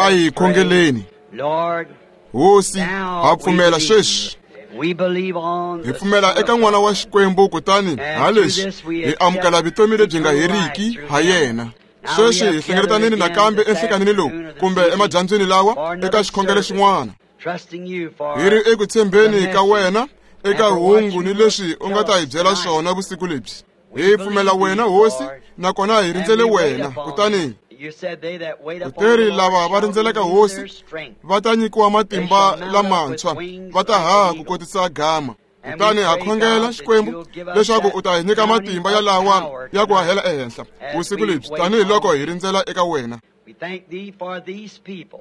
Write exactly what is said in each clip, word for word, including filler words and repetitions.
A hi khongeleni. Hosi, ha pfumela sweswi. Hi pfumela eka n'wana wa Xikwembu, kutani ha leswi hi amukela vutomi lebyi nga heriki ha yena. Sweswi hi hlengeletanini nakambe enhlekanini lowu kumbe emadyambyini lawa eka xikhongelo xin'wana. Hi ri eku tshembeni ka wena eka hungu ni leswi u nga ta hi byela swona vusiku lebyi. Hi pfumela wena Hosi, nakona hi rindzele wena. Kutani kuteri lava va rindzelaka Hosi va ta nyikiwa matimba lamantshwa, va ta haha ku kotisa gama. Kutani ha khongela Xikwembu leswaku u ta hi nyika matimba ya lawa ya ku hahela ehenhla vusiku lebyi, tanihiloko hi rindzela eka wena.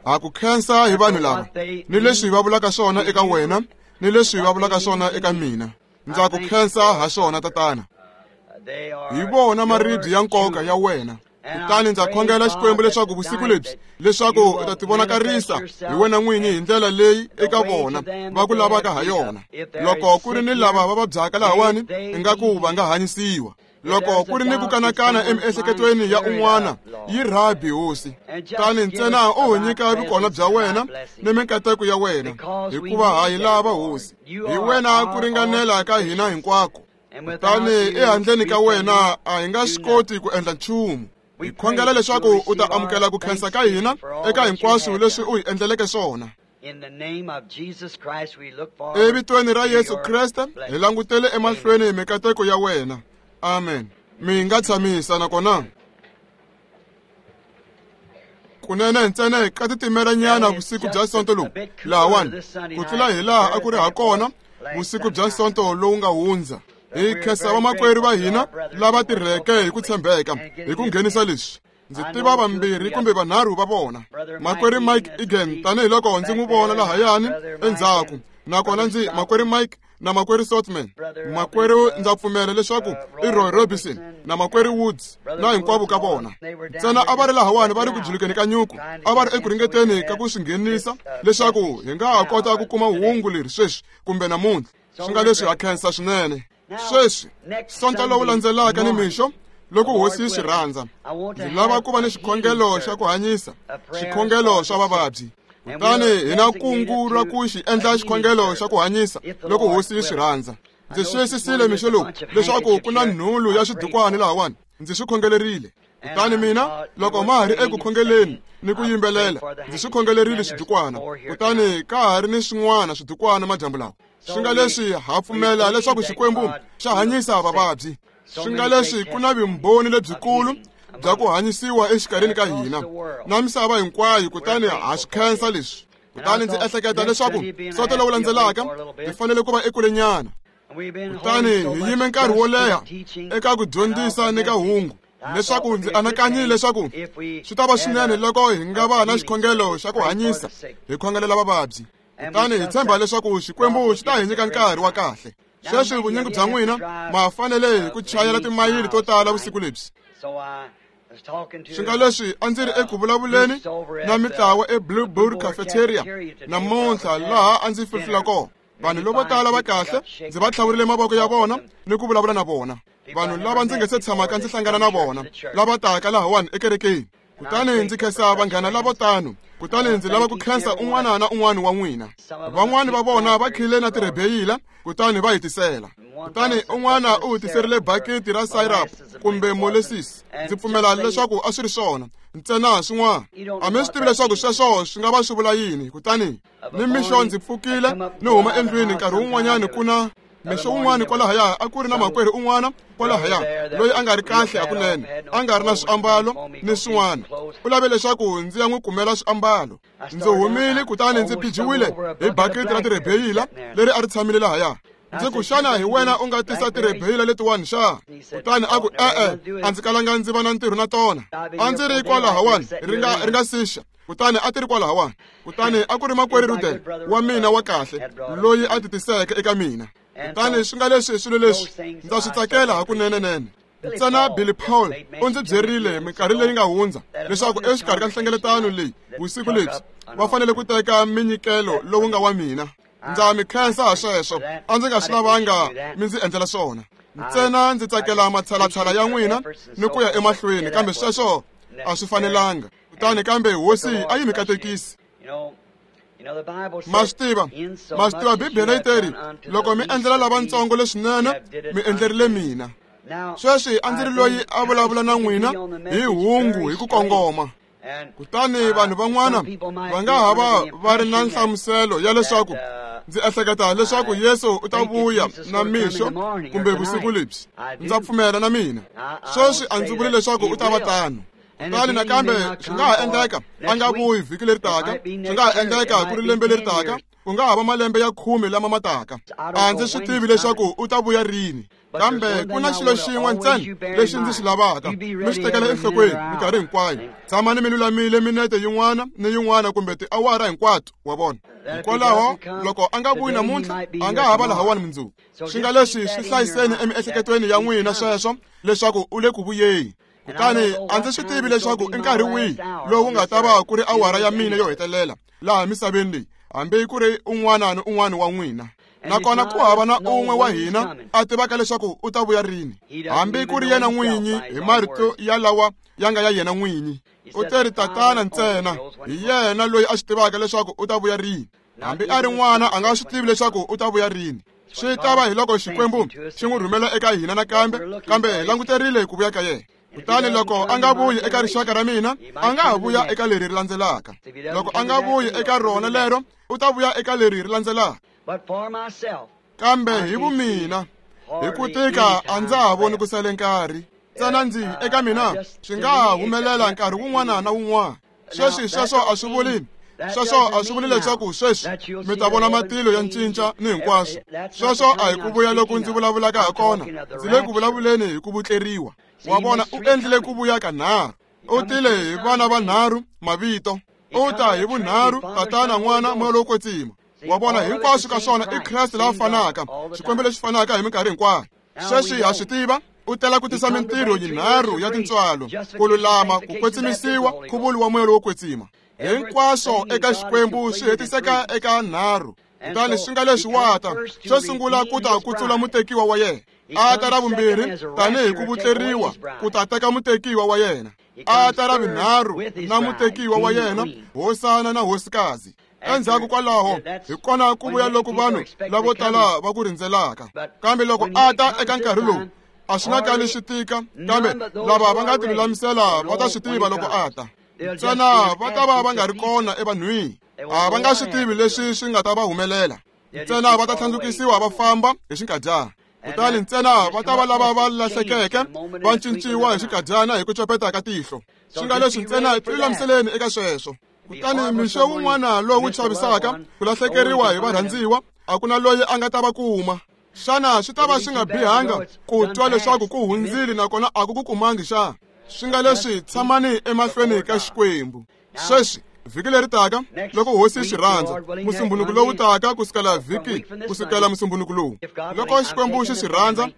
Ha ku khensa hi vanhu lava ni leswi va vulaka swona eka wena ni leswi va vulaka swona eka mina. Ndza ku khensa ha swona, Tatana. Hi vona maribye ya nkoka ya wena. Kutani ndza khongela Xikwembu leswaku vusiku lebyi leswaku u ta tivonakarisa hi wena n'winyi hi ndlela leyi eka vona va ku lavaka ha yona. Loko ku ri ni lava va vabyaka lahawani, ingaku va nga hanyisiwa. Loko ku ri ni ku kanakana emiehleketweni ya un'wana, yi rhabi Hosi. Kutani ntsena u hi nyika vukona bya wena ni minkateko ya wena, hikuva ha yi lava Hosi. Hi wena ku ringanela ka hina hinkwako. Kutani ehandleni ka wena a hi nga swi koti ku endla nchumu. Hi khongela leswaku u ta amukela ku khensa ka hina eka hinkwaswo leswi u hi endleleke swona. Evitweni ra Yesu Kreste hi langutele emahlweni mikateko ya wena. Amen. Mi nga tshamisa nakona. Kunene ntsena ka titimelanyana vusiku bya Sonto lowu lahawani, ku tlula hi laha a ku ri ha kona vusiku bya Sonto lowu nga hundza. Hi khensa vamakwerhu va hina lava tirheke hi ku tshembeka hi ku nghenisa leswi. Ndzi tiva vambirhi kumbe vanharhu va vona. Makwerhu Mike Egan, tanihiloko ndzi n'wi vona lahayani endzhaku, nakona ndzi makwerhu Mike na makwerhu Sotman. Makwerhu ndza pfumela leswaku i Roy Robinson na makwerhu Woods na hinkwavo ka vona. Ntsena a va ri lahawani va ri ku julukeni ka nyuku, a va ri eku ringeteni ka ku swi nghenisa leswaku hi nga ha kota ku kuma hungu leri sweswi kumbe namuntlha. Swi nga leswi ha khensa swinene. Sweswi Sonto lowu landzelaka ni mixo, loko Hosi yi swi rhandza, ndzi lava ku va ni xikhongelo xa ku hanyisa, xikhongelo xa vavabyi. Kutani hi na kungu ra ku xi endla xikhongelo xa ku hanyisa loko Hosi yi swi rhandza. Ndzi xiyisisile mixo lowu leswaku ku na nhulu ya swidukwani lahawani. Ndzi swi khongelerile. Kutani mina loko ma ha ri eku khongeleni ni ku yimbelela, ndzi swi khongelerile swidukwana. Kutani ka ha ri ni swin'wana swidukwana madyambu lawa. Swi nga leswi ha pfumela leswaku Xikwembu xa hanyisa vavabyi. Swi nga leswi ku na vumbhoni lebyikulu bya ku hanyisiwa exikarhini ka hina na misava hinkwayo, kutani ha swi khensa leswi. Kutani ndzi ehleketa leswaku Sonto lowu landzelaka hi fanele ku va ekulenyana. Kutani hi yime nkarhi wo leha eka ku dyondzisa ni ka hungu, leswaku ndzi anakanyile leswaku swi ta va swinene loko hi nga va na xikhongelo xa ku hanyisa, hi khongelela vavabyi. Kutani hi tshemba leswaku Xikwembu xi ta hi nyika nkarhi wa kahle. Sweswi vunyingi bya n'wina ma fanele hi ku chayela timayili to tala vusiku lebyi. Swi nga leswi a ndzi ri eku vulavuleni na mitlawa eBlue Bird Cafeteria namuntlha laha a ndzi fihlula kona. Vanhu lavo tala va kahle, ndzi va tlhavurile mavoko ya vona ni ku vulavula na vona. Vanhu lava ndzi nga se tshamaka ndzi hlangana na vona, lava taka lahawani ekerekeni. Kutani ndzi khensa vanghana lavo tano. Kutani ndzi lava ku khensa un'wana na un'wana wa n'wina. Van'wani va vona va khile na tirebeyila, kutani va hi tisela. Kutani un'wana u hi tiserile bakiti ra syrup kumbe molasses. Ndzi pfumela leswaku a swi ri swona ntsena swin'wana. A mi swi tivi leswaku sweswo swi nga va swi vula yini. Kutani ni mixo ndzi pfukile ni huma endlwini nkarhi wun'wanyani ku na mixo wun'wana kwalahaya a ku ri na makwerhu un'wana kwalahaya loyi a nga ri kahle hakunene, a nga ri na swiambalo ni swin'wana. U lave leswaku ndzi ya n'wi kumela swiambalo. Ndzi humile kutani ndzi phijiwile hi bakiti ra tirebeyila leri a ri tshamile lahaya. Ndzi ku, xana hi wena u nga tisa tirebeyila letiwani xa? Kutani a ku, e-e, a ndzi kalanga ndzi va na ntirho na tona. A ndzi ri kwalahawani ri nga ri nga sixa. Kutani a ti ri kwalahawani. Kutani a ku ri makwerhu Rudel wa mina wa kahle loyi a ti tiseke eka mina. Kutani swi nga leswi swilo leswi ndza swi tsakela hakunenenene. Ntsena Billy Paul u ndzi byerile minkarhi leyi nga hundza leswaku exikarhi ka nhlengeletano leyi vusiku lebyi va fanele ku teka minyikelo lowu nga wa mina. Ndza mi khensa ha sweswo, a ndzi nga swi lavanga mi ndzi endlela swona. Ntsena ndzi tsakela matshalatshala ya n'wina ni ku ya emahlweni, kambe sweswo a swi fanelanga. Kutani kambe hosi a yi mi katekisi. Ma swi tiva, ma swi tiva Bibele yi teri loko mi endlela lavatsongo leswinene mi endlerile mina. Sweswi a ndzi ri loyi a vulavula na n'wina hi hungu hi ku kongoma. Kutani vanhu van'wana va nga ha va va ri na nhlamuselo ya leswaku ndzi ehleketa leswaku Yesu u ta vuya na mixo kumbe vusiku lebyi. Ndza pfumela na mina. Sweswi a ndzi vuli leswaku u ta va tano. Kutani nakambe swi nga ha endleka a nga vuyi vhiki leri taka, swi nga ha endleka ku ri lembe leri taka, ku nga ha va malembe ya khume lama ma taka. A ndzi swi tivi leswaku u ta vuya rini. Kambe ku na xilo xin'we ntsena lexi ndzi xi lavaka mi xi tekela enhlokweni minkarhi hinkwayo. Tshamani mi lulamile minete yin'wana ni yin'wana kumbe tiawara hinkwato, wa vona. Hikwalaho loko a nga vuyi namuntlha, a nga ha va lahawani mundzuku. Swi nga leswi swi hlayiseni emiehleketweni ya n'wina sweswo leswaku u le ku vuyeni. Kutani a ndzi swi tivi leswaku i nkarhi wihi lowu nga ta va ku ri awara ya mina yo hetelela laha misaveni leyi, hambi ku ri un'wana ni un'wana wa n'wina. Nakona ku hava na un'we wa hina a tivaka leswaku u ta vuya rini, hambi ku ri yena n'winyi hi marito ya lawa ya nga ya yena n'winyi. U teri Tatana ntsena hi yena loyi a swi tivaka leswaku u ta vuya rini. Hambi a ri n'wana a nga swi tivi leswaku u ta vuya rini. Swi ta va hi loko Xikwembu xi n'wi rhumela eka hina nakambe, kambe hi languterile ku vuya ka yena. Kutani loko a nga vuyi eka rixaka ra mina, a nga ha vuya eka leri ri landzelaka. Loko a nga vuyi eka rona lero, u ta vuya eka leri ri landzelaka. Kambe hi vumina, hi ku tika a ndza ha voni ku sale nkarhi. Ntsena ndzi eka mina swi nga ha humelela nkarhi wun'wana na wun'wana. Sweswi sweswo a swi vuli sweswo a swi vuli leswaku sweswi mi ta vona matilo ya cinca ni hinkwaswo. Sweswo a hi ku vuya loko ndzi vulavulaka ha kona. Ndzi le ku vulavuleni hi ku vutleriwa. Wa vona, u endlile ku vuya ka nharhu. U tile hi vana vanharhu mavito. U ta hi vunharhu, Tatana, N'wana, Moya lowo Kwetsima. Wa vona, hinkwaswo ka swona i Kreste la fanaka, Xikwembu lexi fanaka hi minkarhi hinkwayo. Sweswi ha swi tiva, u tela ku tisa mintirho yinharhu ya tintswalo: ku lulama, ku kwetsimisiwa, nkhuvulo wa Moya lowo Kwetsima. Hinkwaswo eka Xikwembu swi hetiseka eka nharhu. Kutani swi nga leswi wa ta, xo sungula ku ta kutsula mutekiwa wa yena. A ta ra vumbirhi tanihi ku vutleriwa ku ta teka mutekiwa wa yena. A ta ra vunharhu na mutekiwa wa yena, hosana na hosikazi. Endzhaku kwalaho hi kona ku vuya loko vanhu lavo tala va ku rindzelaka. Kambe loko a ta eka nkarhi lowu, a swi nga kali swi tika, kambe lava va nga tilulamisela va ta swi tiva loko a ta. Ntsena va ta va va nga ri kona evanhwini, a va nga swi tivi leswi swi nga ta va humelela. Ntsena va ta tlhandlukisiwa va famba hi xinkadyana. Kutani ntsena va ta va lava va lahlekeke va cinciwa hi xinkadyana hi ku copeta ka tihlo. Swi nga leswi ntsena tilulamiseleni eka sweswo. Kutani mixo wun'wana lowu chavisaka ku lahlekeriwa hi varhandziwa, a ku na loyi a nga ta va kuma. Xana swi ta va swi nga bihanga ku twa leswaku ku hundzile nakona a ku ku kumangi xa? Swi nga leswi tshamani emahlweni ka Xikwembu. Sweswi vhiki leri taka loko hosi yi swi rhandza, musumbunuku lowu taka kusukela vhiki kusukela musumbunuku lowu, loko Xikwembu xi swi rhandza,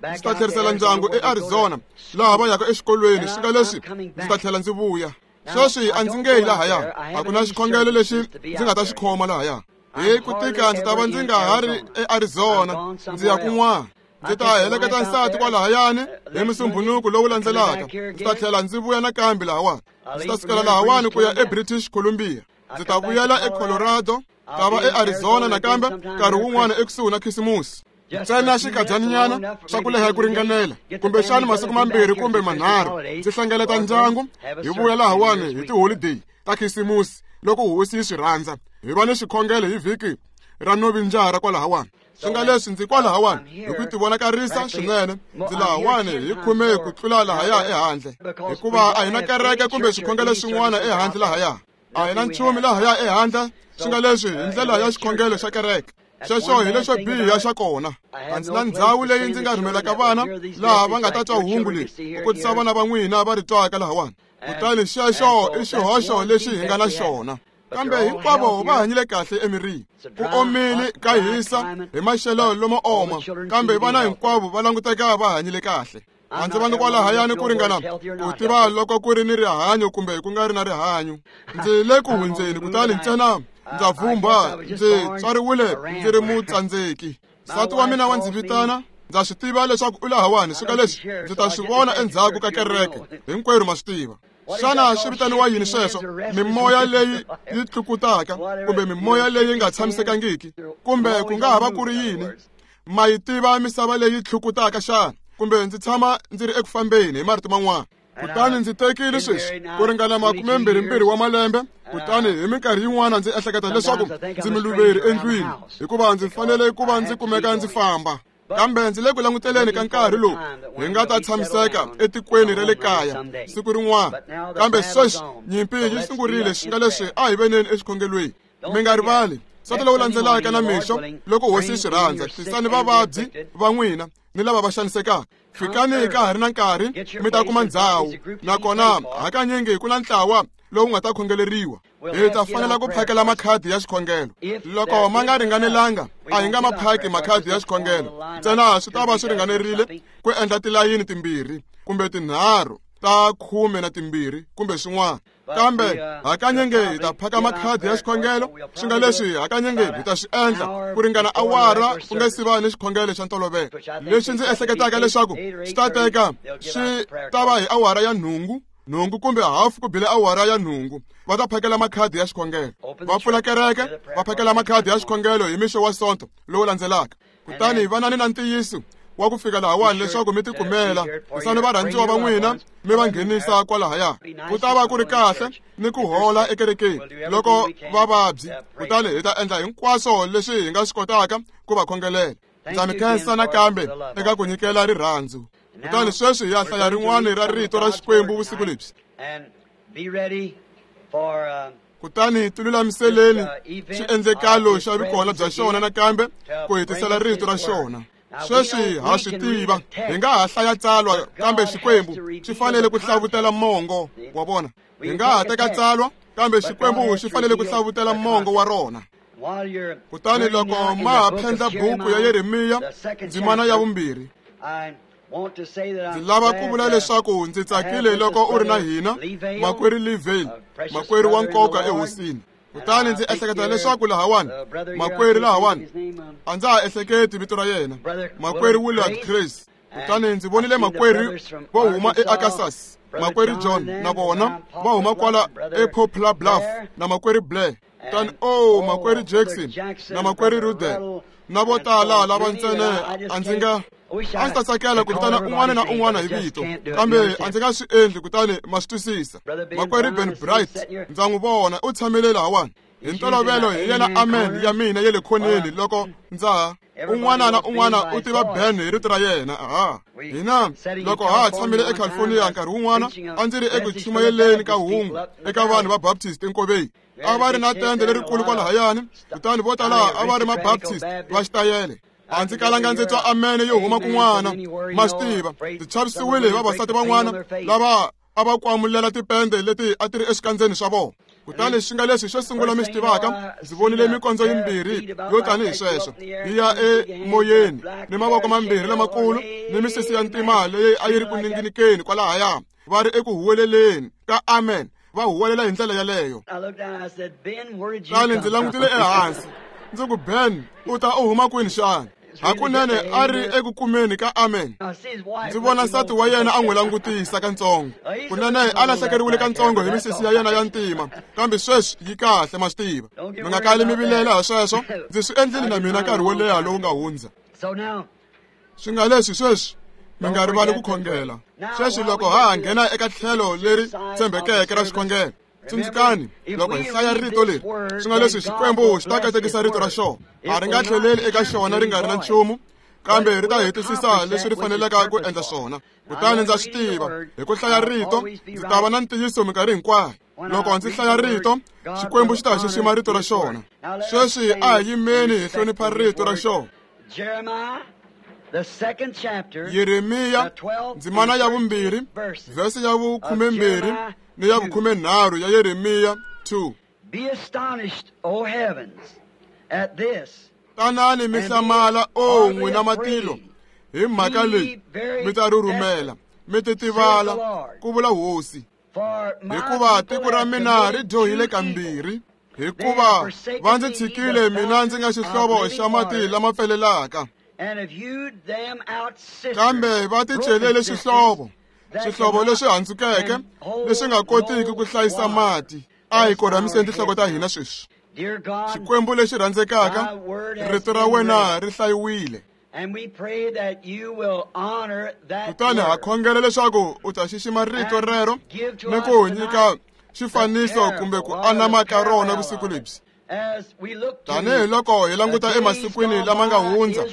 ndzi ta tlherisela ndyangu eArizona laha va yaka exikolweni. Swi nga leswi ndzi ta tlhela ndzi vuya. Sweswi a ndzi nge yi lahaya, a ku na xikhongelo lexi ndzi nga ta xi khoma lahaya. Hi ku tika ndzi ta va ndzi nga ha ri eArizona, ndzi ya kun'wana. Ndzi ta heleketa nsati kwalahayani hi musumbunuku lowu landzelaka. Ndzi ta tlhela ndzi vuya nakambe lahawani. Ndzi ta sukela lahawani ku ya eBritish Columbia. Ndzi ta vuyela eColorado, ta va eArizona nakambe nkarhi wun'wana ekusuhi na Khisimusi. Ntsena xinkadyanyana xa ku leha ku ringanela, kumbexana masiku mambirhi kumbe manharhu, ndzi hlengeleta ndyangu hi vuya lahawani hi tiholideyi ta Khisimusi loko hosi yi swi rhandza. Hi va ni xikhongelo hi vhiki ra Novinjara kwalahawani. Swi nga leswi ndzi kwalahawani hi ku tivonakarisa swinene, ndzi lahawani hi khume ku tlula lahaya ehandle, hikuva a hi na kereke kumbe xikhongelo xin'wana ehandle lahaya. A hi na nchumu lahaya ehandle. Swi nga leswi hi ndlela ya xikhongelo xa kereke. Sweswo hi leswo biha xa kona. A ndzi na ndhawu leyi ndzi nga rhumelaka vana laha va nga ta twa hungu leri, ku kotisa vana va n'wina va ri twaka lahawani. Kutani xexo i xihoxo lexi hi nga na xona. Kambe hinkwavo va hanyile kahle emirini. Ku omile ka hisa hi maxelo lomo oma, kambe vana hinkwavo va languteka va hanyile kahle. A ndzi vangi kwalahayani ku ringana ku tiva loko ku ri ni rihanyo kumbe ku nga ri na rihanyo. Ndzi le ku hundzeni, kutani ntsena ndza vhumbha, ndzi tswariwile ndzi ri mutsandzeki. Nsati wa mina wa ndzi vitana, ndza swi tiva leswaku u lahawani. Swi nga leswi ndzi ta swi vona endzhaku ka kereke, hinkwerhu ma swi tiva. Xana swi vitaniwa yini sweswo? Mimoya leyi yi tlukutaka kumbe mimoya leyi nga tshamisekangiki, kumbe ku nga ha va ku ri yini? Ma yi tiva misava leyi tlukutaka xana? Kumbe ndzi tshama ndzi ri eku fambeni hi marito man'wana. Kutani ndzi tekile sweswi ku ringana makumembirhimbirhi wa malembe, kutani hi minkarhi yin'wana ndzi ehleketa leswaku ndzi muluveri endlwini, hikuva ndzi fanele ku va ndzi kumeka ndzi famba. Kambe ndzi le ku languteleni ka nkarhi lowu hi nga ta tshamiseka etikweni ra le kaya siku rin'wana. Kambe sweswi nyimpi yi sungurile, xi nga leswi a hi veneni exikhongelweni. Mi nga rivali sonto lowu landzelaka na mixo, loko hosi yi swi rhandza, tisani vavabyi va n'wina ni lava va xanisekaka. Fikani ka ha ri na nkarhi, mi ta kuma ndhawu. Nakona hakanyingi ku na ntlawa lowu nga ta khongeleriwa. Hi ta fanela ku phakela makhadi ya xikhongelo. Loko ma nga ringanelanga, a hi nga ma phaki makhadi ya xikhongelo. Ntsena swi ta va swi ringanerile ku endla tilayini timbirhi kumbe tinharhu ta khume na timbirhi kumbe swin'wana. Kambe hakanyingi hi ta phaka makhadi ya xikhongelo, swi nga leswi hakanyingi hi ta swi endla ku ringana awara ku nga si va ni xikhongelo xa ntolovelo. Lexi ndzi ehleketaka leswaku swi ta teka swi ta va hi awara ya nhungu, nhungu kumbe hafu ku bile awara ya nhungu, va ta phakela makhadi ya xikhongelo. Va pfula kereke, va phakela makhadi ya xikhongelo hi mixo wa sonto lowu landzelaka. Kutani vanani na ntiyiso wa ku fika lahawani leswaku mi tikumela, tisani varhandziwa va n'wina mi va nghenisa kwalahaya. Ku ta va ku ri kahle ni ku hola ekerekeni loko vavabyi, kutani hi ta endla hinkwaswo leswi hi nga swi kotaka ku va khongelela. Ndza mi khensa nakambe eka ku nyikela rirhandzu. Kutani sweswi hi ya hlaya rin'wana ra rito ra Xikwembu vusiku lebyi. Kutani tilulamiseleni xiendlekalo xa vukona bya xona nakambe ku hetisela rito ra xona. Sweswi ha swi tiva, hi nga ha hlaya tsalwa, kambe Xikwembu xi fanele ku hlavutela mongo wa vona. Hi nga ha teka tsalwa, kambe Xikwembu xi fanele ku hlavutela mongo wa rona. Kutani loko ma ha phendla buku ya Yeremiya, ndzimana ya vumbirhi, ndzi lava ku vula leswaku ndzi tsakile loko u ri na hina, makwerhu Lee Vayle, makwerhu wa nkoka ehosini. Kutani ndzi ehleketa leswaku lahawani, makwerhu lahawani, a ndza ha ehleketi vito ra yena, makwerhu Willard Chris. Kutani ndzi vonile makwerhu vo huma eArkansas, makwerhu John na vona va huma kwala ePoplar Bluff, na makwerhu Blair. Kutani oh, makwerhu Jackson na makwerhu Rudel na vo tala lava ntsena a ndzi nga a ndzi ta tsakela ku vitana un'wana na un'wana hi vito, kambe a ndzi nga swi endli, kutani ma swi twisisa. Makwerhu Ben Bright ndza n'wi vona u tshamile lahawani. Hi ntolovelo hi yena amen ya mina ya le khoneni loko ndza ha. Un'wana na un'wana u tiva Ben hi rito ra yena. Aha. Hina loko ha tshamile eCalifornia nkarhi wun'wana, a ndzi ri eku chumayeleni ka hungu eka vanhu va Baptist enkoveni. A va ri na tende lerikulu kwalahayani, kutani vo tala a va ri ma-Baptist va xitayele. A ndzi kalanga ndzi twa amen yo huma kun'wana, ma swi tiva. Ndzi chavisiwile hi vavasati van'wana lava a va kwamulela tipende leti a ti ri exikandzeni swa vona. Kutani xi nga leswi xo sungula mi swi tivaka, ndzi vonile mikondzo yimbirhi yo tanihi sweswo yi ya emoyeni, ni mavoko mambirhi lamakulu ni misisi ya ntima leyi a yi ri ku ninginikeni kwalahaya, va ri eku huweleleni ka amen, va huwelela hi ndlela yaleyo. Kutani ndzi langutile ehansi, ndzi ku, Ben, u ta u huma kwini xana? Hakunene a ri eku kumeni ka amen. Ndzi vona nsati wa yena a n'wi langutisa katsongo. Kunene a lahlekeriwile katsongo hi misisi ya yena ya ntima, kambe sweswi yi kahle, ma swi tiva. Mi nga kali mi vilela hi sweswo, ndzi swi endlile na mina nkarhi wo leha lowu nga hundza. Swi nga leswi sweswi mi nga rivali ku khongela. Sweswi loko ha ha nghena eka tlhelo leri tshembekeke ra xikhongelo, tsundzukani loko hi hlaya rito leri, swi nga leswi Xikwembu xi ta katekisa rito ra xona. A ri nga tlheleli eka xona ri nga ri na nchumu, kambe ri ta hetisisa leswi ri faneleke ku endla swona. Kutani ndza swi tiva, hi ku hlaya rito ndzi ta va na ntiyiso minkarhi hinkwayo. Loko ndzi hlaya rito, Xikwembu xi ta xixima rito ra xona. Sweswi a hi yimeni hi hlonipha rito ra xona. Yeremiya ndzimana ya vumbirhi, vhese ya vukhumembirhi ni ya vukhumenharhu ya Yeremiya two. Be astonished, O heavens, at this. Tanani mi hlamala, o n'wina matilo, hi mhaka leyi mi ta rhurhumela, mi titivala, ku vula Hosi. Hikuva tiko ra mina ri dyohile kambirhi, hikuva va ndzi tshikile mina ndzi nga xihlovo xa mati lama pfelelaka. Kambe va ticelele xihlovo, Swihlovo leswi handzukeke leswi nga kotiki ku hlayisa mati. A hi korhamiseni tinhloko ta hina sweswi. Xikwembu lexi rhandzekaka, rito ra wena ri hlayiwile. Kutani ha khongela leswaku u ta xixima rito rero ni ku nyika xifaniso kumbe ku anama ka rona vusiku lebyi. Tanihi loko hi languta emasikwini lama nga hundza,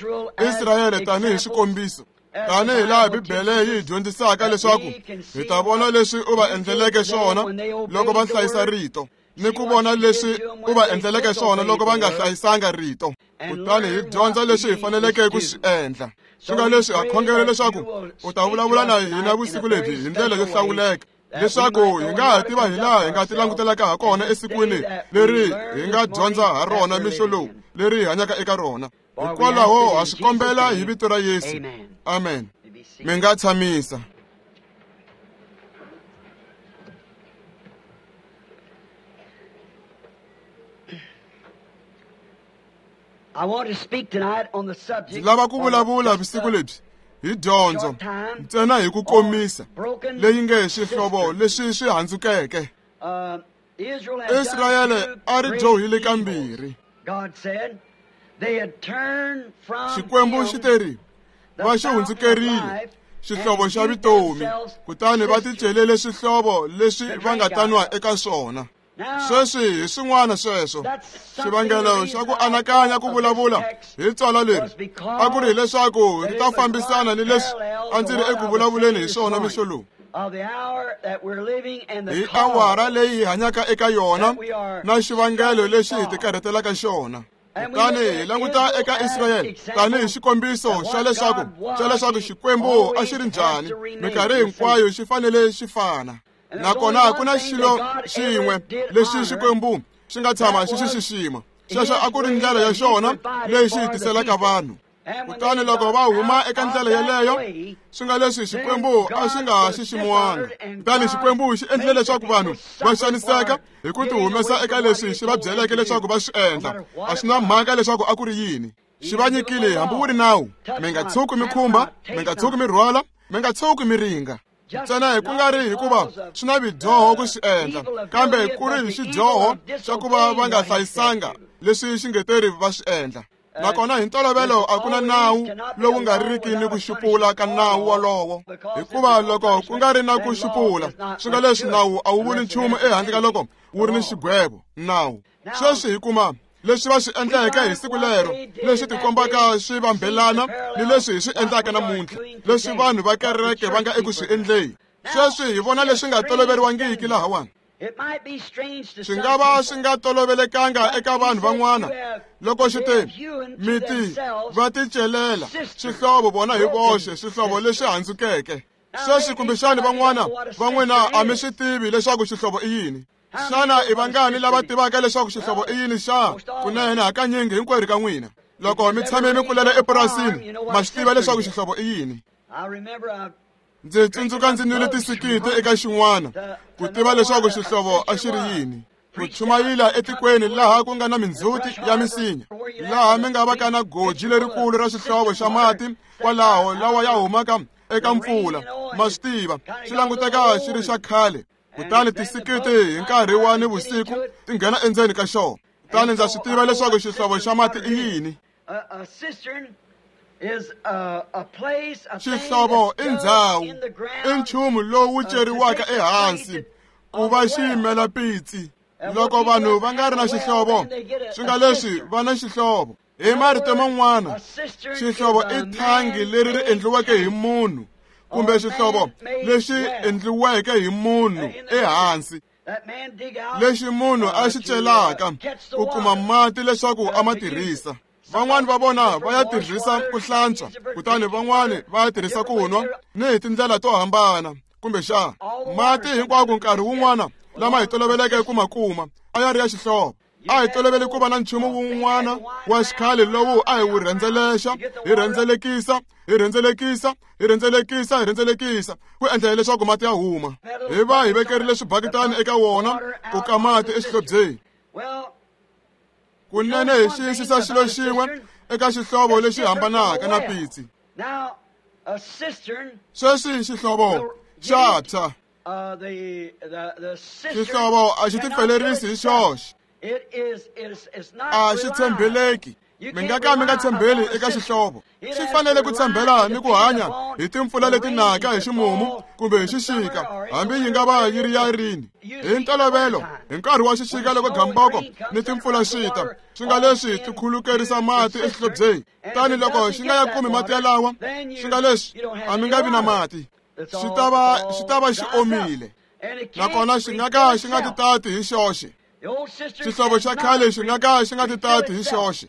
Israyele tanihi xikombiso, tanihi laha Bibele yi hi dyondzisaka leswaku hi ta vona leswi u va endleleke swona loko va hlayisa rito, ni ku vona leswi u va endleleke swona loko va nga hlayisanga rito. Kutani hi dyondza leswi hi faneleke ku swi endla. Swi nga leswi ha khongela leswaku u ta vulavula na hina vusiku lebyi hi ndlela yo hlawuleka, leswaku hi nga ha tiva hi laha hi nga ti langutelaka ha kona esikwini leri hi nga dyondza ha rona mixo lowu leri hi hanyaka eka rona. Hikwalaho ha swi kombela hi vito ra Yesu. Amen. Mi nga tshamisa. Ndzi lava ku vulavula vusiku lebyi hi dyondzo ntsena hi ku komisa leyi nge xihlovo leswi swi handzukeke. Israyele a ri dyohile kambirhi. Xikwembu xi teri va xi hundzukerile xihlovo xa vutomi, kutani va ticelele swihlovo leswi va nga ta nwa eka swona. Sweswi hi swin'wana sweswo xivangelo xa ku anakanya ku vulavula hi tswala leri a ku ri hileswaku ri ta fambisana ni leswi a ndzi ri eku vulavuleni hi swona mixo lowu. Hi awara leyi hi hanyaka eka yona na xivangelo lexi hi tikarhatelaka xona. Kutani hi languta eka Israyele tanihi xikombiso xa leswaku xa leswaku Xikwembu a xi ri njhani, minkarhi hinkwayo xi fanele xi fana. Nakona ku na xilo xin'we lexi Xikwembu xi nga tshama xi xi xixima. Xexo a ku ri ndlela ya xona leyi xi tiselaka vanhu. Kutani loko va huma eka ndlela yeleyo, swi nga leswi Xikwembu a xi nga ha xiximiwanga. Kutani Xikwembu xi endlile leswaku vanhu va xaniseka hi ku ti humesa eka leswi xi va byeleke leswaku va swi endla. A swi na mhaka leswaku a ku ri yini. Xi va nyikile hambi wu ri nawu: mi nga tshuki mi khumba, mi nga tshuki mi rhwala, mi nga tshuki mi ringa. Ntsena hi ku nga ri hikuva swi na vidyoho ku swi endla, kambe ku ri hi xidyoho xa ku va va nga hlayisanga leswi xingeteri va swi endla. Nakona hi ntolovelo a ku na nawu lowu nga riki ni ku xupula ka nawu wolowo, hikuva loko ku nga ri na ku xupula, swi nga leswi nawu a wu vuli nchumu ehandle ka loko wu ri ni xigwevo nawu. Sweswi hi kuma leswi va swi endleke hi siku lero, leswi tikombaka swi vambelana ni leswi hi swi endlaka namuntlha, leswi vanhu va kereke va nga eku swi endleni. Sweswi hi vona leswi nga toloveriwangiki lahawani. Swi nga va swi nga tolovelekanga eka vanhu van'wana loko xi te miti va ticelela swihlovo vona hi voxe, swihlovo leswi handzukeke. Sweswi kumbexani van'wana va n'wina a mi swi tivi leswaku xihlovo i yini. Xana i vangani lava tivaka leswaku xihlovo i yini xa? Kunene hakanyingi hinkwerhu ka n'wina loko mi tshame mi kulela epurasini ma swi tiva leswaku xihlovo i yini. Ndzi tsundzuka ndzi nwile tisikiti eka xin'wana ku tiva leswaku xihlovo a xi ri yini. Ku chumayila etikweni laha ku nga na mindzhuti ya misinya, laha mi nga vaka na goji lerikulu ra xihlovo xa mati kwalaho lawa ya humaka eka mpfula, ma swi tiva, xi languteka xi ri xa khale. Kutani tisikiti hi nkarhi wa nivusiku ti nghena endzeni ka xona. Kutani ndza swi tiva leswaku xihlovo xa mati i yini. Xihlovo i ndzhawu, i nchumu lowu ceriwaka ehansi ku va xi yimela pitsi. Loko vanhu va nga ri na xihlovo, swi nga leswi va na xihlovo. Hi marito man'wana, xihlovo i thangi leri ri endliweke hi munhu kumbe xihlovo lexi endliweke hi munhu ehansi, lexi munhu a xi celaka ku kuma mati leswaku a ma tirhisa. Van'wani va vona va ya tirhisa ku hlantswa, kutani van'wani va ya tirhisa ku nwa, ni hi tindlela to hambana. Kumbexana mati hinkwako nkarhi wun'wana lama hi toloveleke ku ma kuma a ya ri ya xihlovo. A hi tolovele ku va na nchumu wun'wana wa xikhale lowu a hi wu rhendzelexa, hi rhendzelekisa, hi rhendzelekisa, hi rhendzelekisa, hi rhendzelekisa ku endlela leswaku mati ya huma. Hi va hi vekerile swibakitani eka wona ku ka mati exihlobyeni. Kunene hi xiyisisa xilo xin'we eka xihlovo lexi hambanaka na pitsi. Sweswi xihlovo Xa tshwa. Xihlovo a xi tipfelerisi hi xoxe. A xi tshembeleki. Mi nga ka mi nga tshembeli eka xihlovo. Xi fanele ku tshembela ni ku hanya hi timpfula leti naka hi ximumu kumbe hi xixika, hambi yi nga va yi ri ya rini. Hi ntolovelo, hi nkarhi wa xixika loko gamboko ni timpfula swi ta, swi nga leswi ti khulukerisa mati exihlobyeni. Tani loko xi nga ya kumi mati yalawa, swi nga leswi a mi nga vi na mati. Xi ta va xi ta va xi omile. Nakona xi nga ka xi nga ti tati hi xoxe. Xihlovo xa khale xi nga ka xi nga ti tati hi xoxe.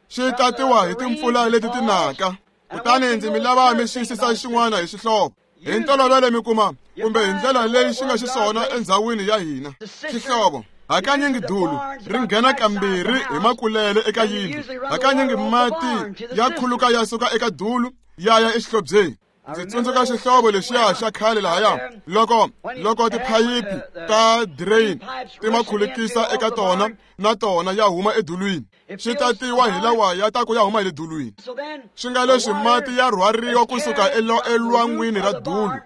Xi tatiwa hi timpfula leti ti naka. Kutani ndzi mi lava mi xiyisisa xin'wana hi xihlovo. Hi ntolovelo mi kuma kumbe hi ndlela leyi xi nga xiswona endzhawini ya hina. Xihlovo hakanyingi dulu ri nghena kambirhi hi makulele eka yindlu. Hakanyingi mati ya khuluka ya suka eka dulu ya ya exihlobyeni. Ndzi tsundzuka xihlovo lexiya xa khale lahaya loko loko tiphayiphi ta drain ti ma khulukisa eka tona na tona ya huma edulwini. Xi tatiwa hi lawa ya ta ku ya huma hi le dulwini. Swi nga leswi mati ya rhwariwa kusuka elwangwini ra dulu,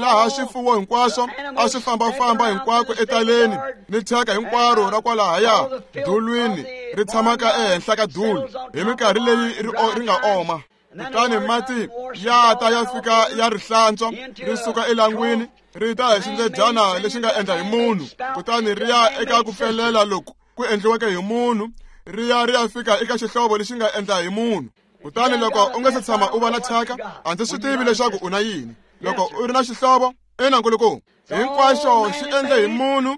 laha swifuwo hinkwaswo a swi fambafamba hinkwako etaleni ni thyaka hinkwaro ra kwalahaya dulwini ri tshamaka ehenhla ka dulu hi minkarhi leyi ri nga oma. Kutani mati ya ta ya fika ya ri hlantswa ri suka elangwini ri ta hi xindledyana lexi nga endla hi munhu, kutani ri ya eka ku pfelela loku ku endliweke hi munhu, ri ya ri ya fika eka xihlovo lexi nga endla hi munhu. Kutani loko u nga se tshama u va na thyaka, a ndzi swi tivi leswaku u na yini. Loko u ri na xihlovo, ina nkulukumba, hinkwaxo xi endle hi munhu,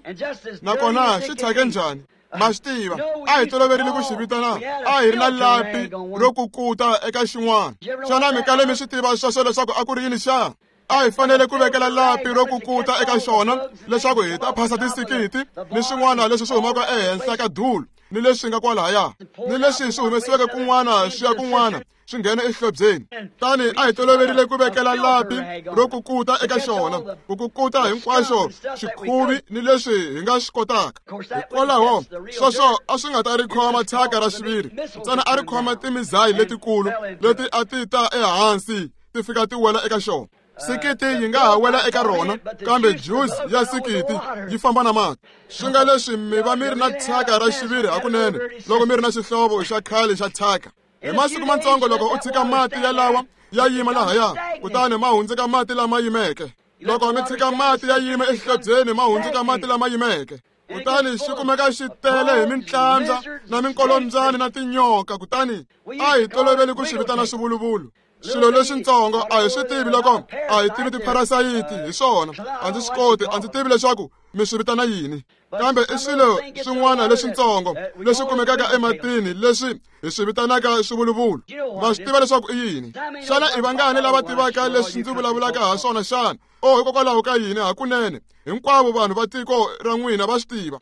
nakona xi thyake njhani? Ma swi tiva, a hi toloverile ku xi vitana, a hi ri na lapi ro kukuta eka xin'wana. Xana mi kale mi swi tiva sweswo leswaku a ku ri yini xa? A hi fanele ku vekela lapi ro kukuta eka xona leswaku hi ta phasa tisikiti ni swin'wana leswi swi humaka ehenhla ka dulu ni leswi nga kwalahaya ni leswi swi humesiweke kun'wana swi ya kun'wana swi nghena exihlobyeni. Tani a hi toloverile ku vekela lapi ro kukuta eka xona, ku kukuta hinkwaxo xikhuvi ni leswi hi nga swi kotaka. Hikwalaho sweswo a swi nga ta ri khoma thyaka ra xiviri, ntsena a ri khoma timizayi letikulu leti a ti ta ehansi ti fika ti wela eka xona. Sikiti yi nga ha wela eka rona, kambe juice ya sikiti yi famba na mati. Swi nga leswi mi va mi ri na thyaka ra xiviri hakunene loko mi ri na xihlovo xa khale xa thyaka. Hi masiku matsongo loko u tshika mati yalawa ya yima lahaya, kutani ma hundzuka mati lama yimeke. Loko mi tshika mati ya yima exihlobyeni, ma hundzuka mati lama yimeke. Kutani xi kumeka xi tele hi mintlandza na minkolombyani na tinyoka, kutani a hi toloveli ku xi vitana swivuluvulu. Swilo leswitsongo a hi swi tivi loko a hi tivi tipharasayiti hi swona. A ndzi swi koti, a ndzi tivi leswaku mi swi vitana yini, kambe i swilo swin'wana leswitsongo leswi kumekaka ematini leswi hi swi vitanaka swivuluvulu. Ma swi tiva leswaku i yini? Xana i vangani lava tivaka leswi ndzi vulavulaka ha swona xana? O hikokwalaho ka yini hakunene hinkwavo vanhu va tiko ra n'wina va swi tiva.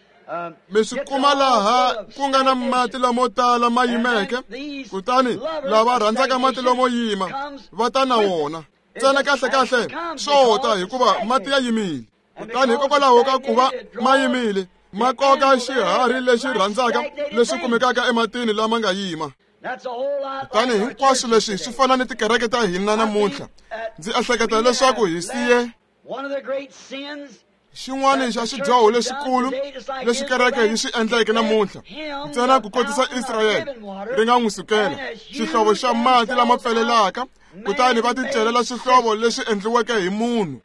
Mi swi kuma laha ku nga na mati lamo tala ma yimeke, kutani lava rhandzaka mati lomo yima va ta na wona. Ntsena kahlekahle swo ta hikuva mati ya yimile. Kutani hikokwalaho ka ku va ma yimile, ma koka xiharhi lexi rhandzaka leswi kumekaka ematini lama nga yima. Kutani hinkwaswo leswi swi fana ni tikereke ta hina namuntlha. Ndzi ehleketa leswaku hi siye xin'wana xa xidyoho lexikulu lexi kereke yi swi endleke namuntlha, ntsena ku kotisa Israyele ri nga n'wi sukela xihlovo xa mati lama pfelelaka, kutani va ticelela xihlovo lexi endliweke hi munhu.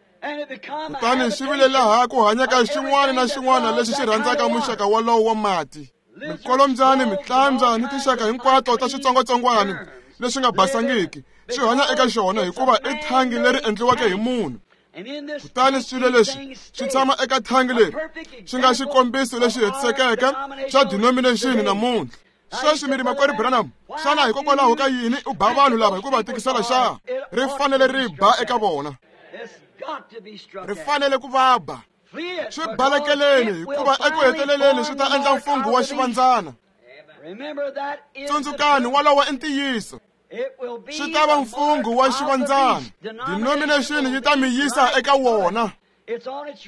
Kutani xi vile laha ku hanyaka xin'wana na xin'wana lexi xi rhandzaka muxaka wolowo wa mati. Minkolombyani, mitlambya ni tinxaka hinkwato ta switsongwatsongwana leswi nga basangiki swi hanya eka xona hikuva i thangi leri endliweke hi munhu. Kutani swilo leswi swi tshama eka thangi leri swi nga xikombiso lexi hetisekeke xa denomination namuntlha. Sweswi mi ri makwerhu Branham, xana hikokwalaho ka yini u ba vanhu lava hi ku va tikisela xa? Ri fanele ri ba eka vona. Ri fanele ku va ba. Swi balekeleni hikuva eku heteleleni swi ta endla mfungho wa xivandzana. Tsundzukani, wolowo i ntiyiso. Swi ta va mfungho wa xivandzana. Denomination yi ta mi yisa eka wona.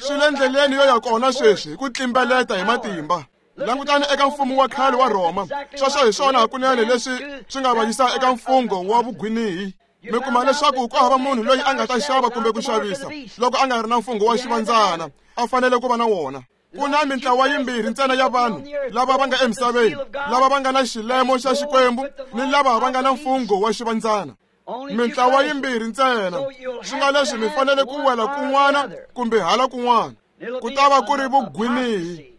Swi le ndleleni yo ya kona sweswi hi ku tlimbeleta hi matimba. Langutani eka mfumo wa khale wa Rhoma. Sweswo hi swona hakunene leswi swi nga va yisa eka mfungho wa vugwinihi. Mi kuma leswaku ku hava munhu loyi a nga ta xava kumbe ku xavisa loko a nga ri na mfungho wa xivandzana, a fanele ku va na wona. Ku na mintlawa yimbirhi ntsena ya vanhu lava va nga emisaveni, lava va nga na xilemo xa Xikwembu ni lava va nga na mfungho wa xivandzana. Mintlawa yimbirhi ntsena, swi nga leswi mi fanele ku wela kun'wana kumbe hala kun'wana. Ku ta va ku ri vugwinihi,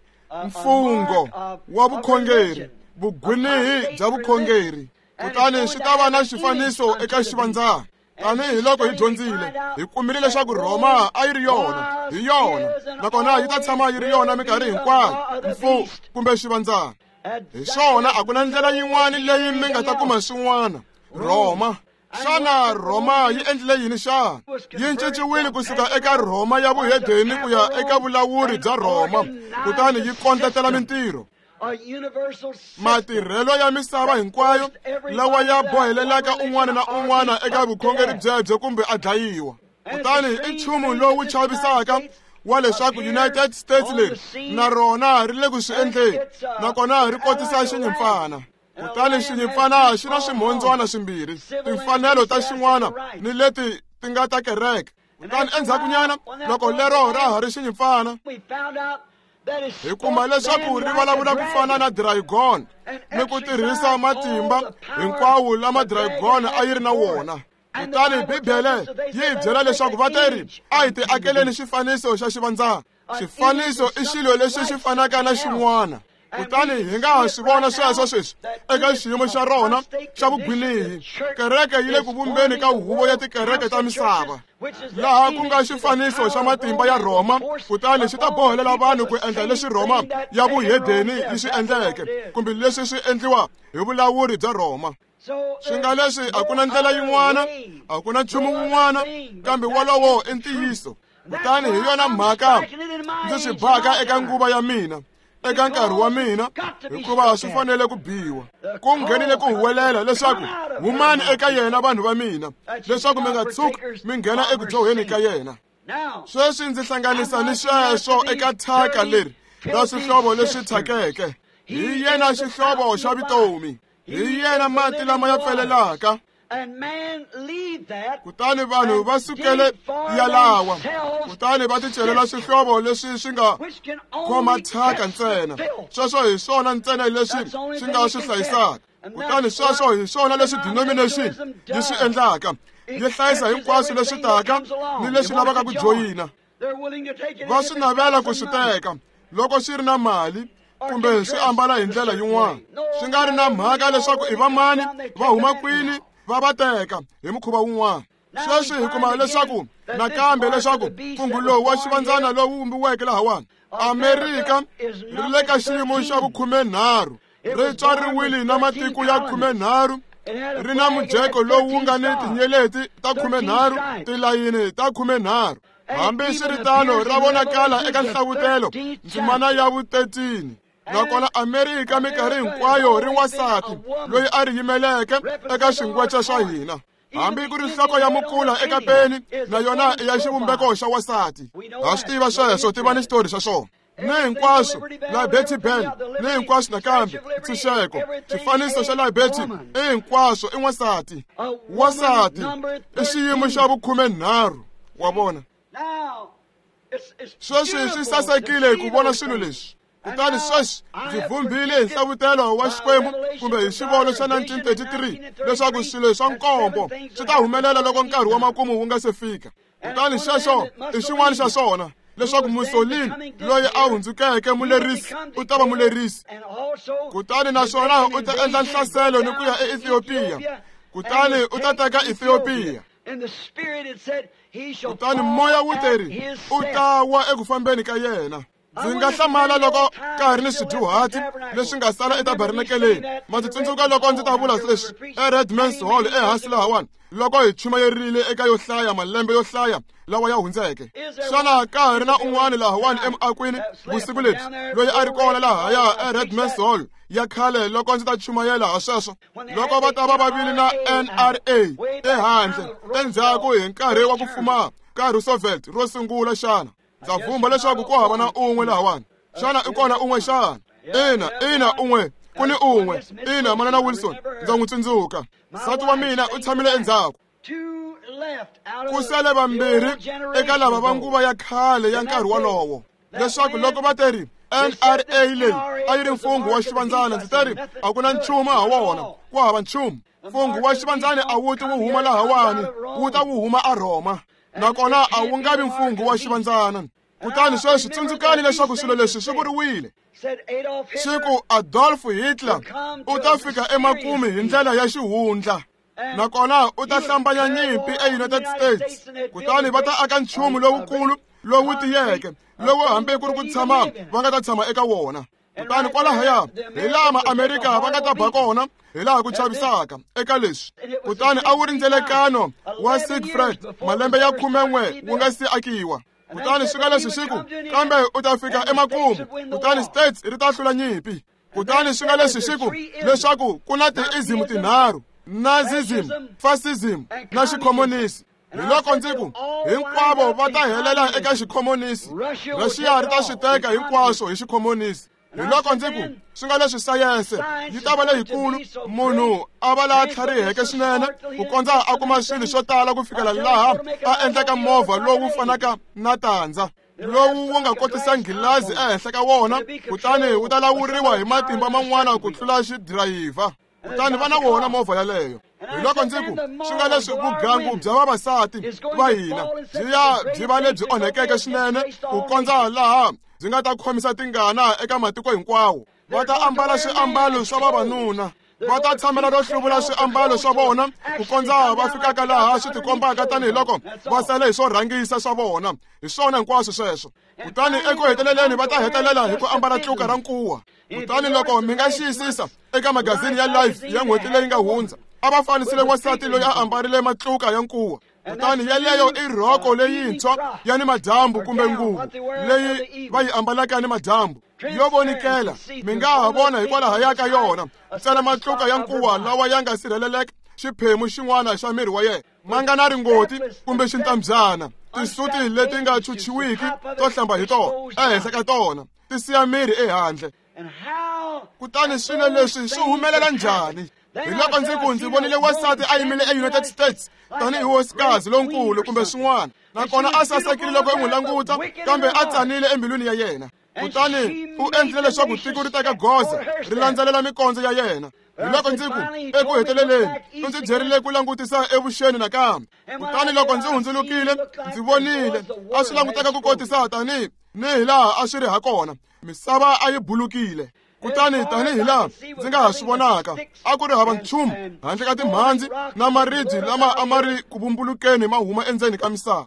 mfungho wa vukhongeri, vugwinihi bya vukhongeri. Kutani swi ta va na xifaniso eka xivandzana. Tanihi loko hi dyondzile, hi kumile leswaku Rhoma a yi ri yona, hi yona, nakona yi ta tshama yi ri yona minkarhi hinkwayo, mfu kumbe xivandzana. Hi swona, a ku na ndlela yin'wana leyi mi nga ta kuma swin'wana. Rhoma. Xana Rhoma yi endlile yini xana? Yi cinciwile kusuka eka Rhoma ya vuhedeni ku ya eka vulawuri bya Rhoma, kutani yi kondletela mintirho. Matirhelo ya misava hinkwayo lawa ya bohelelaka un'wana na un'wana eka vukhongeri byebyo kumbe a dlayiwa. Kutani i nchumu lowu chavisaka wa leswaku United States leri na rona ri le ku swi endleni, nakona ri kotisa xinyimpfana. Kutani xinyimpfana xi na swimhondzwana swimbirhi, timfanelo ta xin'wana ni leti ti nga ta kereke. Kutani endzhakunyana loko lero ra ha ri xinyimpfana, hi kuma leswaku ri vulavula ku fana na dragon ni ku tirhisa matimba hinkwawo lama dragon a yi ri na wona. Kutani Bibele yi hi byela leswaku va teri a hi ti akeleni xifaniso xa xivandzana. Xifaniso i xilo lexi xi fanaka na xin'wana. Kutani hi nga ha swi vona sweswo sweswi eka xiyimo xa rona xa vugwinihi. Kereke yi le ku vumbeni ka huvo ya tikereke ta misava, laha ku nga xifaniso xa matimba ya Rhoma. Kutani xi ta bohelela vanhu ku endla leswi Rhoma ya vuhedeni yi swi endleke, kumbe leswi swi endliwa hi vulawuri bya Rhoma. Swi nga leswi a ku na ndlela yin'wana, a ku na nchumu wun'wana, kambe wolowo i ntiyiso. Kutani hi yona mhaka ndzi swi baka eka nguva ya mina, eka nkarhi wa mina, hikuva swi fanele ku biwa. Ku nghenile ku huwelela leswaku humani eka yena vanhu va mina, leswaku mi nga tshuki mi nghena eku dyoheni ka yena. Sweswi ndzi hlanganisa ni sweswo eka thyaka leri ra swihlovo leswi thyakeke. Hi yena xihlovo xa vutomi, hi yena mati lama ya pfelelaka. Kutani vanhu va sukele yalawa, kutani va ticelela swihlovo leswi swi nga khoma thyaka ntsena. Sweswo hi swona ntsena leswi swi nga swi hlayisaka. Kutani sweswo hi swona leswi denomination yi swi endlaka, yi hlayisa hinkwaswo leswi taka ni leswi lavaka ku joyina. Va swi navela ku swi teka loko swi ri na mali kumbe swi ambala hi ndlela yin'wana, swi nga ri na mhaka leswaku i vamani, va huma kwini, va va teka hi mukhuva wun'wana. Sweswi hi kuma leswaku nakambe leswaku mfungho lowu wa xivandzana lowu vumbiweke lahawani Amerika ri le ka xiyimo xa vukhumenharhu, ri tswariwile na matiko ya khumenharhu, ri na mujeko lowu nga ni tinyeleti ta khumenharhu, tilayini ta khumenharhu. Hambiswiritano ra vonakala eka nhlavutelo ndzimana ya vutetini. Nakona Amerika minkarhi hinkwayo ri wansati loyi a ri yimeleke eka xingwecha xa hina. Hambi ku ri nhloko ya mukula eka peni na yona i ya xivumbeko xa wansati. Ha swi tiva sweswo, tiva ni xitori xa swona. Ni hinkwaswo Liberty Bell, ni hinkwaswo nakambe ntshunxeko, xifaniso xa Liberty i hinkwaswo i wansati. Wansati i xiyimo xa vukhumenharhu, wa vona. Sweswi swi sasekile ku vona swilo leswi. Kutani sweswi ndzi vumbile hi nhlavutelo wa Xikwembu kumbe hi xivono xa nineteen thirty-three leswaku swilo swa nkombo swi ta humelela loko nkarhi wa makumu wu nga se fika. Kutani xexo i xin'wana xa swona, leswaku Mussolini loyi a hundzukeke mulerisi u ta va mulerisi. Kutani naswona u ta endla nhlaselo ni ku ya eEthiopia. Kutani u ta teka Ethiopia. Kutani moya wu teri u ta wa eku fambeni ka yena. Ndzi nga hlamala loko ka ha ri ni swidyuhati leswi nga sala etabernakeleni. Ma ndzi tsundzuka loko ndzi ta vula leswi eRedman's Hall ehansi lahawani, loko hi chumayerile eka yo hlaya malembe yo hlaya lawa ya hundzeke. Xana ka ha ri na un'wana lahawani emuakwini vusiku lebyi loyi a ri kona lahaya eRedman's Hall ya khale loko ndzi ta chumayela ha sweswo? Loko va ta va va vile na N R A ehandle endzhaku hi nkarhi wa ku fuma ka Roosevelt ro sungula xana? Ndza vumba leswaku ku hava na un'we lahawani. Xana i kona un'we xana? Ina, ina un'we, ku ni un'we. Ina, manana Wilson, ndza n'wi tsundzuka. Nsati wa mina u tshamile endzhaku. Ku sele vambirhi eka lava va nguva ya khale ya nkarhi wolowo. Leswaku loko va teri N R A leyi a yi ri mfungho wa xivandzana, ndzi teri a ku na nchumu ha wona, ku hava nchumu. Mfungho wa xivandzana a wu ti wu huma lahawani, wu ta wu huma eRhoma, nakona a wu nga vi mfungho wa xivandzana. Kutani sweswi tsundzukani leswaku swilo leswi swi vuriwile. Siku Adolf Hitler u ta fika emakumu hi ndlela ya xihundla, nakona u ta hlambanya nyimpi eUnited States. Kutani va ta aka nchumu lowukulu lowu tiyeke, lowu hambi ku ri ku tshama va nga ta tshama eka wona. Kutani kwalahaya hi laha Maamerika va nga ta ba kona, hi laha ku chavisaka eka leswi. Kutani a wu ri ndzelekano wa Siegfried malembe ya khumen'we wu nga si akiwa. Kutani swi nga leswi siku, kambe u ta fika emakumu, kutani States ri ta hlula nyimpi. Kutani swi nga leswi siku leswaku ku na ti-ism tinharhu: Nazism, Fascism na xikhomonisi. Hi loko ndzi ku hinkwavo va ta helela eka xikhomonisi, Russia ri ta swi teka hinkwaswo hi xikhomonisi. Hi loko ndzi ku swi nga leswi sayense yi ta va leyikulu, munhu a va laha tlhariheke swinene ku kondza a kuma swilo swo tala ku fikela laha a endlaka movha lowu fanaka na tandza, lowu wu nga kotisa nghilazi ehenhla ka wona, kutani wu ta lawuriwa hi matimba man'wana ku tlula xidirayivha. Kutani va na wona movha yaleyo. Hi loko ndzi ku swi nga leswi vugangu bya vavasati va hina byi ya byi va lebyi onhekeke swinene ku kondza laha byi nga ta khomisa tingana eka matiko hinkwawo. Va ta ambala swiambalo swa vavanuna, va ta tshamela ro hluvula swiambalo swa vona ku kondza va fikaka laha swi tikombaka tanihiloko va sale hi swo rhangisa swa vona. Hi swona hinkwaswo sweswo. Kutani eku heteleleni va ta hetelela hi ku ambala tluka ra nkuwa. Kutani loko mi nga xiyisisa eka magazini ya Life ya n'hweti leyi nga hundza, a va fanisile wansati loyi a ambarile matluka ya nkuwa. Kutani yeleyo i rhoko leyintshwa ya ni madyambu kumbe nguvu leyi va yi ambalaka ya ni madyambu yo vonikela. Mi nga ha vona hikwalaho ka yona ntsena matluka ya nkuwa lawa ya nga sirheleleka xiphemu xin'wana xa miri wa yena, ma nga na ringoti kumbe xintambyana, tisuti leti nga chuchiwiki to hlamba hi tona ehenhla ka tona ti siya miri ehandle. Kutani swilo leswi swi humelela njhani? Hi loko ndzi ku ndzi vonile wansati a yimile eUnited States tanihi hosikazi lonkulu kumbe swin'wana, nakona a sasekile loko i n'wi languta, kambe a tsanile embilwini ya yena. Kutani u endlile leswaku tiko ri teka goza ri landzelela mikondzo ya yena. Hi loko ndzi ku eku heteleleni u ndzi byerile ku langutisa evuxeni nakambe. Kutani loko ndzi hundzulukile ndzi vonile a swi languteka ku kotisa tanihi ni hi laha a swi ri ha kona, misava a yi bulukile. Kutani tanihi laha ndzi nga ha swi vonaka, a ku ri hava nchumu handle ka timhandzi na maribye lama a ma ri ku vumbulukeni ma huma endzeni ka misava.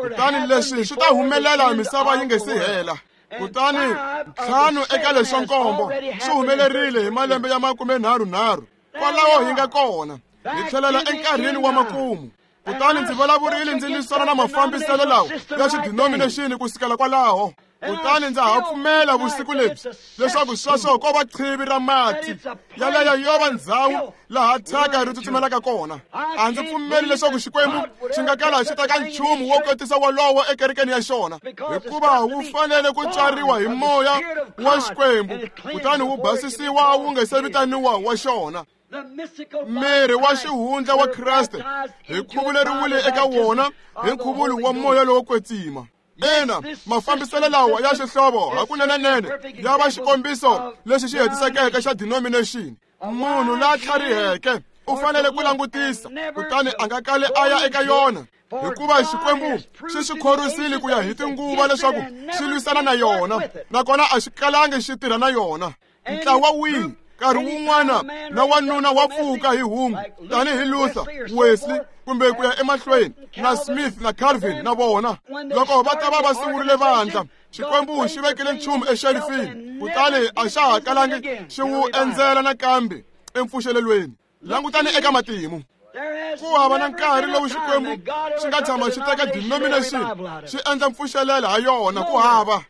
Kutani leswi swi ta humelela misava yi nge si hela. Kutani ntlhanu eka leswa nkombo swi humelerile hi malembe ya makumenharhunharhu. Kwalaho hi nga kona, hi tlhelela enkarhini wa makumu. Kutani ndzi vulavurile ndzi lwisana na mafambiselo lawa ya xidinominexini ku sukela kwalaho. Kutani ndza ha pfumela vusiku lebyi leswaku sweswo ko va qhivi ra mati yaleyo yo va ndzhawu laha thyaka ri tsutsumelaka kona. A ndzi pfumeli leswaku Xikwembu xi nga kala xi teka nchumu wo kotisa wolowo ekerekeni ya xona, hikuva wu fanele ku tswariwa hi moya wa Xikwembu kutani wu basisiwa wu nga se vitaniwa wa xona. Miri wa xihundla wa Kreste hi khuvuleriwile eka wona hi nkhuvulo wa moya lowo kwetsima. Ina, mafambiselo lawa ya xihlovo hakunenenene ya va xikombiso lexi xi hetisekeke xa denomination. Munhu la tlhariheke u fanele ku langutisa, kutani a nga kali a ya eka yona, hikuva Xikwembu xi swi khorwisile ku ya hi tinguva leswaku xi lwisana na yona, nakona a xi kalangi xi tirha na yona. Ntlawa wihi nkarhi wun'wana na wanuna wa pfuka hi hungu tanihi Luther, Wesley kumbe ku ya emahlweni na Smith na Calvin na vona. Loko va ta va va sungurile vandla, Xikwembu xi vekile nchumu exelifini, kutani a xa ha kalangi xi wu endzela nakambe empfuxelelweni. Langutani eka matimu. Ku hava na nkarhi lowu Xikwembu xi nga tshama xi teka denomination xi endla mpfuxelelo ha yona, ku hava.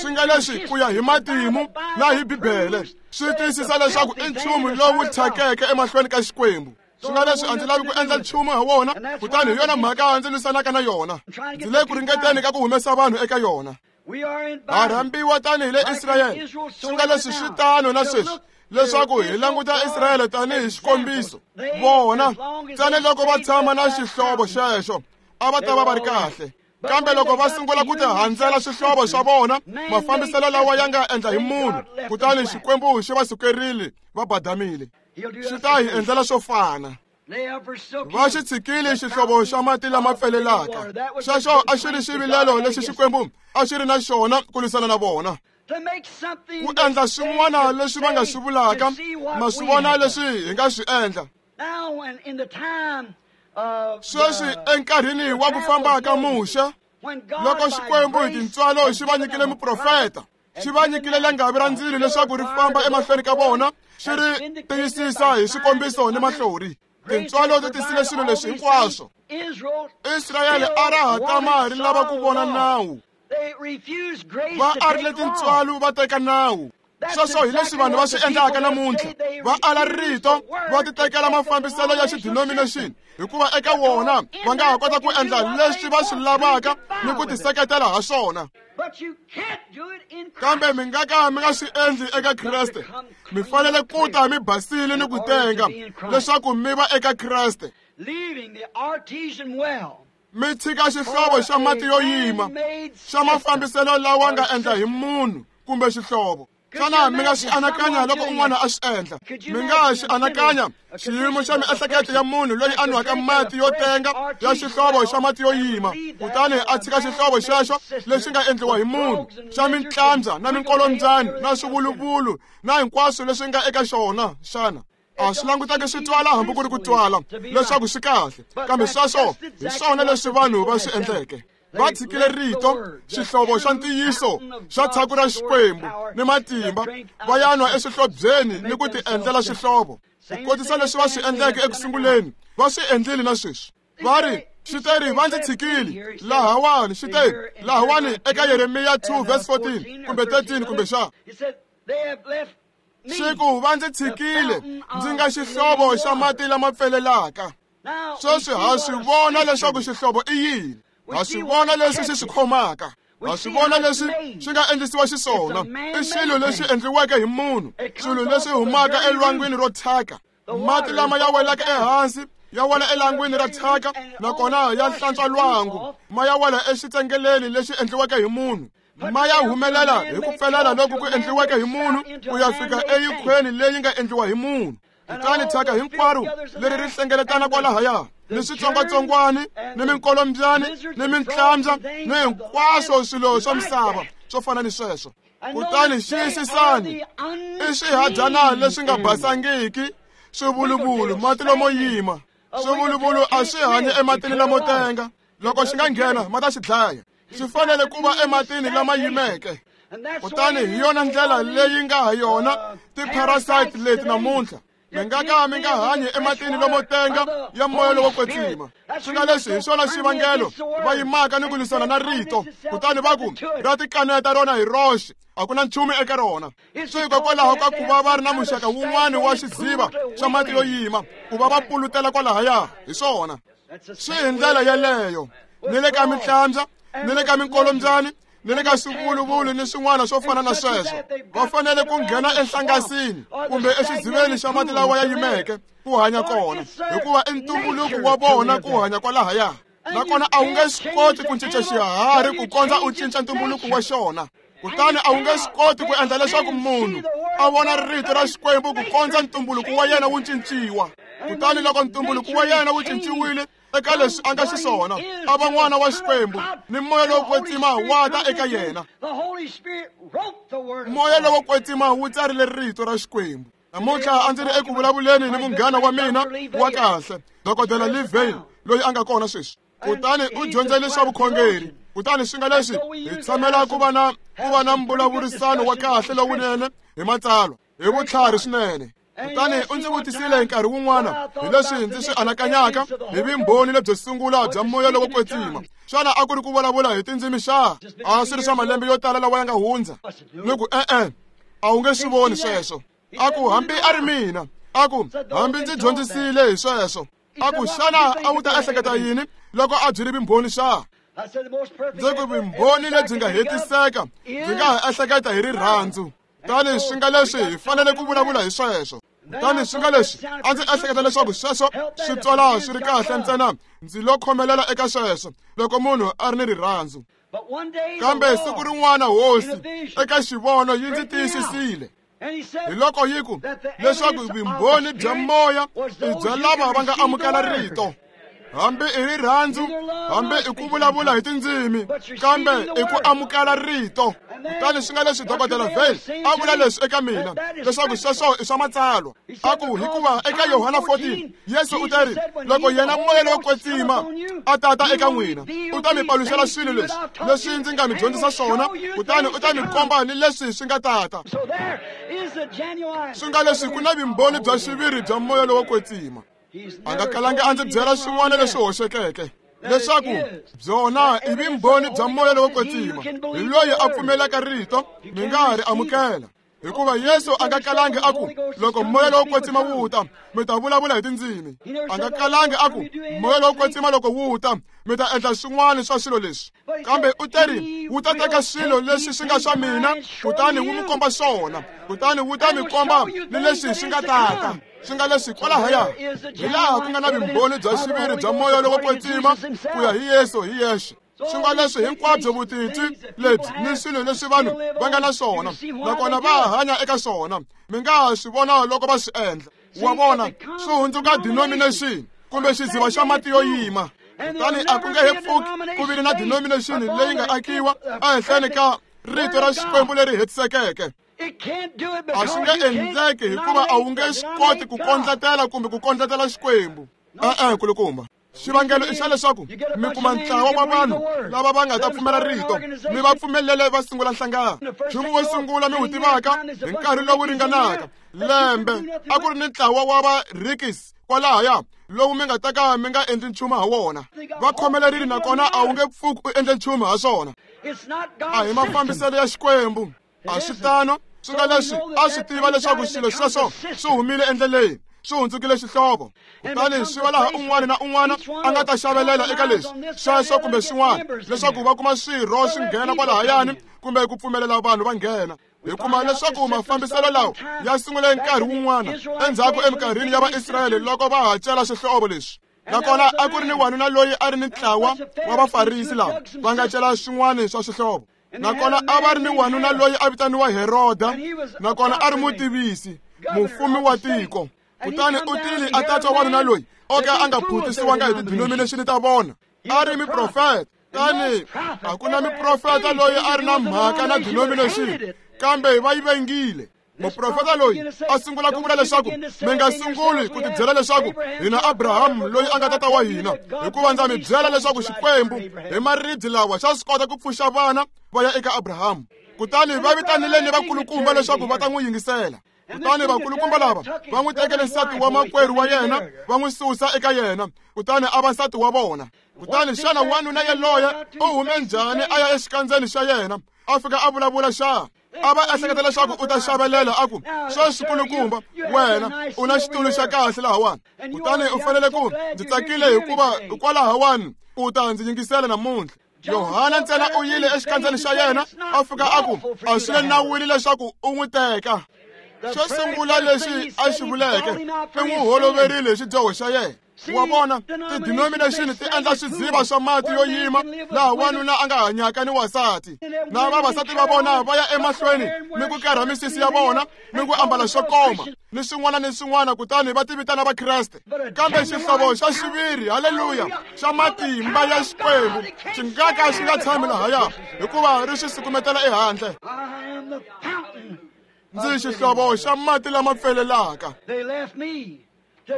Swi nga leswi ku ya hi matimu na hi Bibele swi tiyisisa leswaku i nchumu lowu thyakeke emahlweni ka Xikwembu. Swi nga leswi a ndzi lavi ku endla nchumu ha wona, kutani hi yona mhaka ndzi lwisanaka na yona. Ndzi le ku ringeteni ka ku humesa vanhu eka yona. Ha rhambiwa tanihi le Israyele. Swi nga leswi swi tano na sweswi leswaku hi languta Israyele tanihi xikombiso. Vona ntsena loko va tshama na xihlovo xexo a va ta va va ri kahle, kambe loko va sungula ku tihandzela swihlovo swa vona, mafambiselo lawa ya nga endla hi munhu, kutani Xikwembu xi va sukerile va badamile. Xi ta hi endlela swo fana. Va xi tshikile xihlovo xa mati lama pfelelaka. Xexo a xi ri xivilelo lexi Xikwembu a xi ri na xona ku lwisana na vona, ku endla swin'wana leswi va nga swi vulaka, ma swi vona leswi hi nga swi endla. Sweswi enkarhini wa ku famba ka Muxe, loko Xikwembu hi tintswalo xi va nyikile muprofeta, xi va nyikile langavi ra ndzilo leswaku ri famba emahlweni ka vona, xi ri tiyisisa hi swikombiso ni mahlori. Tintswalo ti tisile swilo leswi hinkwaswo. Israyele a ra ha tama ri lava ku vona nawu. Va arile tintswalo va teka nawu. Sweswo hi leswi vanhu va swi endlaka namuntlha. Va ala rito, va titekela mafambiselo ya xidenomination, hikuva eka wona va nga ha kota ku endla leswi va swi lavaka ni ku tiseketela ha swona. Kambe mi nga ka mi nga swi endli eka Kreste. Mi fanele ku ta mi basile ni ku tenga leswaku mi va eka Kreste. Mi tshika xihlovo xa mati yo yima xa mafambiselo lawa nga endla hi munhu kumbe xihlovo. Xana mi nga xi anakanya loko un'wana a swi endla? Mi nga xi anakanya xiyimo xa miehleketo ya munhu loyi a nwaka mati yo tenga ya xihlovo xa mati yo yima, kutani a tshika xihlovo xexo lexi nga endliwa hi munhu xa mintlandza na minkolombyani na swivuluvulu na hinkwaswo leswi nga eka xona xana? A swi languteki swi twala hambi ku ri ku twala leswaku swi kahle, kambe sweswo hi swona leswi vanhu va swi endleke. Va tshikile rito, xihlovo xa ntiyiso xa tshaku ra Xikwembu ni matimba, va ya nwa eswihlobyeni ni ku tiendlela xihlovo. Ku kotisa leswi va swi endleke ekusunguleni, va swi endlile na sweswi. Va ri, xi va ndzi tshikile lahawani, xi te lahawani eka Yeremiya two verse fourteen kumbe thirteen kumbe xa. Xi ku va ndzi tshikile ndzi nga xihlovo xa mati lama pfelelaka. Sweswi ha swi vona leswaku xihlovo i yini. Ha swi vona leswi xi swi khomaka. Ha swi vona leswi swi nga endlisiwa xiswona. I swilo leswi endliweke hi munhu, swilo leswi humaka elwangwini ro thyaka. Mati lama ya welaka ehansi ya wela elangwini ra thyaka, nakona ya hlantswa lwangu, ma ya wela exitsengeleni lexi endliweke hi munhu. Ma ya humelela hi ku pfelela loku ku endliweke hi munhu ku ya fika eyikhweni leyi nga endliwa hi munhu. Kutani thyaka hinkwaro leri ri hlengeletana kwalahaya, ni switsongwatsongwani ni minkolombyani ni mintlambya ni hinkwaswo swilo swa misava swo fana ni sweswo. Kutani xiyisisani, i swihadyana leswi nga basangiki, swivuluvulu, mati lomo yima. Swivuluvulu a swi hanyi ematini lamo tenga. Loko xi nga nghena ma ta xi dlaya. Swi fanele ku va ematini lama yimeke. Kutani hi yona ndlela leyi nga ha yona ti-parasite leti namuntlha. Mi nga ka mi nga hanyi ematini lomo tenga ya moya lowo kwetsima. Swi nga leswi hi swona xivangelo va yimaka ni ku lwisana na rito, kutani va ku ra tikaneta rona hi roxe, a ku na nchumu eka rona. Swi hikokwalaho ka ku va va ri na muxaka wun'wana wa xidziva xa mati yo yima, ku va va pulutela kwalahaya hi swona. Swi hi ndlela yeleyo ni le ka mintlambya, ni le ka minkolombyani, ni le ka swivuluvulu ni swin'wana swo fana na sweswo. Va fanele ku nghena enhlangasini kumbe exidziveni xa mati lawa ya yimeke ku hanya kona, hikuva i ntumbuluko wa vona ku hanya kwalahaya. Nakona a wu nge swi koti ku cinca xiharhi ku kondza u cinca ntumbuluko wa xona. Kutani a wu nge swi koti ku endla leswaku munhu a vona rito ra Xikwembu ku kondza ntumbuluko wa yena wu cinciwa. Kutani loko ntumbuluko wa yena wu cinciwile eka leswi a nga xiswona, a va n'wana wa Xikwembu, ni moya lowo kwetsima wa ta eka yena. Moya lowo kwetsima wu tsarile rito ra Xikwembu. Namuntlha a ndzi ri eku vulavuleni ni munghana wa mina wa kahle, Dokodela Lee Vayle, loyi a nga kona sweswi. Kutani u dyondzele swa vukhongeri. Kutani swi nga leswi hi tshamela ku va na ku va na mbulavurisano wa kahle lowunene hi matsalwa, hi vutlhari swinene. Kutani u ndzi vutisile nkarhi wun'wana hi leswi ndzi swi anakanyaka hi vumbhoni lebyo sungula bya moya lowo kwetsima. Xana a ku ri ku vulavula hi tindzimi xa? A swi ri swa malembe yo tala lawa ya nga hundza. Ni ku e-e, a wu nge swi voni sweswo. A ku hambi a ri mina, a ku hambi ndzi dyondzisile hi sweswo. A ku xana a wu ta ehleketa yini loko a byi ri vumbhoni xa? Ndzi ku vumbhoni lebyi nga hetiseka ndzi nga ha ehleketa hi rirhandzu. Kutani swi nga leswi hi fanele ku vulavula hi sweswo. Kutani swi nga leswi a ndzi ehleketa leswaku sweswo swi twala swi ri kahle ntsena, ndzi lo khomelela eka sweswo loko munhu a ri ni rirhandzu. Kambe siku rin'wana Hosi eka xivono yi ndzi tiyisisile. Hi loko yi ku leswaku vumbhoni bya moya i bya lava va nga amukela rito. Hambi i rirhandzu, hambi i ku vulavula hi tindzimi, kambe i ku amukela rito. Kutani swi nga leswi Dokodela Vail a vula leswi eka mina leswaku sweswo i swa matsalwa. A ku hikuva eka Yohana fourteen Yesu u ta ri loko yena moya lowo kwetsima a tata eka n'wina u ta mi paluxela swilo leswi leswi ndzi nga mi dyondzisa swona, kutani u ta mi komba ni leswi swi nga tata. Swi nga leswi ku na vumbhoni bya xiviri bya moya lowo kwetsima. A nga kalangi a ndzi byela swin'wana leswi hoxekeke leswaku byona i vumbhoni bya moya lowo kwetsima. Hi loyi a pfumelaka rito mi nga ha ri amukela. Hikuva Yesu a nga kalangi a ku loko moya lowo kwetsima wu ta mi ta vulavula hi tindzimi. A nga kalangi a ku moya lowo kwetsima loko wu ta mi ta endla swin'wana swa swilo leswi. Kambe u teri wu ta teka swilo leswi swi nga swa mina kutani wu mi komba swona, kutani wu ta mi komba ni leswi swi nga tata. Swi nga leswi kwalahaya hi laha ku nga na vumbhoni bya xiviri bya moya lowo kwetsima ku ya hi Yesu hi yexe. Swi nga leswi hinkwabyo vutitwi lebyi ni swilo leswi vanhu va nga na swona nakona va hanya eka swona, mi nga ha swi vona loko va swi endla. Wa vona swi hundzuka denomination kumbe xidziva xa mati yo yima. Kutani a ku nge he pfuki ku vile na denomination leyi nga akiwa ehenhleni ka rito ra Xikwembu leri hetisekeke. A swi nge endleki hikuva a wu nge swi koti ku kondletela kumbe ku kondletela Xikwembu. E-e, kulukumba. Xivangelo i xa leswaku mi kuma ntlawa wa vanhu lava va nga ta pfumela rito, mi va pfumelele va sungula nhlangano. Nchumu wo sungula mi wu tivaka hi nkarhi lowu ringanaka lembe a ku ri ni ntlawa wa va Rikis kwalahaya lowu mi nga ta ka mi nga endli nchumu ha wona. Va khomelerile nakona a wu nge pfuki u endle nchumu ha swona. A hi mafambiselo ya Xikwembu. A swi tano. Swi nga leswi a swi tiva leswaku swilo sweswo swi humile endleleni, swi hundzukile xihlovo. Kutani swi va laha un'wana na un'wana a nga ta xavelela eka leswi sweswo kumbe swin'wana leswaku va kuma swirho swi nghena kwalahayani kumbe ku pfumelela vanhu va nghena. Hi kuma leswaku mafambiselo lawa ya sungule nkarhi wun'wana endzhaku eminkarhini ya Vaisrayele loko va ha cela xihlovo leswi. Nakona a ku ri ni wanuna loyi a ri ni ntlawa wa Vafarisi lava va nga cela swin'wana swa swihlovo. Nakona a va ri ni wanuna loyi a vitaniwa Heroda, nakona a ri mutivisi, mufumi wa tiko. Kutani u tile a ta twa wanuna loyi o ka a nga phutisiwanga hi tidenomination ta vona. A ri muprofeta. Tani a ku na muprofeta loyi a ri na mhaka na denomination, kambe va yi vengile. Muprofeta loyi a sungula ku vula leswaku mi nga sunguli ku tibyela leswaku hina Abrahamu loyi a nga tata wa hina, hikuva ndza mi byela leswaku Xikwembu hi maribye lawa xa swi kota ku pfuxa vana va ya eka Abrahamu. Kutani va vitanile ni vakulukumba leswaku va ta n'wi yingisela. Kutani vakulukumba lava va n'wi tekele nsati wa makwerhu wa yena va n'wi susa eka yena, kutani a va nsati wa vona. Kutani xana wanuna yaloye u hume njhani a ya exikandzeni xa yena a fika a vulavula xa? A va ehleketa leswaku u ta xavelela a ku sweswi kulukumba wena u na xitulu xa kahle lahawani, kutani u fanele ku ndzi tsakile hikuva hikwalahawani u ta ndzi yingisela namuntlha. Yohana ntsena u yile exikandzeni xa yena a fika a ku a swi le nawini leswaku u n'wi teka. Xo sungula lexi a xi vuleke i n'wi holoverile hi xidyoho xa yena. Wa vona tidenomination ti endla swidziva swa mati yo yima laha wanuna a nga hanyaka ni wansati, na vavasati va vona va ya emahlweni ni ku karha misisi ya vona ni ku ambala swo koma ni swin'wana ni swin'wana, kutani va tivitana Vakreste. Kambe xihlovo xa xiviri, haleluya, xa matimba ya Xikwembu xi nga ka xi nga tshami lahaya hikuva ri xi sukumetela ehandle. Ndzi xihlovo xa mati lama pfelelaka.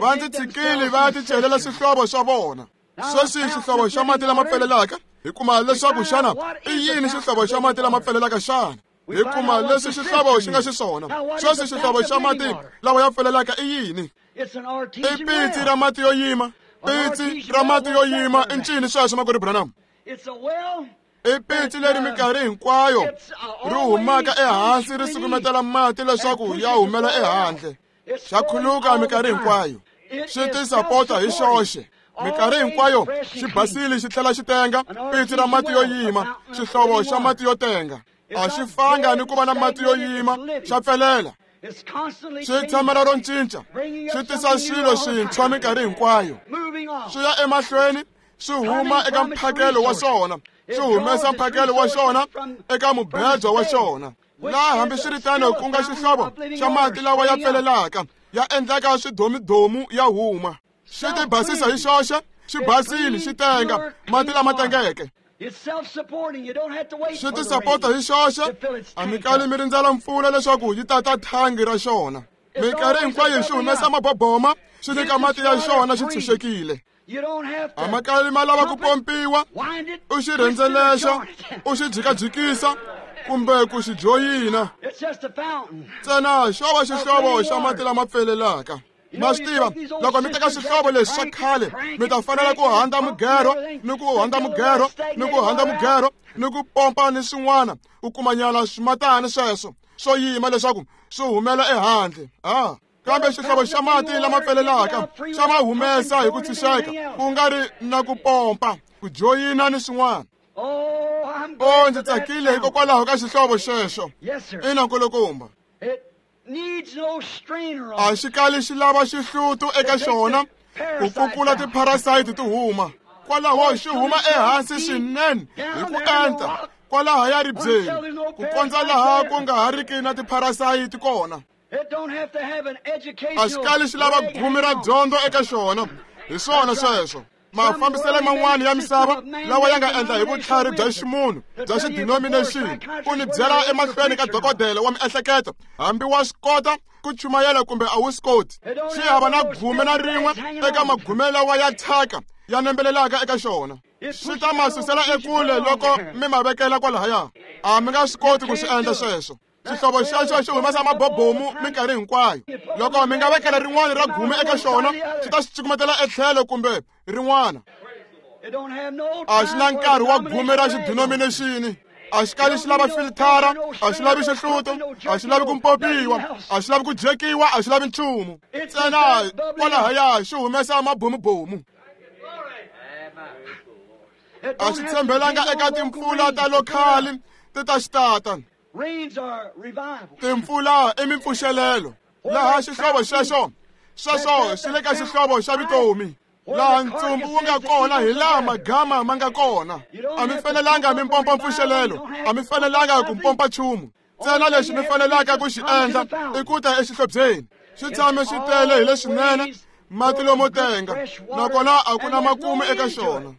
Va ndzi tshikile va ya ticelela swihlovo swa vona. Sweswi xihlovo xa mati lama pfelelaka, hi kuma leswaku xana i yini xihlovo xa mati lama pfelelaka xana? Hi kuma leswi xihlovo xi nga xiswona. Sweswi xihlovo xa mati lawa ya pfelelaka i yini? I pitsi ra mati yo yima. Pitsi ra mati yo yima i ncini sweswo, makwerhu Branham? I pitsi leri minkarhi hinkwayo ri humaka ehansi ri sukumetela mati leswaku ya humela ehandle. Xa khuluka minkarhi hinkwayo, xi tisapota hi xoxe. Minkarhi hinkwayo xi basile xi tlhela xi tenga. Pitsi ra mati yo yima, xihlovo xa mati yo tenga. A xi fanga ni ku va na mati yo yima, xa pfelela. Swi tshamela ro cinca, swi tisa swilo swintshwa minkarhi hinkwayo. Swi ya emahlweni, swi huma eka mphakelo wa swona, swi humesa mphakelo wa xona eka mubedwa wa xona. Laha hambiswiritano ku nga xihlovo xa mati lawa ya pfelelaka, ya endlaka swidomidomu ya huma. Xi ti basisa hi xoxe, xi basile, xi tenga, mati lama tengeke. Xi ti sapota hi xoxe, a mi kali mi rindzela mpfula leswaku yi tata thangi ra xona. Minkarhi hinkwayo xi humesa maboboma, xi nyika mati ya xona xi tshunxekile. A ma kali ma lava ku pompiwa, u xi rhendzelexa, u xi jikajikisa, kumbe ku xi joyina. Ntsena xo va xihlovo xa mati lama pfelelaka. Ma swi tiva, loko mi teka xihlovo lexi xa khale, mi ta fanela ku handza mugero, ni ku handza mugero, ni ku handza mugero, ni ku pompa ni swin'wana, u kumanyana swimatani sweswo swo yima leswaku swi humela ehandle. Ah, kambe xihlovo xa mati lama pfelelaka xa ma humesa hi ku tshunxeka, ku nga ri na ku pompa, ku joyina ni swin'wana. O, ndzi tsakile hikokwalaho ka xihlovo xexo. Ina, nkulukumba. A xi kali xi lava xihlutu eka xona ku kukula tipharasayiti ti huma. Kwalaho xi huma ehansi swinene hi ku enta kwalaho ya ribyeni, ku kondza laha ku nga ha riki na tipharasayiti kona. A xi kali xi lava gumi ra dyondzo eka xona. Hi swona sweswo. Mafambiselo man'wana ya misava lawa ya nga endla hi vutlhari bya ximunhu bya xidenomination, ku ni byela emahlweni ka dokodela wa miehleketo, hambi wa swi kota ku chumayela kumbe a wu swi koti. Xi hava na gume na rin'we eka magume lawa ya thyaka ya nembelelaka eka xona. Swi ta ma susela ekule loko mi ma vekela kwalahaya. A mi nga swi koti ku swi endla sweswo. Xihlovo xexo xi humesa mabobomu minkarhi hinkwayo. Loko mi nga vekela rin'wana ra gume eka xona, xi ta xi cukumetela etlhelo kumbe rin'wana. A xi na nkarhi wa gume ra xidenomination. A xi kali xi lava filithara, a xi lavi xihluto, a xi lavi ku mpopiwa, a xi lavi ku jekiwa, a xi lavi nchumu. Ntsena kwalahaya xi humesa mabomubomu. A xi tshembelanga eka timpfula ta lokhali ti ta xi tata. Timpfula i mimpfuxelelo. Laha xihlovo xexo, sweswo xi le ka xihlovo xa vutomi. Laha ntsumbu wu nga kona hi laha magama ma nga kona. A mi fanelanga mi mpompa mpfuxelelo, a mi fanelanga ku mpompa nchumu. Ntsena lexi mi fanelaka ku xi endla i ku ta exihlobyeni. Xi tshame xi tele hi leswinene, mati lomo tenga, nakona a ku na makumu eka xona.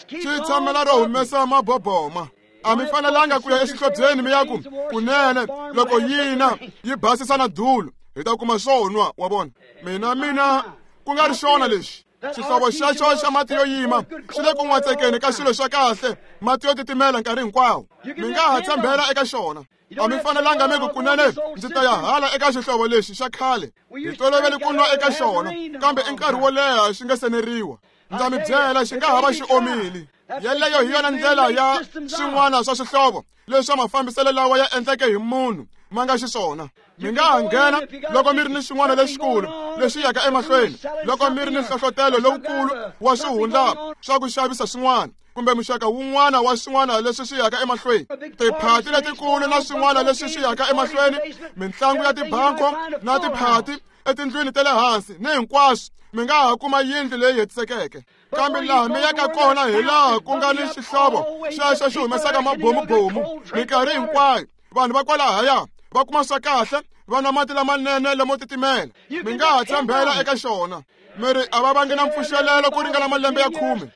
Xi tshamela ro humesa maboboma. A mi fanelanga ku ya exihlobyeni mi ya ku kunene loko yina yi basisa na dulu hi ta kuma swo nwa, wa vona. Mina mina ku nga ri xona lexi. Xihlovo xexo xa mati yo yima xi le ku n'watsekeni ka swilo swa kahle, mati yo titimela nkarhi hinkwawo. Mi nga ha tshembela eka xona. A mi fanelanga mi ku kunene ndzi ta ya hala eka xihlovo lexi xa khale, hi tolovele ku nwa eka xona, kambe i nkarhi wo leha xi nga seneriwa. Ndza mi byela, xi nga ha va xi omile. Yeleyo hi yona ndlela ya swin'wana swa swihlovo leswi mafambiselo lawa ya endleke hi munhu ma nga xiswona. Mi nga ha nghena loko mi ri ni xin'wana lexikulu lexi yaka emahlweni, loko mi ri ni nhlohlotelo lowukulu wa swihundla swa ku xavisa swin'wana kumbe muxaka wun'wana wa swin'wana leswi swi yaka emahlweni, tiphati letikulu na swin'wana leswi swi yaka emahlweni, mintlangu ya tibanko na tiphati etindlwini ta le hansi ni hinkwaswo, mi nga ha kuma yindlu leyi hetisekeke. Kambe laha mi yaka kona hi laha ku nga ni xihlovo xexo xi humesaka mabomubomu minkarhi hinkwayo. Vanhu va kwalahaya va kuma swa kahle, va nwa mati lamanene lamo titimela. Mi nga ha tshembela eka xona. Mi ri a va vangi na mpfuxelelo ku ringana malembe ya khume.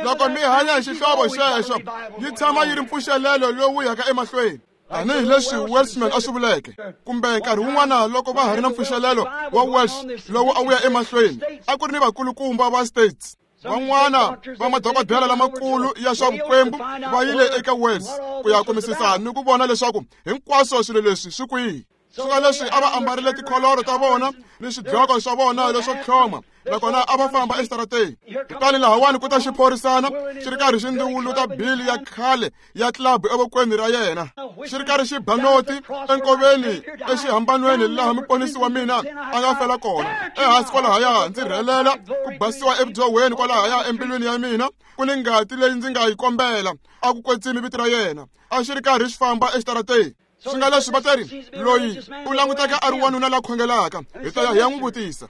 Loko mi hanya hi xihlovo xexo, yi tshama yi ri mpfuxelelo lowu yaka emahlweni. Tanihi leswi Welshman a swi vuleke, kumbe nkarhi wun'wana loko va ha ri na mpfuxelelo wa Welsh lowu a wu ya emahlweni, a ku ri ni vakulukumba va States. Van'wana va madokodela lamakulu ya swa vukwembu va yile eka Wales ku ya kumisisa ni ku vona leswaku hinkwaswo swilo leswi swi kwihi. Swilo leswi a va ambarile tikholoro ta vona ni swidloko swa vona leswo tlhoma Nakona a va famba exitarateni. Kutani lahawani ku ta xiphorisana xi ri karhi xi ndziwuluta bili ya khale ya club evokweni ra yena. Xi ri karhi xi ba noti enkoveni exihambanweni laha muponisi wa mina a nga fela kona. Ehansi kwalahaya ndzi rhelela ku basiwa evudyohweni kwalahaya embilwini ya mina ku ni ngati leyi ndzi nga yi kombela a ku kwetsimi vito ra yena. A xi ri karhi xi famba exitarateni. Swi nga leswi va teri loyi u languteka a ri wanuna la khongelaka hi ta ya hi ya n'wi vutisa.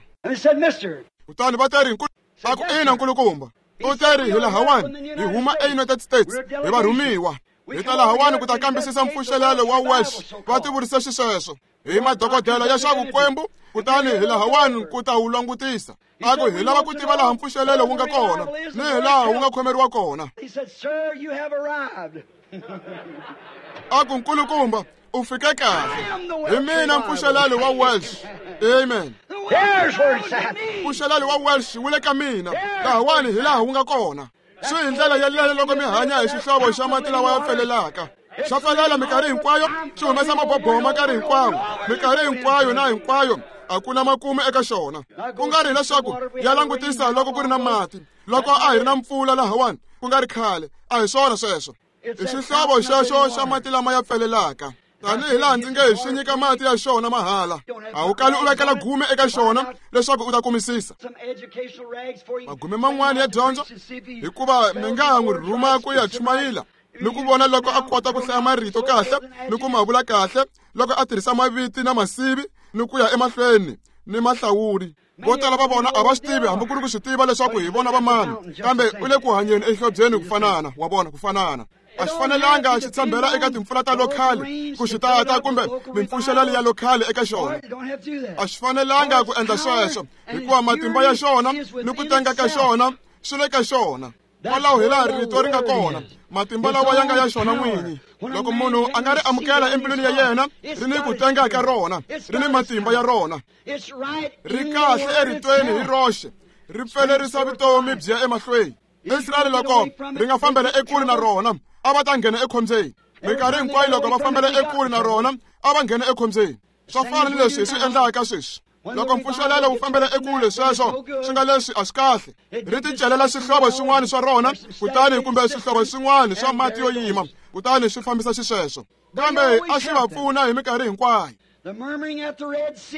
Kutani va teri a ku ina nkulukumba. U teri hi lahawani hi huma eUnited States hi varhumiwa. Hi ta lahawani ku ta kambisisa mpfuxelelo wa Welsh va tivurise xisweswo hi madokodela ya swa vukwembu kutani hi lahawani ku ta wu langutisa. A ku hi lava ku tiva laha mpfuxelelo wu nga kona ni hi laha wu nga khomeriwa kona. A ku nkulukumba u fike kahle. Hi mina mpfuxelelo wa Welsh. Amen. Mpfuxelelo wa Welsh wu le ka mina. Lahawani hi laha wu nga kona. Swi hi ndlela yeleyo loko mi hanya hi xihlovo xa mati lawa ya pfelelaka. Xa pfelela minkarhi hinkwayo, xi humesa maboboma nkarhi hinkwawo. Minkarhi hinkwayo na hinkwayo a ku na makumu eka xona. Ku nga ri leswaku ya langutisa loko ku ri na mati. Loko a hi ri na mpfula lahawani ku nga ri khale, a hi swona sweswo. I xihlovo xexo xa mati lama ya pfelelaka. Tanihi laha ndzi nge hi xi nyika mati ya xona mahala. A wu kali u vekela gume eka xona leswaku u ta kumisisa. Magume man'wana ya dyondzo hikuva mi nga ha n'wi rhuma ku ya chumayela ni ku vona loko a kota ku hlaya marito kahle ni ku ma vula kahle loko a tirhisa maviti na masivi ni ku ya emahlweni ni mahlawuri. Vo tala va vona a va swi tivi hambi ku ri ku swi tiva leswaku hi vona va mani, kambe u le ku hanyeni exihlobyeni ku fanana, wa vona ku fanana. A xi fanelanga xi tshembela eka timpfula ta lokhali ku xi tata kumbe mimpfuxelelo ya lokhali eka xona. A xi fanelanga ku endla sweswo hikuva matimba ya xona ni ku tenga ka xona swi le ka xona. Kwalaho hi laha rito ri nga kona, matimba lawa ya nga ya xona n'winyi. Loko munhu a nga ri amukela embilwini ya yena, ri ni ku tenga ka rona, ri ni matimba ya rona. Ri kahle eritweni hi roxe, ri pfelerisa vutomi byi ya emahlweni. Israyele loko ri nga fambela ekule na rona, a va ta nghena ekhombyeni. Minkarhi hinkwayo loko va fambela ekule na rona, a va nghena ekhombyeni. Swa fana ni leswi hi swi endlaka sweswi. Loko mpfuxelelo wu fambela ekule sweswo swi nga leswi a swi kahle. Ri ti celela swihlovo swin'wana swa rona kutani kumbe swihlovo swin'wana swa mati yo yima kutani swi fambisa xisweswo. Kambe a swi va pfuna hi minkarhi hinkwayo.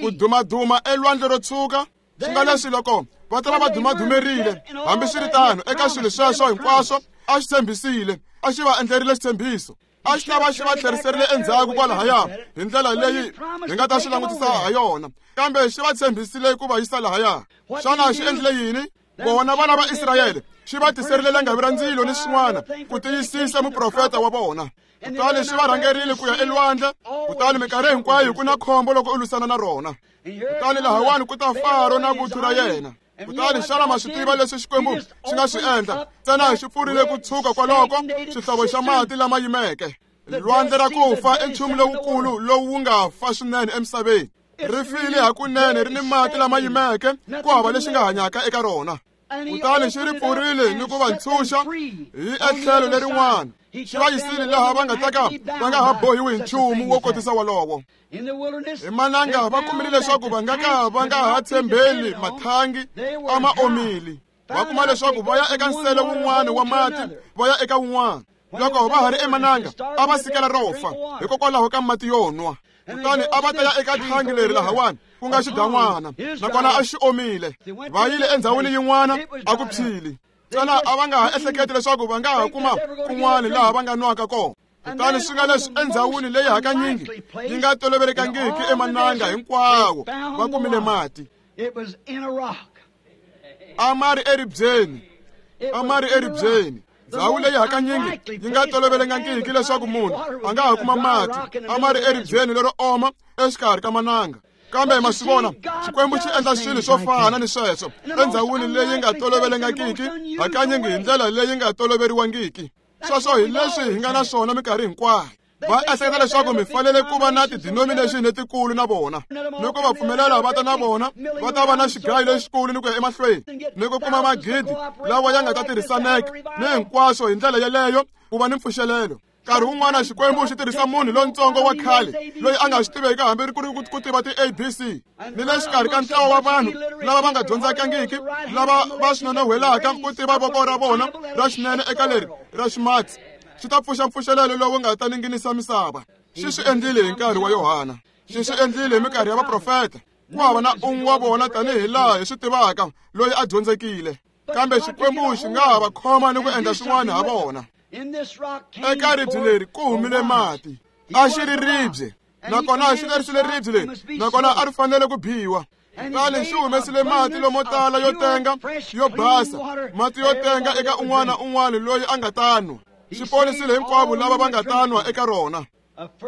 Ku dumaduma elwandle ro tshuka swi nga leswi loko va ta va va dumadumerile. Hambiswiritano eka swilo sweswo hinkwaswo a xi tshembisile, a xi va endlerile xitshembiso. A xi ta va xi va tlheriserile endzhaku kwalahaya hi ndlela leyi hi nga ta swi langutisa ha yona, kambe xi va tshembisile ku va yisa lahaya. Xana xi endlile yini? Vona vana va Israyele xi va tiserile langavi ra ndzilo ni swin'wana ku tiyisisa muprofeta wa vona. Kutani xi va rhangerile ku ya elwandle, kutani minkarhi hinkwayo ku na khombo loko u lwisana na rona. Kutani lahawani ku ta Faro na vuthu ra yena. Kutani xana ma swi tiva leswi Xikwembu xi nga swi endla? Ntsena xi pfurile ku tshuka kwaloko xihlovo xa mati lama yimeke. Lwandle ra ku fa i nchumu lowukulu lowu wu nga fa swinene emisaveni. Ri file hakunene ri ni mati lama yimeke, ku hava lexi nga hanyaka eka rona. Kutani xi ri pfurile ni ku va ntshunxa hi etlhelo lerin'wana. Xi va yisile laha va nga ta ka va nga ha bohiwi hi nchumu wo kotisa wolowo. Hi mananga va kumile leswaku va nga ka va nga ha tshembeli mathangi a ma omile. Va kuma leswaku va ya eka nsele wun'wana wa mati va ya eka wun'wana. Loko va ha ri emananga a va sikela ro fa hikokwalaho ka mati yo nwa. Kutani a va ta ya eka thangi leri lahawani ku nga xidan'wana, nakona a xi omile. Va yile endhawini yin'wana a ku phyile. Ntsena a va nga ha ehleketi leswaku va nga ha kuma kun'wana laha va nga nwaka kona. Kutani swi nga leswi endhawini leyi hakanyingi yi nga tolovelekangiki emananga hinkwawo va kumile mati. A ma ri eribyeni, a ma ri eribyeni. Ndhawu leyi hakanyingi yi nga tolovelekangiki leswaku munhu a nga ha kuma mati, a ma ri eribyeni lero oma exikarhi ka mananga. Kambe ma swi vona, Xikwembu xi endla swilo swo fana ni sweswo endhawini leyi nga tolovelekangiki, hakanyingi hi ndlela leyi nga toloveriwangiki. Sweswo hi leswi hi nga na swona minkarhi hinkwayo. Va ehleketa leswaku mi fanele ku va na ti-denomination letikulu na vona, ni ku va pfumelela va ta na vona va ta va na xigayo lexikulu ni ku ya emahlweni ni ku kuma magidi lawa ya nga ta tirhisaneka ni hinkwaswo hi ndlela yeleyo ku va ni mpfuxelelo. Nkarhi wun'wana Xikwembu xi tirhisa munhu lontsongo wa khale loyi a nga swi tiveki hambi ku ri ku tiva ti-A B C ni le xikarhi ka ntlawa wa vanhu lava va nga dyondzakangiki lava va swi nonohwelaka ku tiva voko ra vona ra xinene eka leri ra ximatsi xi ta pfuxa mpfuxelelo lowu nga ta ninginisa misava. Xi swi endlile hi nkarhi wa Yohana, xi swi endlile hi minkarhi ya vaprofeta. Ku hava na un'we wa vona tanihi laha hi swi tivaka loyi a dyondzekile, kambe Xikwembu xi nga ha va khoma ni ku endla swin'wana ha vona. Eka ribye leri ku humile mati, a xi ri ribye nakona xi lerisile ribye leri nakona a ri fanele ku biwa. Kutani xi humesile mati lomo tala yo tenga yo basa, mati yo tenga eka un'wana na un'wana loyi a nga ta nwa. Xi ponisile hinkwavo lava va nga ta nwa eka rona.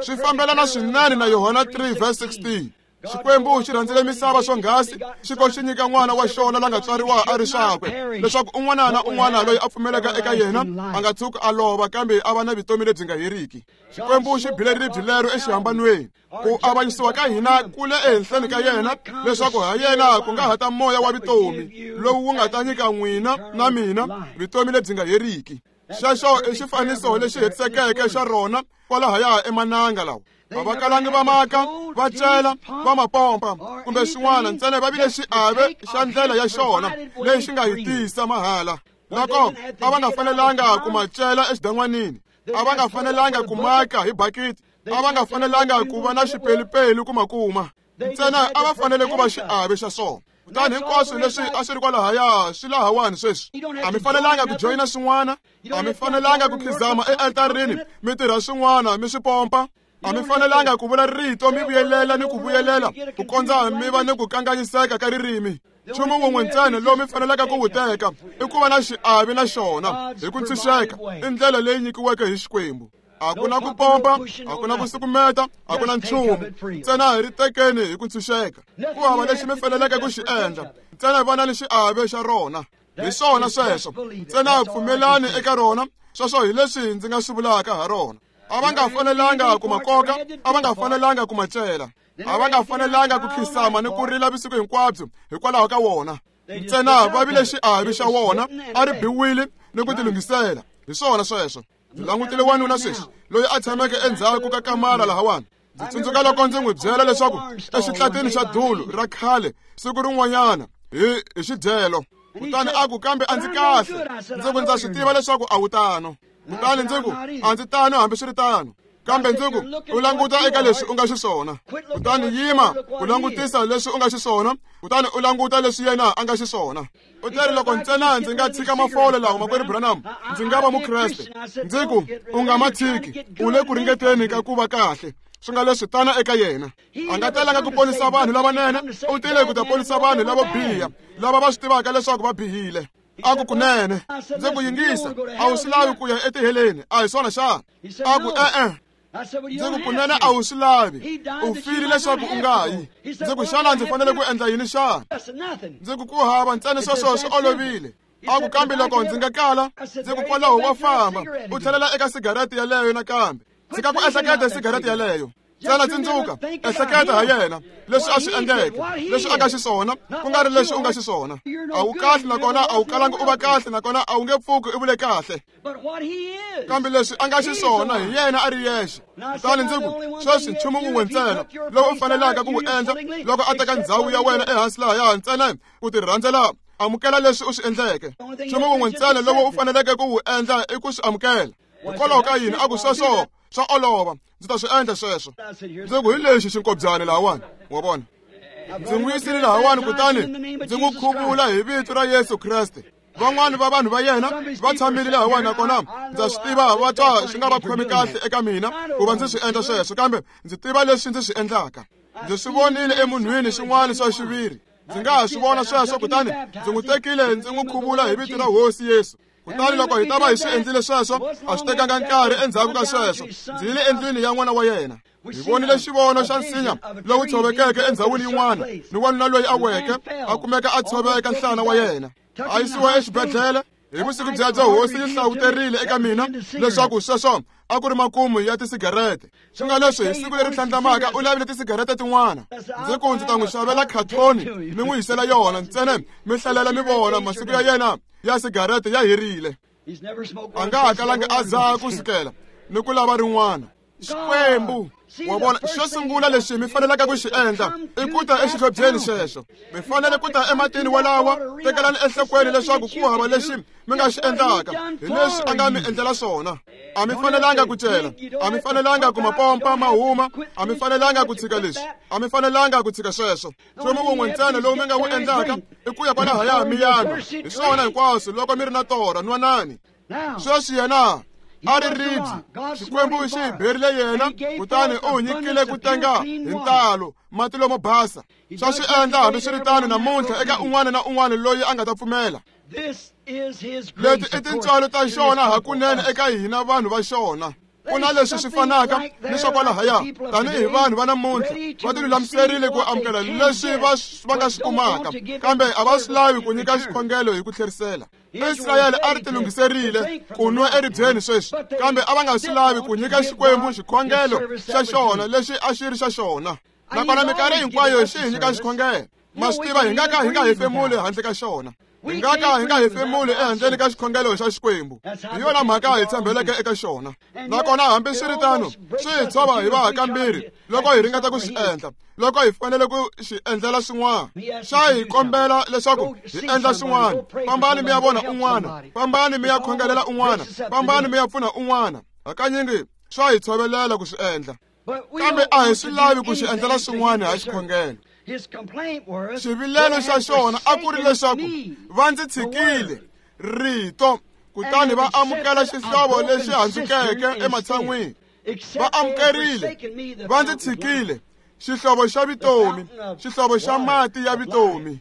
Swi fambelana swinene na Yohana three verse sixteen. Xikwembu xi rhandzile misava swonghasi xi ko xi nyika n'wana wa xona la nga tswariwa a ri swakwe, leswaku un'wana na un'wana loyi a pfumelaka eka yena a nga tshuki a lova kambe a va na vutomi lebyi nga heriki. Xikwembu xi bile ribye lero exihambanweni ku avanyisiwa ka hina kule ehenhleni ka yena, leswaku ha yena ku nga ha ta moya wa vutomi lowu wu nga ta nyika n'wina na mina vutomi lebyi nga heriki. Xexo i xifaniso lexi hetisekeke xa rona kwalahaya emananga lawa. A va kalangi va maka, va cela, va mapompa kumbe swin'wana, ntsena va vile xiave xa ndlela ya xona leyi xi nga hi tisa mahala. Loko a va nga fanelanga ku ma cela exidan'wanini, a va nga fanelanga ku maka hi bakiti, a va nga fanelanga ku va na xipelupelu ku ma kuma, ntsena a va fanele ku va xiave xa swona. Kutani hinkwaswo leswi a swi ri kwalahaya swi lahawani sweswi. A mi fanelanga ku joyina swin'wana, a mi fanelanga ku khizama ealtarini mi tirha swin'wana mi swi pompa. A mi fanelanga ku vula rito mi vuyelela ni ku vuyelela ku kondza mi va ni ku kanganyiseka ka ririmi. Nchumu wun'we ntsena lowu mi fanelaka ku wu teka i ku va na xiave na xona hi ku ntshunxeka, i ndlela leyi nyikiweke hi Xikwembu. A ku na ku pompa, a ku na ku sukumeta, a ku na nchumu, ntsena hi ri tekeni hi ku ntshunxeka. Ku hava lexi mi faneleke ku xi endla, ntsena va na ni xiave xa rona. Hi swona sweswo, ntsena pfumelani eka rona. Sweswo hi leswi ndzi nga swi vulaka ha rona. A va nga fanelanga ku ma koka, a va nga fanelanga ku ma cela, a va nga fanelanga ku khisama ni ku rila vusiku hinkwabyo hikwalaho ka wona. Ntsena va vile xiave xa wona, a ri biwile ni ku tilunghisela. Hi swona sweswo. Ndzi langutile wanuna sweswi loyi a tshameke endzhaku ka kamara lahawani. Ndzi tsundzuka loko ndzi n'wi byela leswaku exitlatini xa dulu ra khale siku rin'wanyana hi hi xidyelo. Kutani a ku, kambe a ndzi kahle. Ndzi ku, ndza swi tiva leswaku a wu tano. Kutani ndzi ku, a ndzi tano hambiswiritano, kambe ndzi ku, u languta eka leswi u nga xiswona. Kutani yima ku langutisa leswi u nga xiswona, kutani u languta leswi yena a nga xiswona. U teri loko ntsena ndzi nga tshika mafole lawa makwerhu Branham, ndzi nga va Mukreste. Ndzi ku, u nga ma tshiki, u le ku ringeteni ka ku va kahle. Swi nga leswi tana eka yena. A nga telanga ku ponisa vanhu lavanene, u tile ku ta ponisa vanhu lavo biha, lava va swi tivaka leswaku va bihile. A ku, kunene. Ndzi ku, yingisa, a wu swi lavi ku ya etiheleni, a hi swona xana? A ku, e-e. Ndzi ku, kunene a wu swi lavi, u file leswaku u nga yi. Ndzi ku, xana ndzi fanele ku endla yini xana? Ndzi ku, ku hava ntsena sweswo swi olovile. A ku, kambe loko ndzi nga kala, ndzi ku, kwalaho wa famba u tlhelela eka sigarete yaleyo nakambe. Tshika ku ehleketa sigarete yaleyo. Ntsena tsundzuka, ehleketa ha yena, leswi a swi endleke, leswi a nga xiswona, ku nga ri leswi u nga xiswona. A wu kahle nakona a wu kalanga u va kahle nakona a wu nge pfuki u vule kahle. Kambe leswi a nga xiswona hi yena a ri yexe. Kutani ndzi ku, sweswi nchumu wun'we ntsena lowu u fanelaka ku wu endla loko a teka ndzhawu ya wena ehansi lahaya, ntsena ku ti rhandzela, amukela leswi u swi endleke. Nchumu wun'we ntsena lowu u faneleke ku wu endla i ku swi amukela. Hikwalaho ka yini? A ku, sweswo swa olova, ndzi ta swi endla sweswo. Ndzi ku, hi lexi xinkobyani lahawani, wa vona. Ndzi n'wi yisile lahawani kutani ndzi n'wi khuvula hi vito ra Yesu Kreste. Van'wani va vanhu va yena va tshamile lahawani nakona ndza swi tiva va twa swi nga va khomi kahle eka mina ku va ndzi swi endla sweswo, kambe ndzi tiva leswi ndzi swi endlaka. Ndzi swi vonile emunhwini xin'wana swa xiviri. Ndzi nga ha swi vona sweswo, kutani ndzi n'wi tekile ndzi n'wi khuvula hi vito ra Hosi Yesu. Kutani loko hi ta va hi swi endlile sweswo, a swi tekanga nkarhi endzhaku ka sweswo, ndzi yile endlwini ya n'wana wa yena. Hi vonile xivono xa nsinya lowu tshovekeke endhawini yin'wana, ni wanuna loyi a weke a kumeka a tshoveka nhlana wa yena. A yisiwa exibedhlele. Hi vusiku byebyo Hosi yi hlawuterile eka mina leswaku sweswo a ku ri makumu ya tisigarete. Swi nga leswi hi siku leri tlhandlamaka u lavile tisigarete tin'wana. Ndzi ku, ndzi ta n'wi xavela khathoni mi n'wi yisela yona, ntsena mi hlalela mi vona masiku ya yena ya sigarete ya herile. A nga ha kalangi a dzaha ku sukela. ni ku lava rin'wana. Xikwembu wa vona, xo sungula lexi mi faneleke ku xi endla i ku ta exihlobyeni xexo. Mi fanele ku ta ematini walawa, tekelani enhlokweni leswaku ku hava lexi mi nga xi endlaka hi leswi a nga mi endlela swona. A mi fanelanga ku cela, a mi fanelanga ku mapompa ma huma, a mi fanelanga ku tshika leswi, a mi fanelanga ku tshika sweswo. Nchumu wun'we ntsena lowu mi nga wu endlaka i ku ya kwalahaya mi ya nwa. Hi swona hinkwaswo loko mi ri na torha, nwanani. Sweswi yena a ri ribye, Xikwembu xi hi berile yena, kutani u nyikile ku tenga hi ntalo mati lomo basa. Swa swi endla hambiswiritano namuntlha eka un'wana na un'wana loyi a nga ta pfumela. Leti i tintswalo ta xona hakunene eka hina vanhu va xona. Ku na leswi swi fanaka ni swa kwalahaya, tanihi vanhu va namuntlha va tilulamiserile ku amukela leswi va va nga swi kumaka, kambe a va swi lavi ku nyika xikhongelo hi ku tlherisela. Israyele a ri tilunghiserile ku nwa eribyeni sweswi, kambe a va nga swi lavi ku nyika Xikwembu xikhongelo xa xona lexi a xi ri xa xona. Nakona minkarhi hinkwayo xi hi nyika xikhongelo. Ma swi tiva hi nga ka hi nga hefemuli handle ka xona. Hi nga ka hi nga hefemuli ehandleni ka xikhongelo xa Xikwembu. Hi yona mhaka hi tshembeleke eka xona. Nakona hambiswiritano swi hi tshova hi va kambirhi loko hi ringeta ku swi endla, loko hi fanele ku xi endlela swin'wana. Xa hi kombela leswaku hi endla swin'wana. Fambani mi ya vona un'wana, fambani mi ya khongelela un'wana, fambani mi ya pfuna un'wana. Hakanyingi swa hi tshovelela ku swi endla, kambe a hi swi lavi ku xi endlela swin'wana ha xikhongelo. Xivilelo xa xona a ku ri leswaku va ndzi tshikile rito, kutani va amukela xihlovo lexi handzukeke ematshan'wini. Va amukerile, va ndzi tshikile xihlovo xa vutomi, xihlovo xa mati ya vutomi.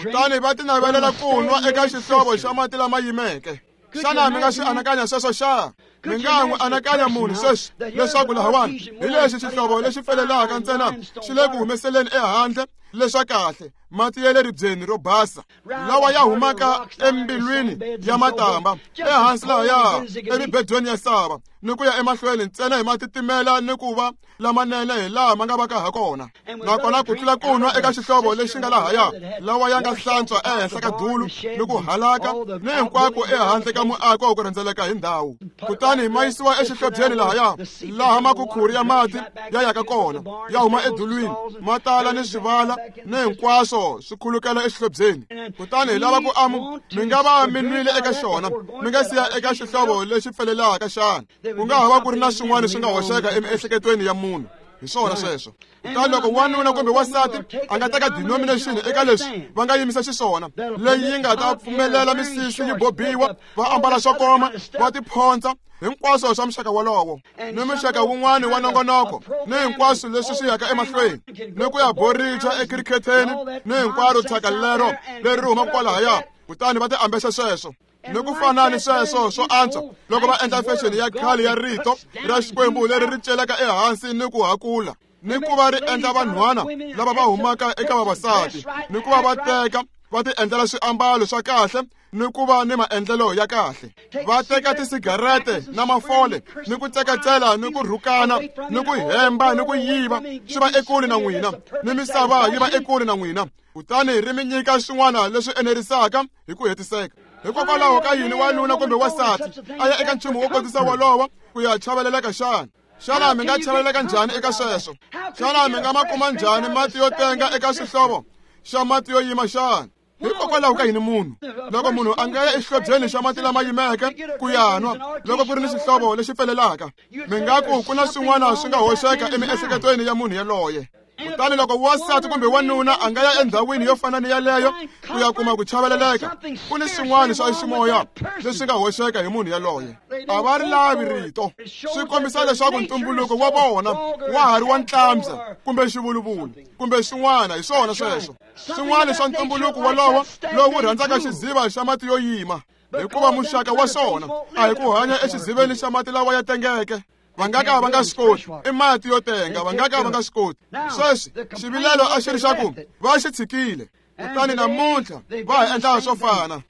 Kutani va tinavelela ku nwa eka xihlovo xa mati lama yimeke. Xana mi nga swi anakanya sweswo xa? Mi nga n'wi anakanya munhu sweswi leswaku lahawani hi lexi xihlovo lexi pfelelaka ntsena xi le ku humeseleni ehandle leswa kahle, mati ya le ribyeni ro basa lawa ya humaka embilwini ya matamba ehansi lahaya emibedweni ya sava, ni ku ya emahlweni ntsena hi matitimela ni ku va lamanene hi laha ma nga vaka ha kona. Nakona ku tlula ku nwa eka xihlovo lexi nga lahaya lawa ya nga hlantswa ehenhla ka dulu ni ku halaka ni hinkwako ehandle ka muako ku rhendzeleka hi ndhawu, kutani ma yisiwa exihlobyeni lahaya laha makukhuri ya mati ya yaka kona, ya huma edulwini, ma tala ni swivala ni hinkwaswo swi khulukela exihlobyeni. Kutani hi lava ku amu mi nga va mi nwile eka xona, mi nga siya eka xihlovo lexi pfelelaka xana? Ku nga ha va ku ri na swin'wana swi nga hoxeka emiehleketweni ya munhu. Hi swona sweswo. Kutani loko wanuna kumbe wansati a nga teka denomination eka leswi va nga yimisa xiswona, leyi yi nga ta pfumelela misisi yi bobiwa, va ambala swo koma, va tiphonsa, hinkwaswo swa muxaka wolowo ni muxaka wun'wana wa nongonoko ni hinkwaswo leswi swi yaka emahlweni, ni ku ya boricha ekhirikheteni ni hinkwaro thyaka lero leri humaka kwalahaya, kutani va ti ambexa sweswo. Ni ku fana ni sweswo swo antswa loko va endla fexeni ya khale ya rito ra Xikwembu leri ri celeka ehansi ni ku hakula, ni ku va ri endla vanhwana lava va humaka eka vavasati, ni ku va va teka va ti endlela swiambalo swa kahle ni ku va ni maendlelo ya kahle. Va teka tisigarete na mafole ni ku tsekatsela ni ku rhukana ni ku hemba ni ku yiva, swi va ekule na n'wina, ni misava yi va ekule na n'wina, kutani ri mi nyika swin'wana leswi enerisaka hi ku hetiseka. Hikokwalaho ka yini wanuna kumbe wansati a ya eka nchumu wo kotisa wolowo ku ya chaveleleka xana? Xana mi nga chaveleleka njhani eka sweswo? Xana mi nga ma kuma njhani mati yo tenga eka xihlovo xa mati yo yima xana? Hikokwalaho ka yini munhu loko munhu a nga ya exihlobyeni xa mati lama yimeke ku ya nwa loko ku ri ni xihlovo lexi pfelelaka? Mi nga ku ku na swin'wana swi nga hoxeka emiehleketweni ya munhu yaloye. Kutani loko wansati kumbe wanuna a nga ya endhawini yo fana ni yaleyo ku ya kuma ku chaveleleka, ku ni swin'wana swa ximoya leswi nga hoxeka hi munhu yaloye. A va ri lavi rito. Swi kombisa leswaku ntumbuluko wa vona wa ha ri wa ntlambya kumbe xivuluvulu kumbe swin'wana. Hi swona sweswo swin'wana swa ntumbuluko wolowo lowu rhandzaka xiziva xa mati yo yima, hikuva muxaka wa swona a hi ku hanya exiziveni xa mati lawa ya tengeke. Va nga ka va nga swi koti, i mati yo tenga, va nga ka va nga swi koti. Sweswi xivilelo a xi ri xa ku va xi tshikile, kutani namuntlha va ha endla swo fana.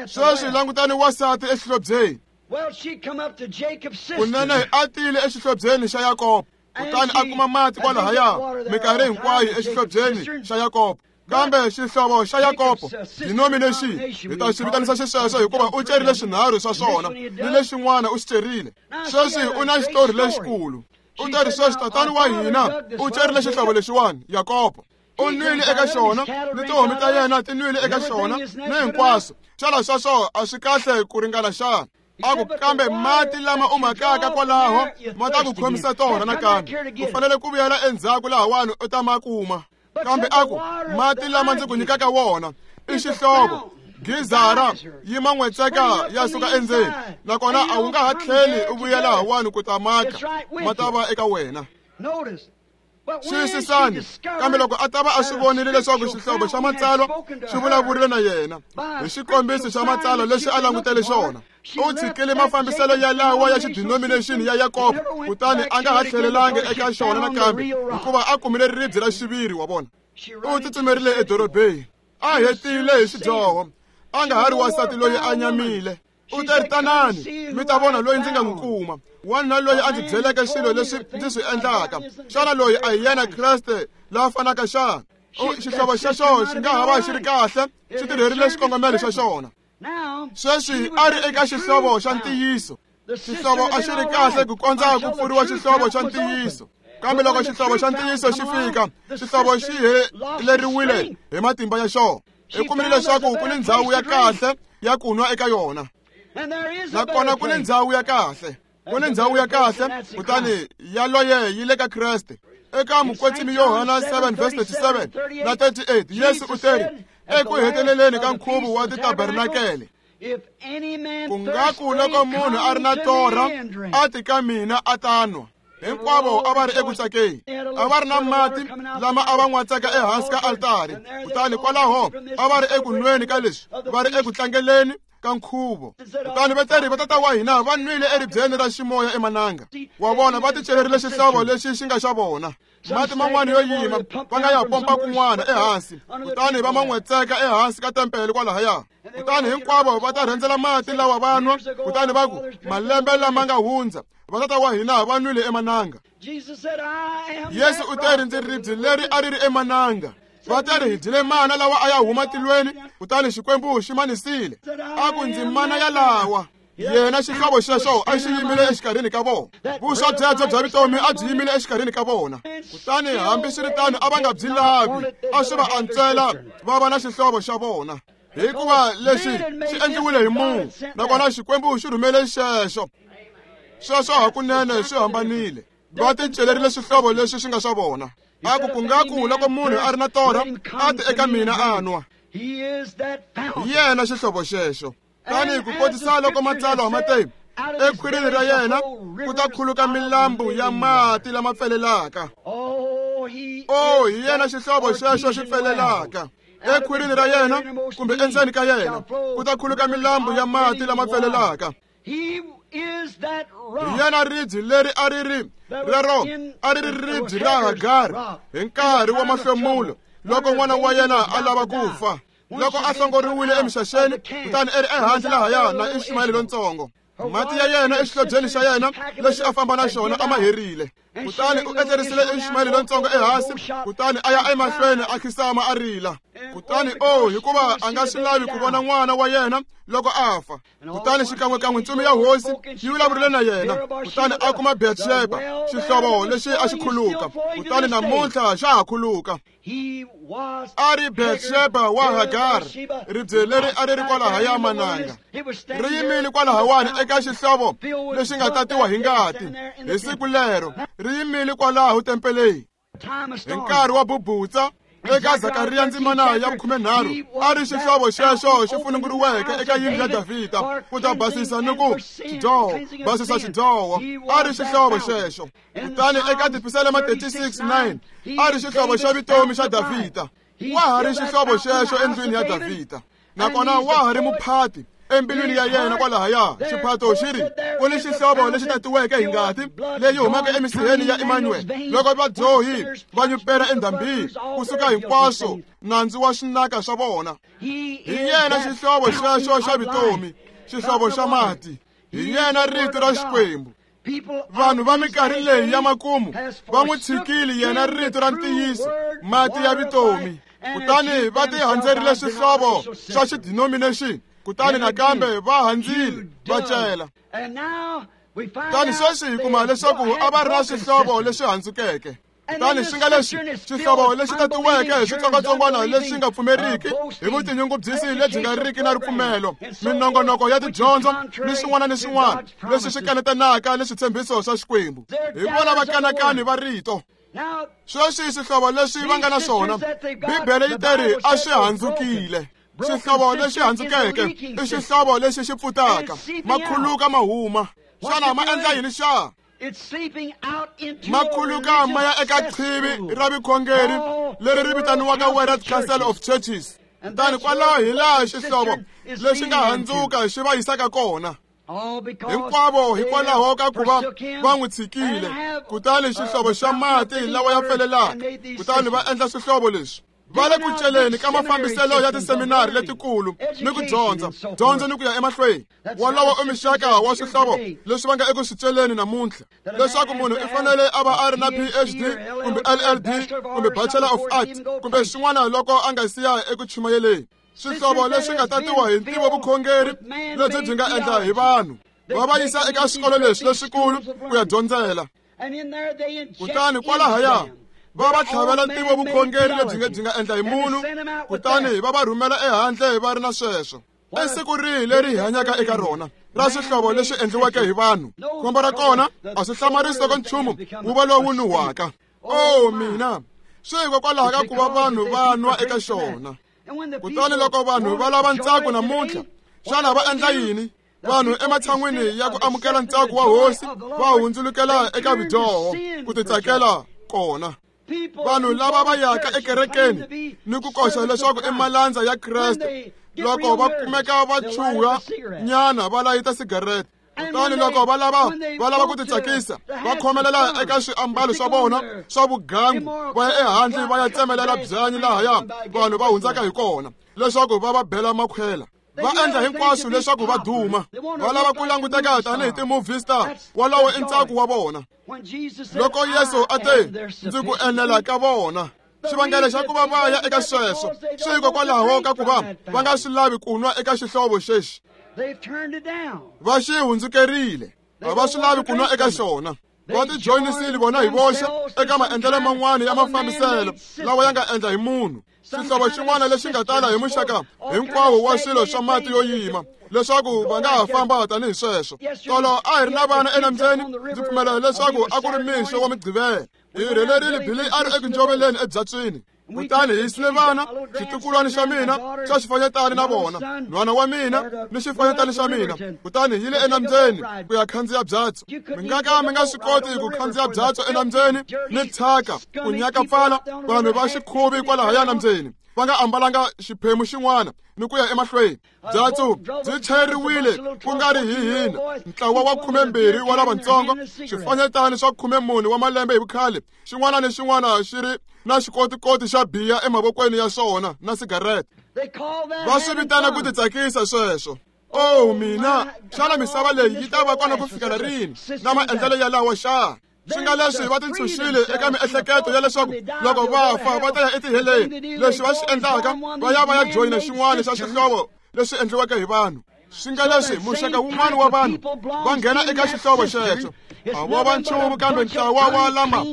Sweswi langutani wansati exihlobyeni. Kunene a tile exihlobyeni xa Yakobo, kutani a kuma mati kwalahaya minkarhi hinkwayo exihlobyeni xa Yakobo. Kambe xihlovo xa Yakobo denomination hi ta xi vitanisa xisweswo hikuva u cerile swinharhu swa swona ni lexin'wana u xi cerile. Sweswi u na xitori lexikulu. U teri sweswi tatani wa hina u cerile xihlovo lexiwani Yakobo. U nwile eka xona ni tihomu ta yena ti nwile eka xona ni hinkwaswo. Xana sweswo a swi kahle ku ringana xana? A ku kambe mati lama u makaka kwalaho ma ta ku khomisa torha nakambe. U fanele ku vuyela endzhaku lahawani u ta ma kuma. Kambe a ku mati lama ndzi ku nyikaka wona i xihlovo gizara yi man'wetseka ya suka endzeni nakona a wu nga ha tlheli u vuyela hawani ku ta maka ma ta va eka wena. Xiyisisani kambe loko a ta va a swi vonile leswaku xihlovo xa matsalwa xi vulavurile na yena hi xikombiso xa matsalwa lexi a langutele xona u tshikile mafambiselo yalawa ya xidenomination ya Yakobo kutani a nga ha tlhelelangi eka xona nakambe hikuva a kumile ribye ra xiviri wa vona. U tsutsumerile edorobeni a hetile hi xidyoho a nga ha ri wansati loyi a nyamile. U teri tanani mi ta vona loyi ndzi nga n'wi kuma wanuna loyi a ndzi byeleke swilo leswi ndzi swi endlaka. Xana loyi a hi yena Kreste la fanaka xana? Xihlovo xexo xi nga ha va xi ri kahle xi tirherile xikongomelo xa xona. Sweswi a ri eka xihlovo xa ntiyiso. Xihlovo a xi ri kahle ku kondza ku pfuriwa xihlovo xa ntiyiso. Kambe loko xihlovo xa ntiyiso xi fika xihlovo xi heleriwile hi matimba ya xona. Hi kumile leswaku ku ni ndhawu ya kahle ya ku nwa eka yona. Nakona ku ni ndhawu ya kahle ku ni ndhawu ya kahle kutani yaloye yi le ka Kreste. Eka mukwetsimi Yohana seven verse thirty-seven na thirty-eight Yesu u teri eku heteleleni ka nkhuvo wa titabernakele ku nga ku loko munhu a ri na torha a ti ka mina a ta nwa. Hinkwavo a va ri eku tsakeni a va ri na mati lama a va n'watsaka ehansi ka altari kutani kwalaho a va ri eku nweni ka leswi va ri eku tlangeleni ka nkhuvo. Kutani vateri va tata wa hina va nwile eribyeni ra ximoya emananga wa vona va ticelerile xihlovo lexi xi nga xa vona. Mati man'wana yo yima va nga ya pompa kun'wana ehansi kutani va man'wetseka ehansi ka tempele kwalahaya. Kutani hinkwavo va ta rhendzela mati lawa va nwa kutani va ku malembe lama nga hundza va tata wa hina va nwile emananga. Yesu u teri ndzi ribye leri a ri ri emananga. Va teri hi dyile mana lawa a ya huma tilweni kutani Xikwembu xi manisile. A ku ndzi mana yalawa. Yena xihlovo xexo a xi yimile exikarhini ka vona. Vuswa byebyo bya vutomi a byi yimile exikarhini ka vona. Kutani hambiswiritano a va nga byi lavi a swi va antswela va va na xihlovo xa vona hikuva lexi xi endliwile hi munhu nakona Xikwembu xi rhumele xexo. Sweswo hakunene swi hambanile. Va ticelerile xihlovo lexi xi nga xa vona. A ku ku nga ku loko munhu a ri na torha a ti eka mina a nwa. Hi yena xihlovo xexo. Tani ku kotisa loko matsalwa ma te ekhwirini ra yena ku ta khuluka milambu ya mati lama pfelelaka. O hi yena xihlovo xexo xi pfelelaka. Ekhwirini ra yena kumbe endzeni ka yena ku ta khuluka milambu ya mati lama pfelelaka. Hi yena ribye leri a ri ri rero a ri ri ribye ra Hagari hi nkarhi wa mahlomulo loko n'wana wa yena a lava ku fa. Loko a hlongoriwile emixaxeni kutani e ri ehandle lahaya na Ismaele lontsongo. Mati ya yena exihlobyeni xa yena lexi a famba na xona a ma herile. Kutani u etlerisile Ismaele lontsongo ehansi kutani a ya emahlweni a khisama a rila. Kutani o hikuva a nga swi lavi ku vona n'wana wa yena loko a fa. Kutani xikan'wekan'we ntsumi ya hosi yi vulavurile na yena kutani a kuma Betsheba xihlovo lexi a xi khuluka kutani namuntlha xa ha khuluka. A ri Betsheba wa Hagar ribye leri a ri ri kwalahaya mananga ri yimile kwalahawani eka xihlovo lexi nga tatiwa hi ngati hi siku lero ri yimile kwalaho tempeleni hi nkarhi wa bubutsa. Eka Zakariya ndzimana ya vukhumenharhu a ri xihlovo xexo xi fununguriweke eka yindlu ya Davhida ku ta basisa ni ku xidyoho basisa xidyoho a ri xihlovo xexo. Kutani eka Tipisalema thirty-six nine a ri xihlovo xa vutomi xa Davhida. Wa ha ri xihlovo xexo endlwini ya Davhida nakona wa ha ri muphati embilwini ya yena kwalahaya. Xiphato xi ri ku ni xihlovo lexi tatiweke hi ngati leyi humaka emisiheni ya Emmanuel loko vadyohi va nyupela endhambini kusuka hinkwaswo nandzu wa swinaka swa vona. Hi yena xihlovo xexo xa vutomi xihlovo xa mati. Hi yena rito ra Xikwembu. Vanhu va minkarhi leyi ya makumu va n'wi tshikile yena rito ra ntiyiso mati ya vutomi. Kutani va tihandzerile swihlovo swa xidenomination, kutani nakambe va handzile va cela. Kutani sweswi hi kuma leswaku a va ri na swihlovo leswi handzukeke. Kutani swi nga leswi xihlovo lexi tatiweke hi switsongwatsongwana leswi nga pfumeriki hi vutinyungubyisi lebyi nga riki na ripfumelo, minongonoko ya tidyondzo ni swin'wana ni swin'wana leswi swi kanetanaka ni switshembiso swa Xikwembu. Hi vona vakanakani va rito. Sweswi swihlovo leswi va nga na swona, Bibele yi teri a swi handzukile. Xihlovo lexi handzukeke i xihlovo lexi xi pfutaka, makhuluka ma huma. Xana ma endla yini xa? Makhuluka ma ya eka qhivi ra vukhongeri leri ri vitaniwaka World Council of Churches. Kutani kwalaho hi laha xihlovo lexi nga handzuka xi va yisaka kona. Hinkwavo hikwalaho ka ku va va n'wi tshikile, kutani xihlovo xa mati lawa ya pfelelaka, kutani va endla swihlovo leswi. Va le ku celeni ka mafambiselo ya tiseminari letikulu ni ku dyondza dyondzo ni ku ya emahlweni. Wolowo i muxaka wa swihlovo leswi va nga eku swi celeni namuntlha, leswaku munhu i fanele a va a ri na P H D kumbe L L D kumbe Bachelor of Arts kumbe swin'wana loko a nga siya eku chumayeleni. Swihlovo leswi nga tatiwa hi ntivo vukhongeri lebyi byi nga endla hi vanhu, va va yisa eka swikolo leswi leswikulu ku ya dyondzela. Kutani kwalahaya va va tlhavela ntivo vukhongeri lebyi nga byi nga endla hi munhu, kutani va va rhumela ehandle va ri na sweswo. I siku rihi leri hi hanyaka eka rona ra swihlovo leswi endliweke hi vanhu? Khombo ra kona a swi hlamarisi loko nchumu wu va lowu nuhwaka. Oh mina, swi hikokwalaho ka ku va vanhu va nwa eka xona. Kutani loko vanhu va lava ntsako namuntlha, xana va endla yini? Vanhu ematshan'wini ya ku amukela ntsako wa hosi va hundzulukela eka vudyoho ku titsakela kona. Vanhu lava va yaka ekerekeni ni ku koxa leswaku i malandza ya Kreste, loko va kumeka va chuha nyana va layita sigarete. Kutani loko va lava va lava ku titsakisa, va khomelela eka swiambalo swa vona swa vugangu, va ya ehandle va ya tsemelela byanyi lahaya vanhu va hundzaka hi kona leswaku va va bela makhwela. Va endla hinkwaswo leswaku va duma, va lava ku languteka tanihi ti-movie star. Wolowo i ntsako wa vona. Loko Yesu a te ndzi ku enela ka vona, xivangelo xa ku va va ya eka sweswo swi hikokwalaho ka ku va va nga swi lavi ku nwa eka xihlovo xexi. Va xi hundzukerile, a va swi lavi ku nwa eka xona. Va tijoyinisile vona hi voxe eka maendlelo man'wana ya mafambiselo lawa ya nga endla hi munhu. Xihlovo xin'wana lexi nga tala hi muxaka hinkwawo wa swilo swa mati yo yima, leswaku va nga ha famba tanihi sweswo. Tolo a hi ri na vana enambyeni, ndzi pfumela leswaku a ku ri mixo wa Mugqivela. Hi rhelerile Billy a ri eku njoveleni ebyatswini. Kutani hi yisile vana, xitukulwana xa mina xa xifanyetana na vona, nhwana wa mina ni xifanyetana xa mina. Kutani hi yile enambyeni ku ya khandziya byatso. Mi nga ka mi nga swi koti ku khandziya byatso enambyeni ni thyaka ku nyaka pfala vanhu va xikhuvi kwalahaya nambyeni va nga ambalanga xiphemu xin'wana ni ku ya emahlweni. Byatso byi chayeriwile ku nga ri hi hina, ntlawa wa khumembirhi wa lavatsongo, swifanyetana swa khumemune wa malembe hi vukhale, xin'wana ni xin'wana xi ri na xikotikoti xa biya emavokweni ya swona na sigarete. Va swi vitana ku titsakisa sweswo. Oh mina, xana misava leyi yi ta va kona ku fikela rini na maendlelo yalawo xa? Swi nga leswi va tintshunxile eka miehleketo ya leswaku loko va fa va ta ya etiheleni. Leswi va swi endlaka, va ya va ya joyina xin'wana xa xihlovo leswi endliweke hi vanhu. Swi nga leswi muxaka wun'wana wa vanhu va nghena eka xihlovo xexo, a vo va nchumu kambe ntlawa wa lama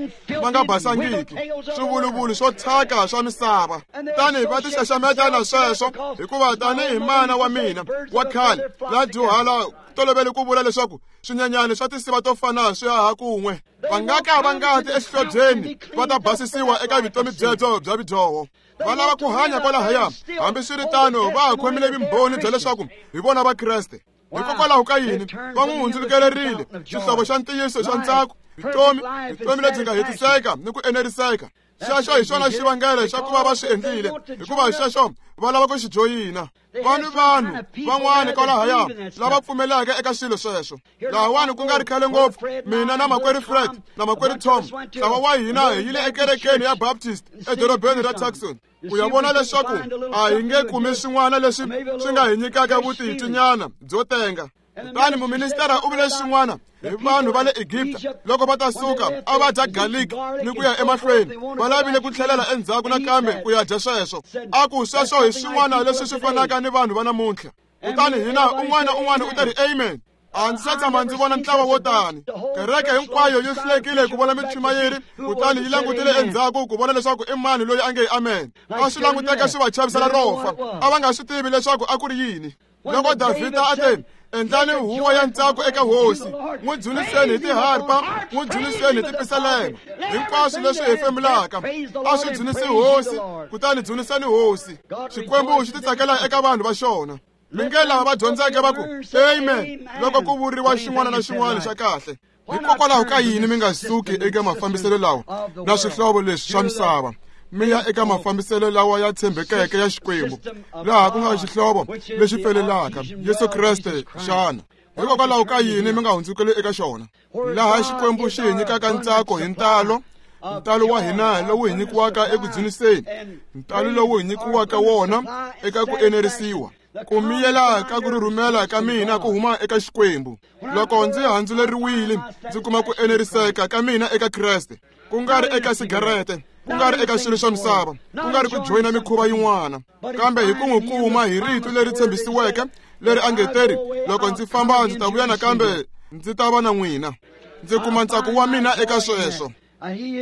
va nga basangiki, swivuluvulu swo thyaka swa misava. Kutani va tixaxameta na sweswo, hikuva tanihi mana wa mina wa khale la dyuhala tolovele ku vula leswaku swinyenyani swa tinsiva to fana swi haha kun'we. Va nga ka va nga ti exihlobyeni va ta basisiwa eka vutomi byebyo bya vudyoho. Va lava ku hanya kwalahaya, hambiswiritano va ha khomile vumbhoni bya leswaku hi vona Vakreste. Hikokwalaho ka yini va n'wi hundzulukelerile xihlovo xa ntiyiso xa ntsako, vutomi, vutomi lebyi nga hetiseka ni ku eneriseka. Xexo hi xona xivangelo xa ku va va swi endlile, hikuva xexo va lava ku xi joyina. Va ni vanhu van'wana kwalahaya lava pfumelaka eka swilo sweswo. Lahawani ku nga ri khale ngopfu, mina na makwerhu Fred na makwerhu Tom, ntlawa wa hina hi yile ekerekeni ya Baptist edorobeni ra Tucson ku ya vona leswaku a hi nge kumi swin'wana leswi swi nga hi nyikaka vutitwinyana byo tenga. Kutani muministara u vule xin'wana hi vanhu va le Egipta loko va ta suka a va dya garlic ni ku ya emahlweni, va lavile ku tlhelela endzhaku nakambe ku ya dya sweswo. A ku sweswo hi swin'wana leswi swi fanaka ni vanhu va namuntlha. Kutani hina un'wana na un'wana u ta ri amen. A ndzi se tshama ndzi vona ntlawa wo tani. Kereke hinkwayo yi hlulekile ku vona michumayeri, kutani yi langutile endzhaku ku vona leswaku i mani loyi a nge amen. A swi languteka swi va chavisela ro fa. A va nga swi tivi leswaku a ku ri yini. Loko Davhida a te, endlani huwa ya ntsako eka hosi, n'wi dzuniseni hi tiharpa, n'wi dzuniseni hi tipisalema, hinkwaswo leswi hefemulaka a swi dzunisi hosi, kutani dzuniseni hosi. Xikwembu xi titsakela eka vanhu va xona. Mi nge lava va dyondzeke va ku amen loko ku vuriwa xin'wana na xin'wana xa kahle. Hikokwalaho ka yini mi nga suki eka mafambiselo lawa na swihlovo leswi swa misava, mi ya eka mafambiselo lawa ya tshembekeke ya Xikwembu, laha ku nga xihlovo lexi pfelelaka, Yesu Kreste xana? Hikokwalaho ka yini mi nga hundzukeli eka xona, laha Xikwembu xi hi nyikaka ntsako hi ntalo, ntalo wa hina lowu hi nyikiwaka eku dzuniseni, ntalo lowu hi nyikiwaka wona eka ku enerisiwa, ku miyela ka ku rhumela ka mina ku huma eka Xikwembu. Loko ndzi handzuleriwile, ndzi kuma ku eneriseka ka mina eka Kreste, ku nga ri eka sigarete, ku nga ri eka swilo swa misava, ku nga ri ku joyina mikhuva yin'wana, kambe hi ku n'wi kuma hi rito leri tshembisiweke leri a nge teri, loko ndzi famba ndzi ta vuya nakambe ndzi ta va na n'wina. Ndzi kuma ntsako wa mina eka sweswo. Hi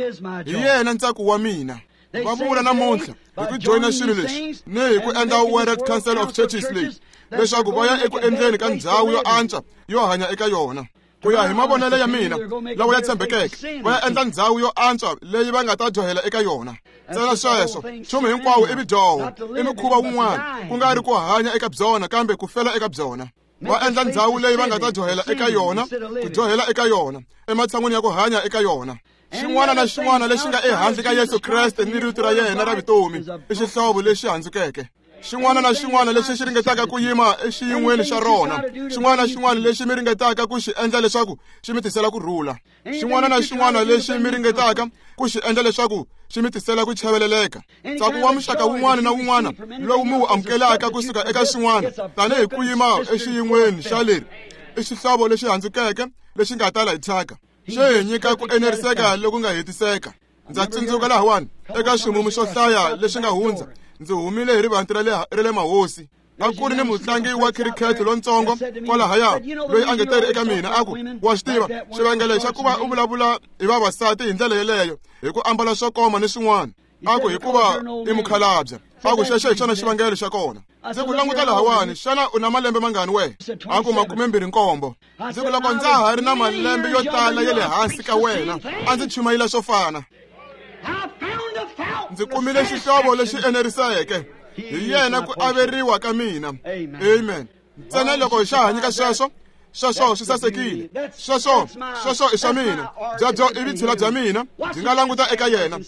yena ntsako wa mina. Va vula namuntlha hi ku joyina swilo leswi ni hi ku endla World Council of Churches leyi, leswaku va ya eku endleni ka ndhawu yo antswa yo hanya eka yona. Ku ya hi mavonelo ya mina lawa ya tshembekeke, va ya endla ndhawu yo antswa leyi va nga ta dyohela eka yona. Ntsena sweswo, nchumu hinkwawo i vudyoho, i mukhuva wun'wana, ku nga ri ku hanya eka byona kambe ku fela eka byona. Va endla ndhawu leyi va nga ta dyohela eka yona, ku dyohela eka yona, ematshan'wini ya ku hanya eka yona. Xin'wana na xin'wana lexi nga ehandle ka Yesu Kreste ni rito ra yena ra vutomi i xihlovo lexi handzukeke. Xin'wana na xin'wana lexi xi ringetaka ku yima exiyin'weni xa rona, xin'wana na xin'wana lexi mi ringetaka ku xi endla leswaku xi mi tisela ku rhula, xin'wana na xin'wana lexi mi ringetaka ku xi endla leswaku xi mi tisela ku chaveleleka, ntsako wa muxaka wun'wana na wun'wana lowu mi wu amukelaka kusuka eka xin'wana tanihi ku yima exiyin'weni xa leri i xihlovo lexi handzukeke lexi nga tala hi thyaka, xi hi nyika ku eneriseka loku nga hetiseka. Ndza tsundzuka lahawani eka ximumu xo hlaya lexi nga hundza, ndzi humile hi rivanti ra le ra le mahosi. A ku ri ni mutlangi wa khirikhete lontsongo kwalahaya loyi a nge teri eka mina a ku, wa swi tiva xivangelo xa ku va u vulavula hi vavasati hi ndlela yeleyo, hi ku ambala swo koma ni swin'wana, a ku hikuva i mukhalabye. A ku xexo hi xona xivangelo xa kona. Ndzi ku languta lahawani, xana u na malembe mangani we? A ku makumembirhi nkombo. Ndzi ku loko ndza ha ri na malembe yo tala ya le hansi ka wena, a ndzi chumayela swo fana. Ndzi kumile xihlovo lexi eneriseke, hi yena ku averiwa ka mina. Amen. Ntsena loko xa ha nyika sweswo, sweswo swi sasekile, sweswo sweswo i swa mina, byebyo i vutshila bya mina. Ndzi nga languta eka yena,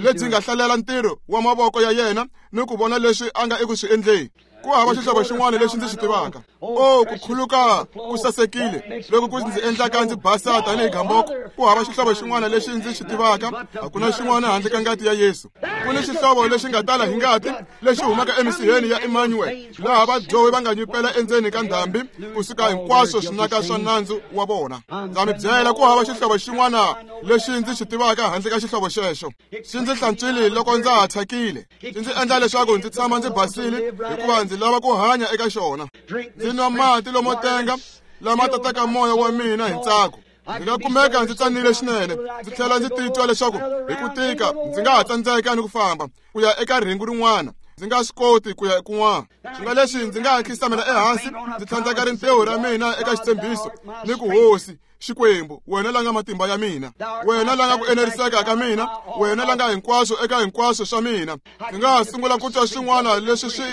lebyi nga hlalela ntirho wa mavoko ya yena ni ku vona leswi a nga eku swi endleni. Ku hava xihlovo xin'wana lexi ndzi xi tivaka. O, ku khuluka ku sasekile loko ku ndzi endlaka ndzi basa tanihi gamboko. Ku hava xihlovo xin'wana lexi ndzi xi tivaka, a ku na xin'wana handle ka ngati ya Yesu. Ku ni xihlovo lexi nga tala hi ngati lexi humaka emisiheni ya Emmanuel, laha vadyohi va nga nyupela endzeni ka ndhambi kusuka hinkwaswo swinaka swa nandzu wa vona. Ndza mi byela, ku hava xihlovo xin'wana lexi ndzi xi tivaka handle ka xihlovo xexo. Xi ndzi hlantswile loko ndza ha thyakile, xi ndzi endla leswaku ndzi tshama ndzi basile, hikuva ndzi lava ku hanya eka xona. Ndzi nwa mati lomo tenga lama tataka moya wa mina hi ntsako. Ndzi nga kumeka ndzi tsanile swinene, ndzi tlhela ndzi titwa leswaku hi ku tika ndzi nga ha tsandzeka ni ku famba ku ya eka rhengu rin'wana, ndzi nga swi koti ku ya kun'wana. Swi nga leswi ndzi nga ha khisamela ehansi, ndzi tlhandlaka rintiho ra mina eka xitshembiso ni ku, Hosi Xikwembu, wena la nga matimba ya mina, wena la nga ku eneriseka ka mina, wena la nga hinkwaswo eka hinkwaswo swa mina. Ndzi nga ha sungula ku twa swin'wana leswi swi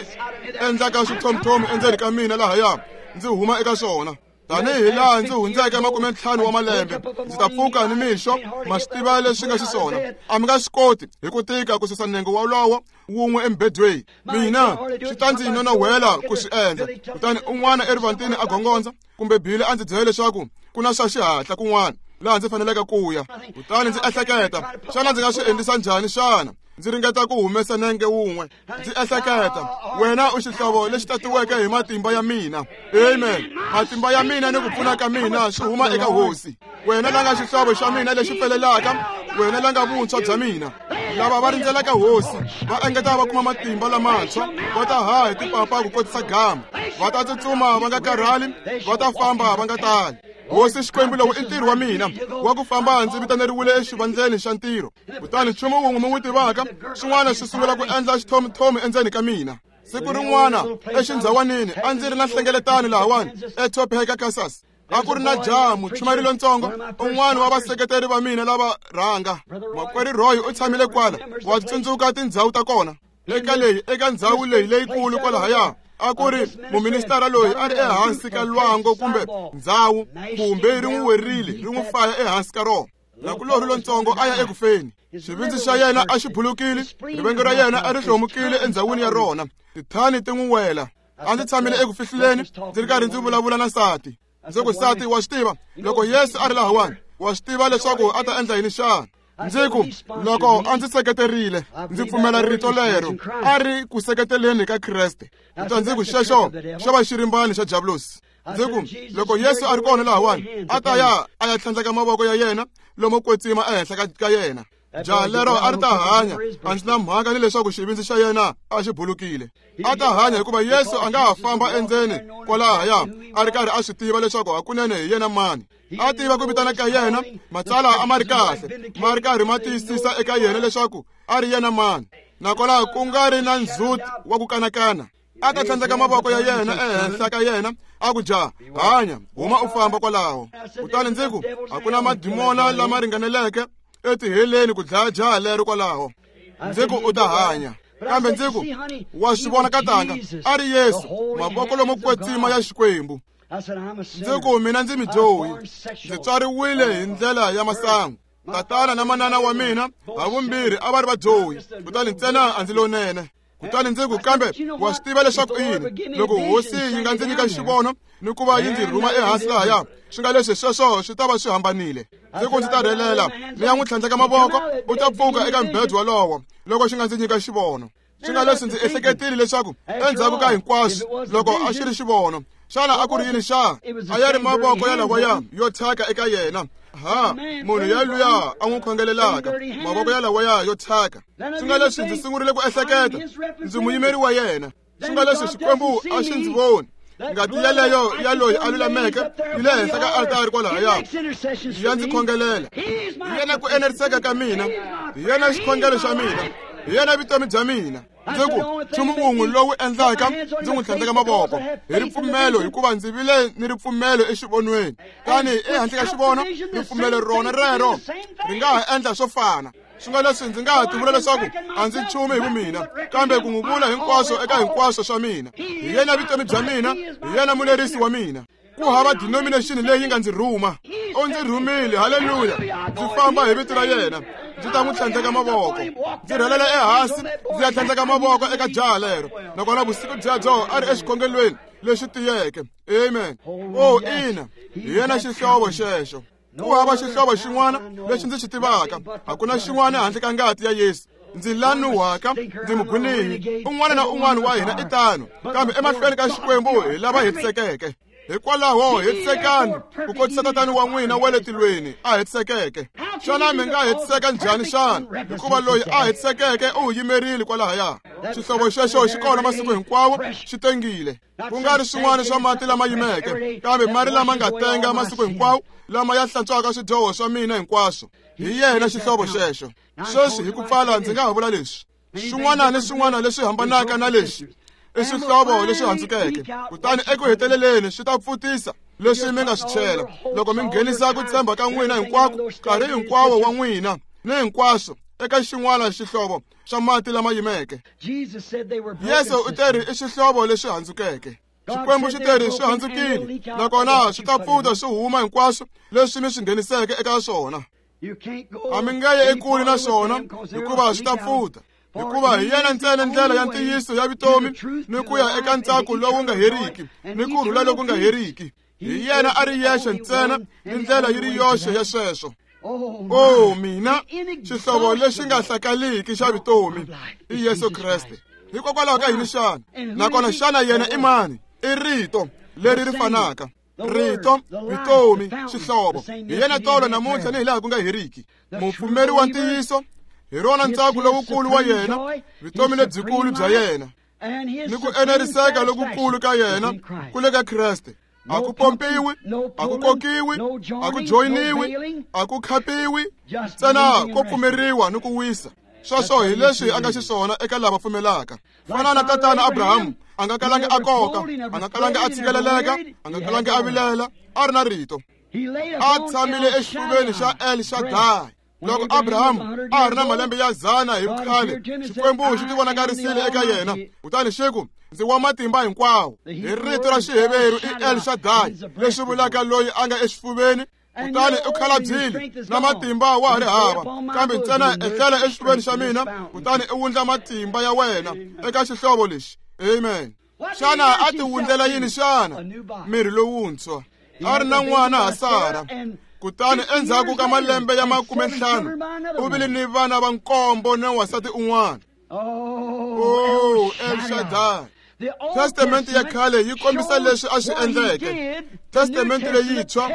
endlaka swithomthomi endzeni ka mina lahaya, ndzi huma eka swona. Tanihi laha ndzi hundzeke makume ntlhanu wa malembe, ndzi ta pfuka ni mixo, ma swi tiva leswi nga xiswona. A mi nga swi koti hi ku tika ku susa nenge wolowo wun'we emubedweni. Mina swi ta ndzi nonowela ku swi endla. Kutani un'wana erivantini a gongondza, kumbe Bili a ndzi byela leswaku ku na swa xihatla kun'wana laha ndzi faneleke ku ya. Kutani ndzi ehleketa, xana ndzi nga swi endlisa njhani xana? Ndzi ringeta ku humesa nenge wun'we. Ndzi ehleketa, wena u xihlovo lexi tatiweke hi matimba ya mina. Amen. Matimba ya mina ni ku pfuna ka mina swi huma eka Hosi. Wena la nga xihlovo xa mina lexi pfelelaka, wena la nga vuntshwa bya mina. Lava va rindzelaka Hosi va engeta va kuma matimba lamantshwa, va ta haha hi tipapa ku kotisa gama, va ta tsutsuma va nga karhali, va ta famba va nga tali. Hosi Xikwembu, lowu i ntirho wa mina wa ku famba ndzi vitaneriwile exivandleni xa ntirho. Kutani nchumu wun'we mi wu tivaka, swin'wana swi sungula ku endla xithomuthomu endzeni ka mina. Siku rin'wana exindhawanini a ndzi ri na nhlengeletano lahawani eTopeka, Kansas. A ku ri na jaha muchumayeri lontsongo, un'wana wa vaseketeri va mina lava rhanga. Makwerhu Roy u tshamile kwala, wa tsundzuka tindhawu ta kona. Eka leyi eka ndhawu leyi leyikulu kwalahaya a ku ri muministara loyi a ri ehansi ka lwangu kumbe ndhawu, kumbe ri n'wi werile ri n'wi faya ehansi ka rona. Nakulorhi lontsongo a ya ekufeni. Xivindzi xa yena a xi bulukile, rivengo ra yena a ri hlomukile endzhawini ya rona. Tithani ti n'wi wela. A ndzi tshamile eku fihluleni ndzi ri karhi ndzi vulavula na nsati. Ndzi ku, nsati, wa swi tiva loko Yesu a ri lahawani, wa swi tiva leswaku a ta endla yini xana? Ndzi ku, loko a ndzi seketerile, ndzi pfumela rito lero a ri ku seketeleni ka Kreste. Kutani ndzi ku, xexo xo va xirimbani xa Diablosi. Ndzi ku, loko Yesu a ri kona lahawani, a ta ya a ya tlhandleka mavoko ya yena lomo kwetsima ehenhla ka yena. Jaha lero a ri ta hanya, a ndzi na mhaka ni leswaku xivindzi xa yena a xi bulukile. A ta hanya hikuva Yesu a nga ha famba endzeni kwalahaya a ri karhi a swi tiva leswaku hakunene hi yena mani. A tiva ku vitana ka yena, matsalwa a ma ri kahle, ma ri karhi ma tiyisisa eka yena leswaku a ri yena mani. Nakona ku nga ri na ndzhuti wa ku kanakana. A ta tlhandleka mavoko ya yena ehenhla ka yena, a ku, jaha, hanya, huma u famba kwalaho. Kutani ndzi ku, a ku na madimona lama ringaneleke etiheleni ku dlaya jaha lero kwalaho. Ndzi ku, u ta hanya. Kambe ndzi ku, wa swi vona katanga, a ri Yesu, mavoko lomo kwetsima ya Xikwembu. Ndzi ku, mina ndzi midyohi, ndzi tswariwile hi ndlela ya masangu. Tatana na manana wa mina havumbirhi a va ri vadyohi, kutani ntsena a ndzi lonene. Kutani ndzi ku, kambe wa swi tiva leswaku i yini? Loko Hosi yi nga ndzi nyika xivono ni ku va yi ndzi rhuma ehansi lahaya, swi nga leswi sweswo swi ta va swi hambanile. Ndzi ku, ndzi ta rhelela ni ya n'wi tlhandleka mavoko, u ta pfuka eka mbhedwo walowo loko xi nga ndzi nyika xivono. Swi nga leswi ndzi ehleketile leswaku endzhaku ka hinkwaswo, loko a xi ri xivono, xana a ku ri yini xa? A ya ri mavoko ya lawaya yo thyaka eka yena. Ha, munhu yaluya a n'wi khongelelaka, mavoko ya lawaya yo thyaka. Swi nga leswi ndzi sungurile ku ehleketa, ndzi muyimeri wa yena. Swi nga leswi Xikwembu a xi ndzi voni. Ngati yeleyo ya loyi a lulameke yi le henhla ka altari kwalahaya, ya ndzi khongelela. Hi yena ku eneriseka ka mina, hi yena xikhongelo xa mina, hi yena vutomi bya mina. Ndzi ku, nchumu wun'we lowu endlaka ndzi n'wi tlhandleka mavoko hi ripfumelo, hikuva ndzi vile ni ripfumelo exivonweni. Tani ehandle ka xivono, ripfumelo rona rero ri nga ha endla swo fana. Swi nga leswi ndzi nga ha tivula leswaku a ndzi nchumu hi vumina, kambe ku n'wi vula hinkwaswo eka hinkwaswo swa mina. Hi yena vutomi bya mina, hi yena mulerisi wa mina. Ku hava denomination leyi nga ndzi rhuma. U ndzi rhumile, haleluya. Ndzi famba hi vito ra yena, ndzi ta n'wi tlhandleka mavoko. Ndzi rhelela ehansi ndzi ya tlhandleka mavoko eka jaha lero. Nakona vusiku byebyo a ri exikhongelweni lexi tiyeke. Amen. Oh, ina, hi yena xihlovo xexo. Ku hava xihlovo xin'wana lexi ndzi xi tivaka, hakuna xin'wana handle ka ngati ya Yesu. Ndzi lanuhaka, ndzi mugwinihi. Un'wana na un'wana wa hina i tano, kambe emahlweni ka Xikwembu hi lava hetisekeke. Hikwalaho hetisekani ku kotisa Tatana wa n'wina wa le tilweni a hetisekeke. Xana mi nga hetiseka njhani xana? Hikuva loyi a hetisekeke u yimerile kwalahaya. Xihlovo xexo xi kona masiku hinkwawo, xi tengile. Ku nga ri swin'wana swa mati lama yimeke, kambe mari lama nga tenga masiku hinkwawo, lama ya hlantswaka swidyoho swa mina hinkwaswo. Hi yena xihlovo xexo. Sweswi hi ku pfala ndzi nga ha vula leswi, swin'wana ni swin'wana leswi hambanaka na lexi i swihlovo leswi handzukeke. Kutani eku heteleleni swi ta pfutisa leswi mi nga swi chela loko mi nghenisa ku tshemba ka n'wina hinkwako, nkarhi hinkwawo wa n'wina ni hinkwaswo eka xin'wana xihlovo xa mati lama yimeke. Yesu u teri i xihlovo leswi handzukeke. Xikwembu xi teri swi handzukile, nakona swi ta pfuta swi huma hinkwaswo leswi mi swi ngheniseke eka swona. A mi nge ye ekule na swona, hikuva swi ta pfuta. Hikuva hi yena ntsena ndlela ya ntiyiso ya vutomi ni ku ya eka ntsako lowu nga heriki ni ku rhula loku nga heriki. Hi yena a ri yexe ntsena ni ndlela yi ri yoxe ya sweswo. O mina, xihlovo lexi nga hlakaliki xa vutomi i Yesu Kreste. Hikokwalaho ka yini xana? Nakona xana yena i mani? I rito leri ri fanaka. Rito, vutomi, xihlovo. Hi yena tolo namuntlha ni hilaha ku nga heriki. Mupfumeri wa ntiyiso hi rona ntsako lowukulu wa yena, vutomi lebyikulu bya yena, ni ku eneriseka lokukulu ka yena ku le ka Kreste. A ku pompiwi, a ku kokiwi, a ku joyiniwi, a ku khapiwi, ntsena ko pfumeriwa ni ku wisa. Sweswo hi leswi a nga xiswona eka lava pfumelaka. Fana na tatana Abraham, a nga kalanga a koka, a nga kalanga a tshikeleleka, a nga kalanga a vilela, a ri na rito. A tshamile exifuveni xa El Shaddai. Loko Abraham a ri na malembe ya zana hi vukhale, Xikwembu xi tivonakarisile eka yena, kutani xi ku, ndzi wa matimba hinkwawo. Hi rito ra Xiheveru i El Shaddai, leswi vulaka loyi a nga exifuveni. Kutani u khalabyile na matimba wa ha ri hava, kambe ntsena ehlela exifuveni xa mina, kutani u wundla matimba ya wena eka xihlovo lexi. Amen. Xana a ti wundlela yini xana? Miri lowuntshwa. A ri na n'wana ha Sara. Kutani endzhaku ka malembe ya makume ntlhanu u vile ni vana va nkombo na wansati un'wana. Oh, El Shaddai. Testamente ya khale yi kombisa leswi a swi endleke. Testamente leyintshwa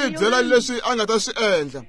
yi byela leswi a nga ta swi endla.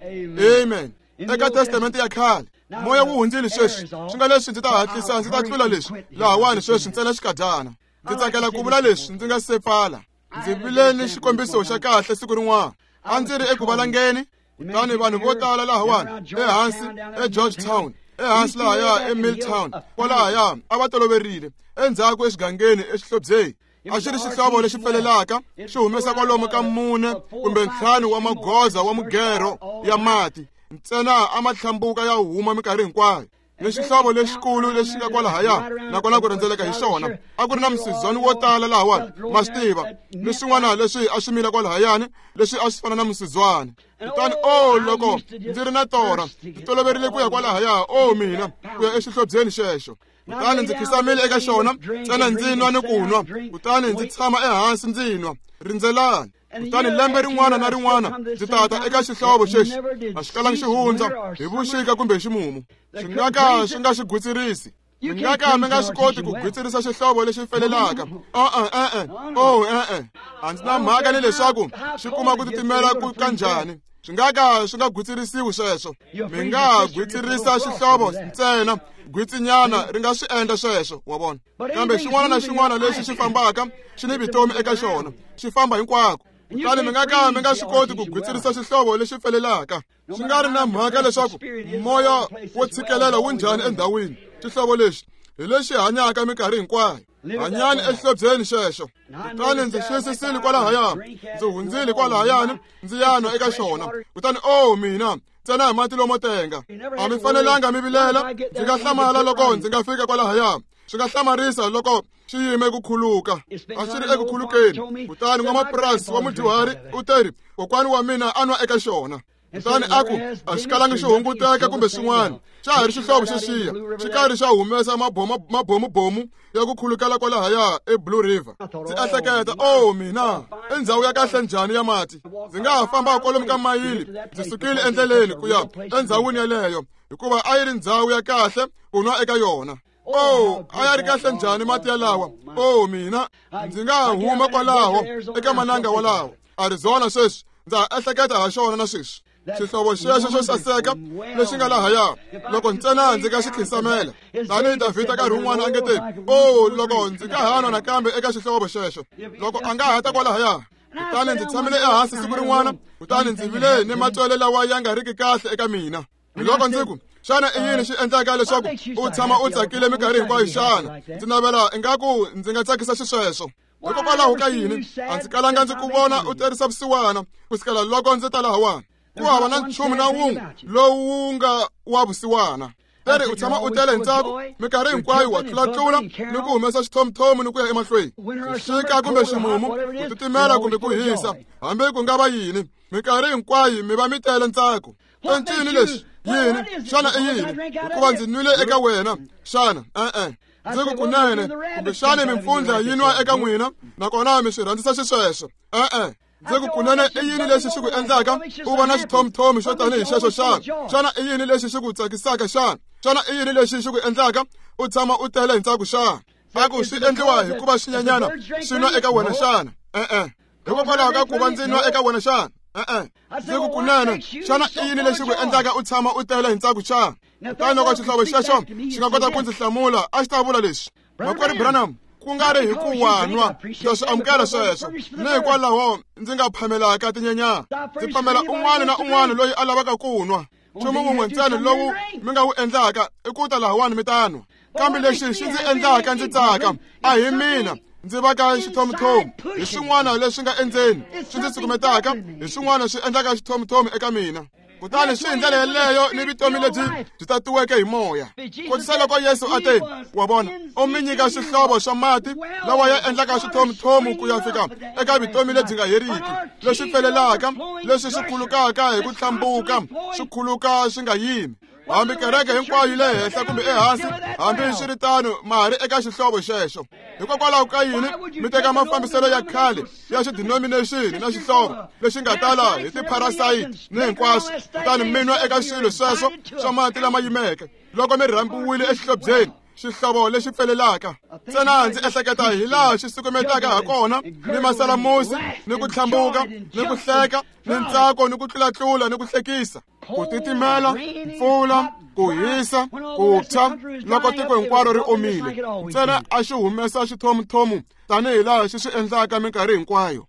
Amen. Eka Testamente ya khale moya wu hundzile sweswi, swi nga leswi ndzi ta hatlisa ndzi ta tlula leswi lahawani sweswi ntsena xikadyana. Ndzi tsakela ku vula leswi ndzi nga se pfala. Ndzi vile ni xikombiso xa kahle siku rin'wana. A ndzi ri eku valangeni, kutani vanhu vo tala lahawani ehansi eGeorgetown, ehansi lahaya eMilltown, kwalahaya a va toloverile endzhaku exigangeni exihlobyeni. A xi ri xihlovo lexi pfelelaka, xi humesa kwalomu ka mune kumbe ntlhanu wa magoza wa mugero ya mati, ntsena a ma hlambuka ya huma minkarhi hinkwayo. Ni xihlovo lexikulu lexi nga kwalahaya, nakona ku rhendzeleka hi xona a ku ri na musizwani wo tala lahawani, ma swi tiva, ni swin'wana leswi a swi mila kwalahayani leswi a swi fana na musizwani. Kutani o loko ndzi ri na torha, ndzi toloverile ku ya kwalahaya, o mina, ku ya exihlobyeni xexo. Kutani ndzi khisamile eka xona, ntsena ndzi nwa ni ku nwa, kutani ndzi tshama ehansi ndzi nwa. Rindzelani. Kutani lembe rin'wana na rin'wana ndzi tata eka xihlovo xexi, a xi kalangi xi hundza hi vuxika kumbe hi ximumu. Swi nga ka swi nga xi gwitsirisi. Mi nga ka mi nga swi koti ku gwitsirisa xihlovo lexi felelaka. E-e, e-e, oh e-e. A ndzi na mhaka ni leswaku xi kuma ku titimela ku kanjhani. Swi nga ka swi nga gwitsirisiwi sweswo. Mi nga gwitsirisa xihlovo ntsena, gwitsinyana ri nga swi endla sweswo, wa vona. Kambe xin'wana na xin'wana lexi xi fambaka xi ni vutomi eka xona, xi famba hinkwako. Kutani mi nga ka mi nga swi koti ku gwitsirisa xihlovo lexi pfelelaka. Swi nga ri na mhaka leswaku moya wo tshikelela wu njhani endhawini, xihlovo lexi hi lexi hanyaka minkarhi hinkwayo. Hanyani exihlobyeni xexo. Kutani ndzi xiyisisile kwalahaya, ndzi hundzile kwalahayani, ndzi ya nwa eka xona. Kutani o mina, ntsena hi mati lomo tenga. A mi fanelanga mi vilela, ndzi nga hlamala loko ndzi nga fika kwalahaya. Swi nga hlamarisa loko xi yime ku khuluka. A xi ri eku khulukeni. Kutani n'wamapurasi wa mudyuhari u teri, kokwani wa mina a nwa eka xona. Kutani a ku, a xi kalangi xi hunguteka kumbe swin'wana, xa ha ri xihlovo xexiya, xi karhi xa humesa mabomubomu ya ku khulukela kwalahaya eBlue River. Ndzi ehleketa, o mina, i ndhawu ya kahle njhani ya mati. Ndzi nga ha famba kwalomu ka mayili, ndzi sukile endleleni ku ya endhawini yeleyo, hikuva a yi ri ndhawu ya kahle ku nwa eka yona. Oh, a ya ri kahle njhani mati yalawa. Oh mina, ndzi nga huma kwalaho eka mananga walawo. Arizona sweswi, ndza ehleketa ha xona na sweswi. Xihlovo xexo xo saseka lexi nga lahaya, loko ntsena ndzi nga xi khisamela. Tanihi Davhida nkarhi wun'wana a nge te, oh loko ndzi nga ha nwa nakambe eka xihlovo xexo, loko a nga ha ta kwalahaya. Kutani ndzi tshamile ehansi siku rin'wana, kutani ndzi vile ni matswele lawa ya nga riki kahle eka mina. Loko ndzi ku, xana i yini xi endlaka leswaku u tshama u tsakile minkarhi hinkwayo xana? Ndzi navela ingaku ndzi nga tsakisa xisweswo. Hikokwalaho ka yini a ndzi kalanga ndzi ku vona u terisa vusiwana ku sukela loko ndzi ta lahawani? Ku hava na nchumu na wun'we lowu nga wa vusiwana. Teri u tshama u tele hi ntsako minkarhi hinkwayo, wa tlulatlula ni ku humesa xithomuthomu ni ku ya emahlweni. Xixika kumbe ximumu, ku titimela kumbe ku hisa, hambi ku nga va yini, minkarhi hinkwayo mi va mi tele ntsako. I ncini lexi? Yini? Xana i yini? Hikuva ndzi nwile eka wena xana? E-e. Ndzi ku kunene, kumbexani mimpfundla yi nwa eka n'wina, nakona mi swi rhandzisa xisweswo. E-e. Ndzi ku kunene i yini lexi xi ku endlaka u va na xithomthomi xo tanihi xexo xana? Xana i yini lexi xi ku tsakisaka xana? Xana i yini lexi xi ku endlaka u tshama u tele hi ntsako xana? A ku swi endliwa hikuva swinyenyana swi nwa eka wena xana? E-e. Hikokwalaho ka ku va ndzi nwa eka wena xana? E-e. Ndzi ku kunene xana i yini lexi ku endlaka u tshama u tele hi ntsako xana? Kutani loko xihlovo xexo xi nga kota ku ndzi hlamula a xi ta vula leswi: Makwerhu Branham, ku nga ri hi ku wa nwa, ndza swi amukela sweswo, ni hikwalaho ndzi nga phamelaka tinyenyana. Ndzi phamela un'wana na un'wana loyi a lavaka ku nwa. Nchumu wun'we ntsena lowu mi nga wu endlaka i ku ta lahawani mi ta nwa. Kambe lexi xi ndzi endlaka ndzi tsaka a hi mina ndzi va ka xithomthomi, hi swin'wana leswi nga endzeni swi ndzi sukumetaka, hi swin'wana swi endlaka xithomthomi eka mina. Kutani swi hi ndlela yeleyo ni vutomi lebyi byi tatiweke hi moya. Kotisa loko Yesu a te, wa vona, u mi nyika xihlovo xa mati lawa ya endlaka xithomthomu ku ya fika eka vutomi lebyi nga heriki, leswi pfelelaka, leswi swi khulukaka hi ku hlambuka, swi khuluka swi nga yimi. Hambi kereke hinkwayo yi le henhla kumbe ehansi, hambi swi ri tano ma ha ri eka xihlovo xexo. Hikokwalaho ka yini mi teka mafambiselo ya khale ya xidenomination na xihlovo lexi nga tala hi tiparasite ni hinkwaswo, kutani mi nwa eka swilo sweswo swa mati lama yimeke loko mi rhambiwile exihlobyeni, xihlovo lexi pfelelaka? Ntsena ndzi ehleketa hi laha xi sukumetaka ha kona ni masalamusi ni ku tlhambuka ni ku hleka ni ntsako ni ku tlulatlula ni ku hlekisa, ku titimela, mpfula, ku hisa, ku tshwa loko tiko hinkwaro ri omile. Ntsena a xi humesa xithomuthomu tanihi laha xi swi endlaka minkarhi hinkwayo,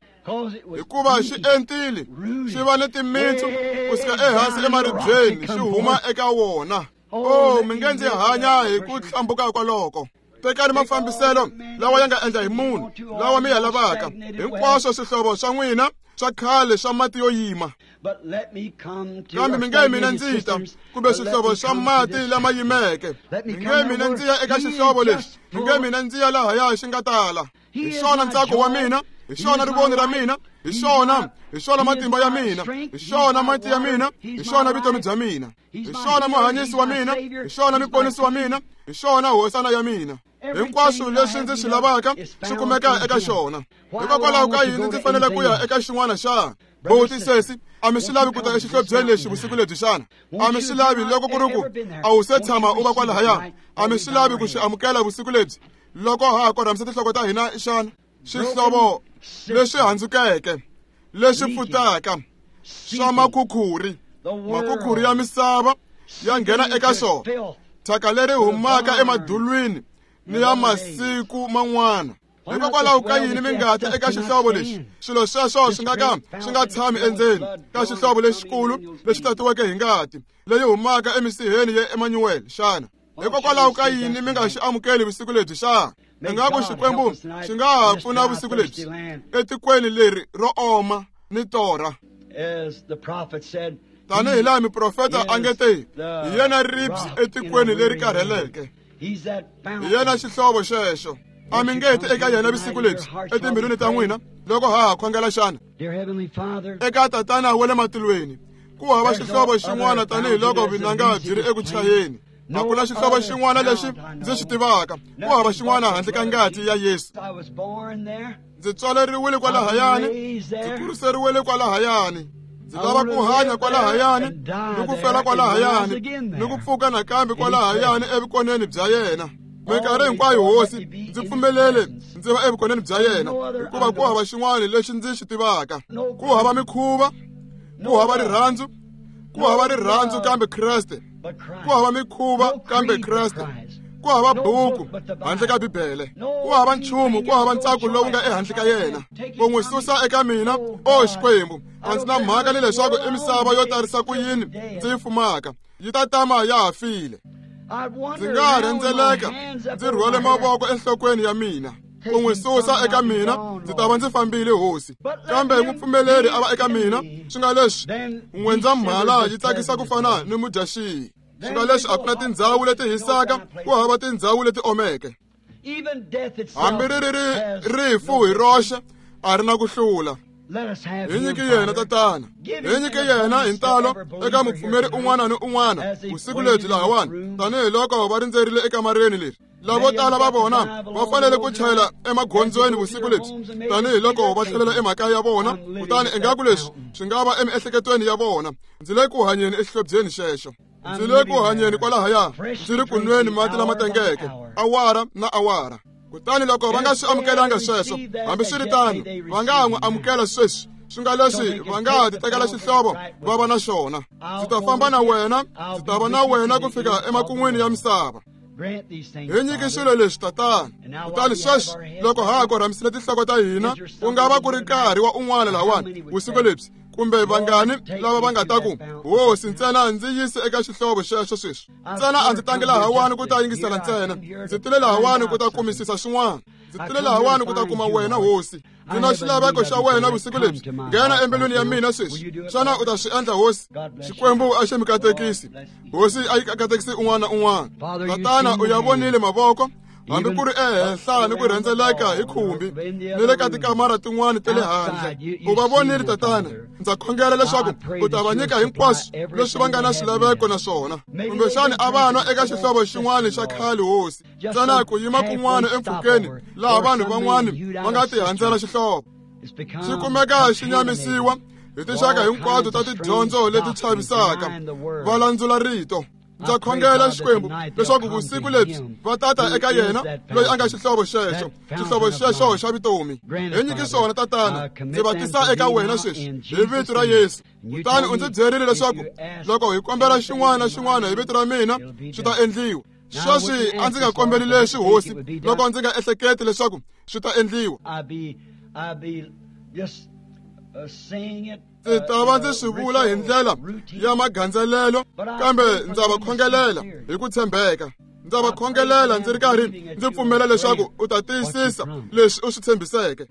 hikuva xi entile, xi va ni timitsu ku suka ehansi emaribyeni xi huma eka wona. Oh, mi nge ndzi hanya hi ku hlambuka kwaloko. Tekani mafambiselo lawa ya nga endla hi munhu, lawa mi ya lavaka, hinkwaswo swihlovo swa n'wina swa khale swa mati yo yima. Kambe mi nge mina ndzi ta, kumbe swihlovo swa mati lama yimeke. Mi nge mina ndzi ya eka xihlovo lexi, mi nge mina ndzi ya lahaya xi nga tala. Hi xona ntsako wa mina, hi xona rivoni ra mina, hi xona, hi xona matimba ya mina, hi xona mati ya mina, hi xona vutomi bya mina, hi xona muhanyisi wa mina, hi xona muponisi wa mina, hi xona hosana ya mina. Hinkwaswo leswi ndzi swi lavaka swi kumeka eka xona. Hikokwalaho ka yini ndzi fanele ku ya eka xin'wana xana? Buti, sesi, a mi swi lavi ku ta exihlobyeni lexi vusiku lebyi xana? A mi swi lavi loko ku ri ku a wu se tshama u va kwalahaya? A mi swi lavi ku xi amukela vusiku lebyi loko ha ha korhamisa tinhloko ta hina xana? Xihlovo leswi handzukeke, leswi pfutaka, swa makhukhuri, makhukhuri ya misava ya nghena eka xona, thyaka leri humaka emadulwini ni ya masiku man'wana. Hikokwalaho ka yini mi nga ti eka xihlovo lexi? Swilo sweswo swi nga ka swi nga tshami endzeni ka xihlovo lexikulu lexi tatiweke hi ngati leyi humaka emisiheni ya Emmanuel xana? Hikokwalaho ka yini mi nga xi amukeli vusiku lebyi xana? Ingaku Xikwembu xi nga ha pfuna vusiku lebyi etikweni leri ro oma ni torha. Tanihi laha muprofeta a nge te, hi yena ribye etikweni leri karheleke, hi yena xihlovo xexo. A mi nge ti eka yena vusiku lebyi etimbilwini ta n'wina loko ha ha khongela xana? Eka Tatana wa le matilweni, ku hava xihlovo xin'wana tanihiloko vunanga byi ri eku chayeni. A ku na xihlovo xin'wana lexi ndzi xi tivaka, ku hava xin'wana handle ka ngati ya Yesu. Ndzi tswaleriwile kwalahayani, ndzi kuriseriwile kwalahayani, ndzi lava ku hanya kwalahayani ni ku fela kwalahayani ni ku pfuka nakambe kwalahayani evukoneni bya yena. Minkarhi hinkwayo Hosi, ndzi pfumelele ndzi va evukoneni bya yena, hikuva ku hava xin'wana lexi ndzi xi tivaka. Ku hava mikhuva, ku hava rirhandzu, ku hava rirhandzu kambe Kreste, ku hava mikhuva kambe Kreste, ku hava buku handle ka Bibele, ku hava nchumu, ku hava ntsako lowu nga ehandle ka yena. Ku n'wi susa eka mina, o Xikwembu, a ndzi na mhaka ni leswaku i misava yo tarisa ku yini ndzi yi fumaka, yi ta tama ya ha file. Ndzi nga ha rhendzeleka ndzi rhwale mavoko enhlokweni ya mina. Ku n'wi susa eka mina, ndzi ta va ndzi fambile Hosi. Kambe n'wi pfumeleri a va eka mina, swi nga leswi N'wendzamhala yi tsakisa ku fana ni mudyaxihi. Swi nga leswi a ku na tindhawu leti hisaka, ku hava tindhawu leti omeke. Hambi ri ri rifu hi roxe a ri na ku hlula. Hi nyike yena Tatana, hi nyike yena hi ntalo eka mupfumeri un'wana ni un'wana vusiku lebyi lahawani, tanihiloko va rindzerile ekamareni leri. Lavo tala va vona va fanele ku chayela emagondzweni vusiku lebyi tanihiloko va tlhelela emakaya ya vona, kutani ingaku leswi swi nga va emiehleketweni ya vona. Ndzi le ku hanyeni exihlobyeni xexo, ndzi le ku hanyeni kwalahaya, ndzi ri ku nweni mati lama tengeke awara na awara. Kutani loko va nga swi amukelanga sweswo, hambiswiritano va nga n'wi amukela sweswi, swi nga leswi va nga ti tekela xihlovo va va na xona. Ndzi ta famba na wena, ndzi ta va na wena ku fika emakun'wini ya misava. Hi nyiki swilo leswi, Tatana. Kutani sweswi loko ha ha korhamisile tinhloko ta hina, ku nga va ku ri nkarhi wa un'wana lahawani vusiku lebyi, kumbe vangani lava va nga ta ku, Hosi, ntsena ndzi yise eka xihlovo xexo sweswi. Ntsena a ndzi tangi lahawani ku ta yingisela ntsena, ndzi tile lahawani ku ta kumisisa swin'wana. Ndzi tile lahawani ku ta kuma wena, Hosi. Ndzi na xilaveko xa wena vusiku lebyi. Nghena embilwini ya mina sweswi. Xana u ta swi endla, Hosi? Xikwembu a xi mi katekisi. Hosi a yi katekisi un'wana na un'wana. Tatana, u ya vonile mavoko, hambi ku ri ehenhla ni ku rhendzeleka hi khumbi ni le ka tikamara tin'wana ta le handle. U va vonile, Tatana. Ndza khongela leswaku u ta va nyika hinkwaswo leswi va nga na swilaveko na swona. Kumbexani a va nwa eka xihlovo xin'wana xa khale, Hosi, ntsena ku yima kun'wana empfhukeni laha vanhu van'wana va nga tihandzela xihlovo. Xi kumeka xi nyamisiwa hi tinxaka hinkwato ta tidyondzo leti chavisaka, va landzula rito. Ndza khongela, Xikwembu, leswaku vusiku lebyi va tata eka yena loyi a nga xihlovo xexo, xihlovo xexo xa vutomi. Hi nyiki swona, Tatana. Ndzi va tisa eka wena sweswi hi vito ra Yesu. Kutani u ndzi byerile leswaku loko hi kombela xin'wana na xin'wana hi vito ra mina, swi ta endliwa. Sweswi a ndzi nga kombeli leswi, Hosi, loko ndzi nga ehleketi leswaku swi ta endliwa. Ndzi ta va ndzi swi vula hi ndlela ya magandzelelo, kambe ndza va khongelela hi ku tshembeka. Ndza va khongelela ndzi ri karhi ndzi pfumela leswaku u ta tiyisisa leswi u swi tshembiseke.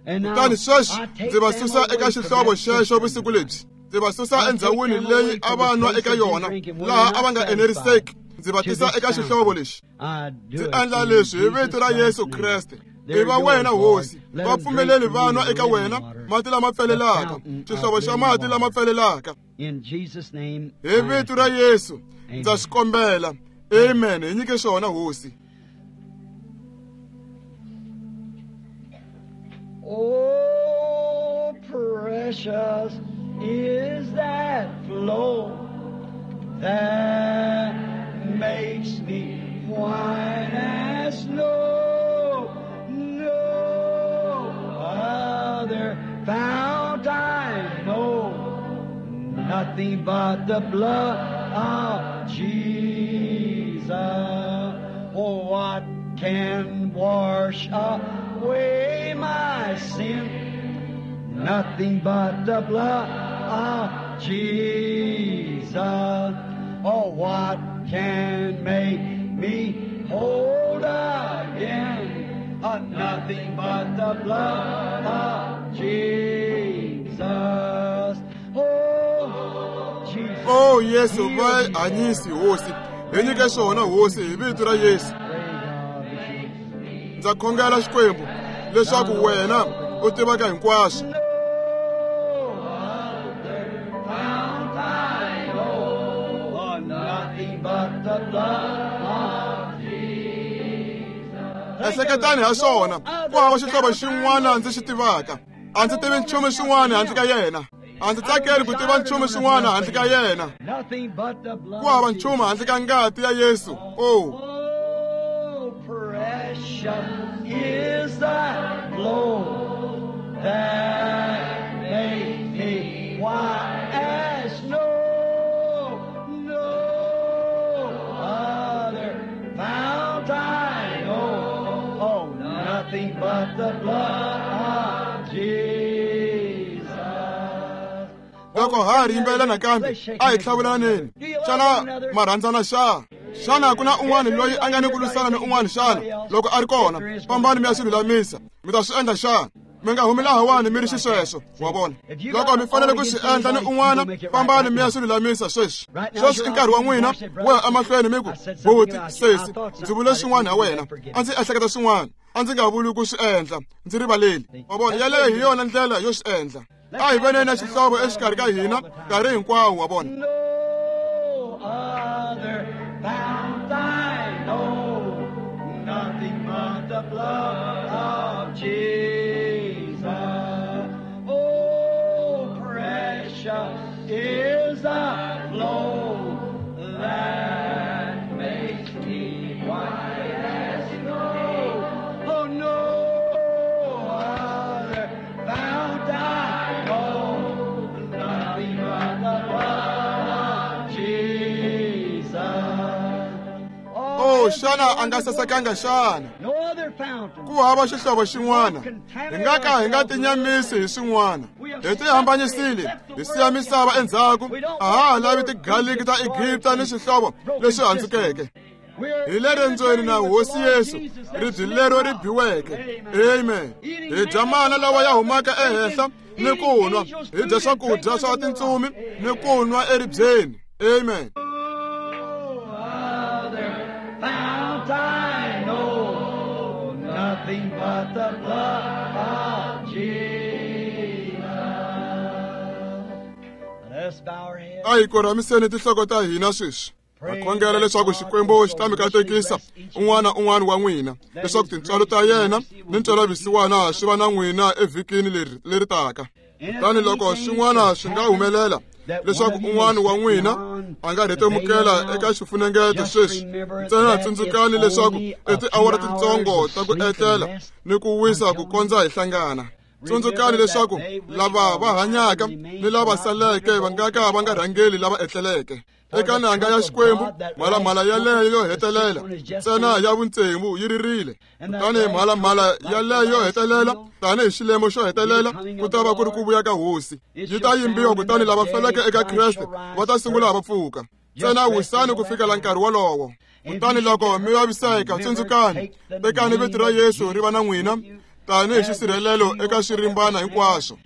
Kutani sweswi ndzi va susa eka xihlovo xexo vusiku lebyi. Ndzi va susa endhawini leyi a va nwa eka yona, laha a va nga eneriseki. Ndzi va tisa eka xihlovo lexi. Ndzi endla leswi hi vito ra Yesu Kreste. I va wena, Hosi. Va pfumeleli va nwa eka wena mati lama pfelelaka, xihlovo xa mati lama pfelelaka. Hi vito ra Yesu ndza swi kombela. Amen. Hi nyike swona, Hosi. Oh, precious is that flow that makes me white as snow. No other fount I know, nothing but the blood of Jesus. Oh, what can wash away my sin? Nothing but the blood of Jesus. Oh, what can make me whole again? Uh, nothing but the blood of Jesus. Oh, Jesus. Oh, Yesu, va hanyisi, Hosi. Hi nyike swona, Hosi, hi vito ra Yesu. Ndza khongela, Xikwembu, leswaku wena u tivaka hinkwaswo. Ehleketani ha swona, ku hava xihlovo xin'wana ndzi xi tivaka. A ndzi tivi nchumu xin'wana handle ka yena. A ndzi tsakeli ku tiva nchumu xin'wana handle ka yena. Ku hava nchumu handle ka ngati ya Yesu. Oh, precious is that flow that makes me white as snow. No other fount I know. Oh, nothing but the blood of Jesus. Loko ha ri yimbelela nakambe, a hi hlavulaneni. Xana ma rhandzana xa? Xana ku na un'wana loyi a nga ni ku lwisana ni un'wana xana? Loko a ri kona, fambani mi ya swi lulamisa. Mi ta swi endla xana? Mi nga humi lahawani mi ri xisweswo, wa vona. Loko mi fanele ku swi endla ni un'wana, fambani mi ya swi lulamisa sweswi. Sweswi i nkarhi wa n'wina wo ya emahlweni mi ku, buti, sesi, ndzi vule swin'wana ha wena. A ndzi ehleketa swin'wana. A ndzi nga vuli ku swi endla, ndzi rivaleli. Wa vona, yaleyo hi yona ndlela yo swi endla. A hi veneni na xihlovo exikarhi ka hina nkarhi hinkwawo, wa vona. No other fount I know, blood of Jesus. Oh, precious is the flow that makes me white as snow. Oh, no other fount I know, nothing but the blood of Jesus. Oh, xana a nga sasekanga xana? No other fountain. Ku hava xihlovo xin'wana. Hi nga ka hi nga tinyamisi hi swin'wana. Hi tihambanyisile, hi siya misava endzhaku. A ha ha lavi tigaliki ta Egipta ni xihlovo lexi handzukeke. Hi le rendzweni na Hosi Yesu, ribye lero ri biweke. Amen. Hi dya mana lawa ya humaka ehenhla ni ku nwa. Hi dya swakudya swa tintsumi ni ku nwa eribyeni. Amen. No other fount I know, nothing but the blood of Jesus. Let's bow our heads. A hi korhamiseni tinhloko ta hina sweswi. Ha khongela leswaku Xikwembu xi ta mi katekisa un'wana un'wana wa n'wina, leswaku tintswalo ta yena ni ntwelavusiwana swi va na n'wina evhikini leri leri taka. Kutani loko swin'wana swi nga humelela leswaku un'wana wa n'wina a nga rhetemukela eka xifunengeto sweswi, ntsena tsundzukani leswaku i tiawara titsongo ta ku etlela ni ku wisa ku kondza hi hlangana. Tsundzukani leswaku lava va hanyaka ni lava saleke va nga ka va nga rhangeli lava etleleke. Eka nanga ya Xikwembu, mhalamhala yaleyo yo hetelela ntsena ya vutsevu yi ririle. Kutani mhalamhala yaleyo yo hetelela tanihi xilemo xo hetelela ku ta va ku ri ku vuya ka Hosi. Yi ta yimbiwa kutani lava feleke eka Kreste va ta sungula va pfuka. Ntsena wisani ku fikela nkarhi wolowo. Kutani loko mi vaviseka, tsundzukani, tekani vito ra Yesu ri va na n'wina tanihi xisirhelelo eka xirimbana hinkwaswo.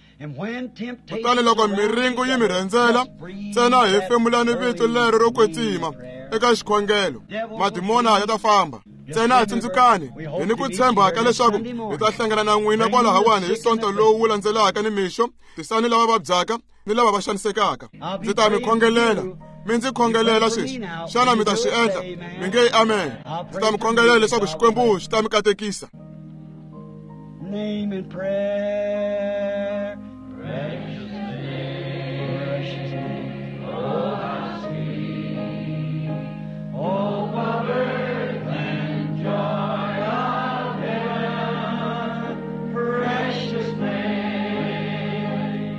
Kutani loko miringo yi mi rhendzela, ntsena hefemulani vito lero ro kwetsima eka xikhongelo, madimona ya ta famba. Ntsena tsundzukani, hi ni ku tshemba ka leswaku hi ta hlangana na n'wina kwalahawani hi Sonto lowu wu landzelaka nimixo. Tisani lava vabyaka ni lava va xanisekaka. Ndzi ta mi khongelela. Mi ndzi khongelela sweswi. Xana mi ta swi endla? Mi nge amen. Ndzi ta mi khongelela leswaku Xikwembu xi ta mi katekisa. Name in prayer. Precious name, precious name, oh how sweet, oh what earth and joy of heaven. Precious name,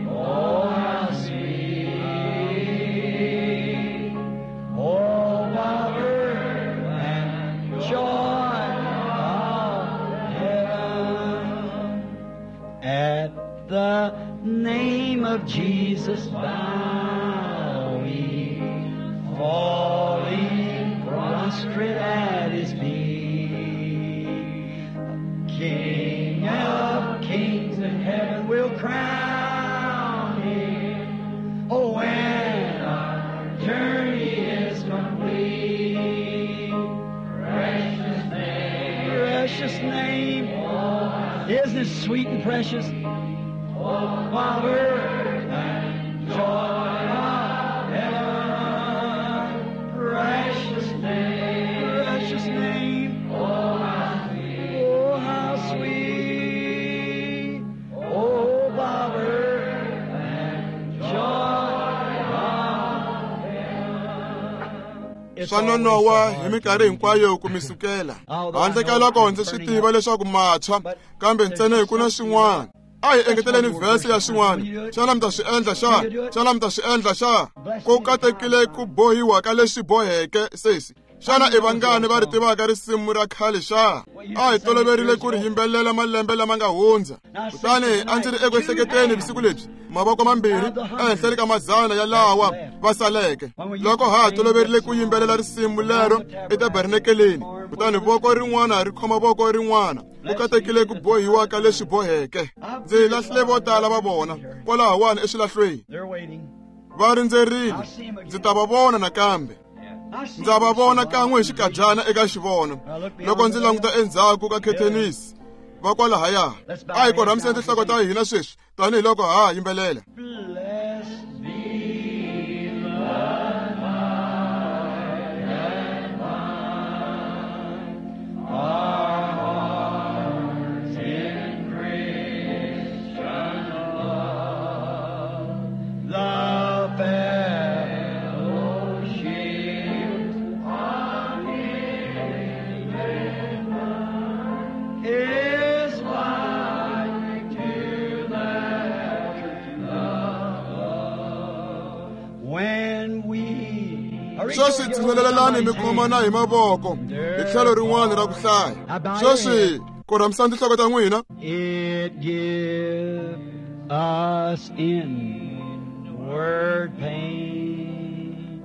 oh how sweet, oh what earth and joy of heaven. At the name of Jesus bow we, falling prostrate at his feet. King of kings in heaven will crown him. Oh, when our journey is complete. Precious name, precious name. Isn't it sweet and precious? Oh, Father, and joy of heaven, precious name, precious name. Oh, how sweet, oh, how sweet. Oh, Father, and joy of heaven. Swa nonowa hi minkarhi hinkwayo ku mi sukela. Handle ka loko ndzi swi tiva leswaku matshwa, kambe ntsena ku na swin'wana. A hi engeteleni vhesi ya xin'wana. Xana mi ta swi endla xa? Xana mi ta swi endla xa? Ku katekile ku bohiwa ka leswi boheke sesi. Xana i vangani va ri tivaka risimu ra khale xa? A hi toloverile ku ri yimbelela malembe lama nga hundza. Kutani a ndzi ri eku ehleketeni vusiku lebyi, mavoko mambirhi ehenhleni ka madzana ya lawa va saleke. Loko ha ha toloverile ku yimbelela risimu lero etabernakeleni, kutani voko rin'wana ri khoma voko rin'wana. Ku katekile ku bohiwa ka leswi boheke. Ndzi lahlile vo tala va vona kwalahawani eswilahlweni. Va rindzerile. Ndzi ta va vona nakambe. Ndza va vona kan'we hi xikadyana eka xivono. Loko ndzi languta endzhaku ka khethenisi va kwalahaya. A hi korhamiseni tinhloko ta hina sweswi tanihiloko ha ha yimbelela. Blessed be the Sweswi tshinelelani mi khomana hi mavoko hi tlhelo rin'wana ra ku hlaya. Sweswi korhamisani tinhloko ta n'wina. It give us inward pain,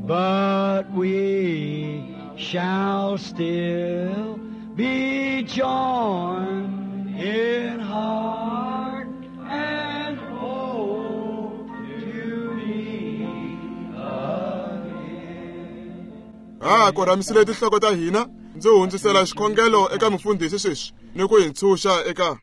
but we shall still be joined in heart and hope to meet again. Ha korhamisile tinhloko ta hina. Ndzi hundzisela xikhongelo eka mufundhisi sweswi ni ku hi ntshunxa eka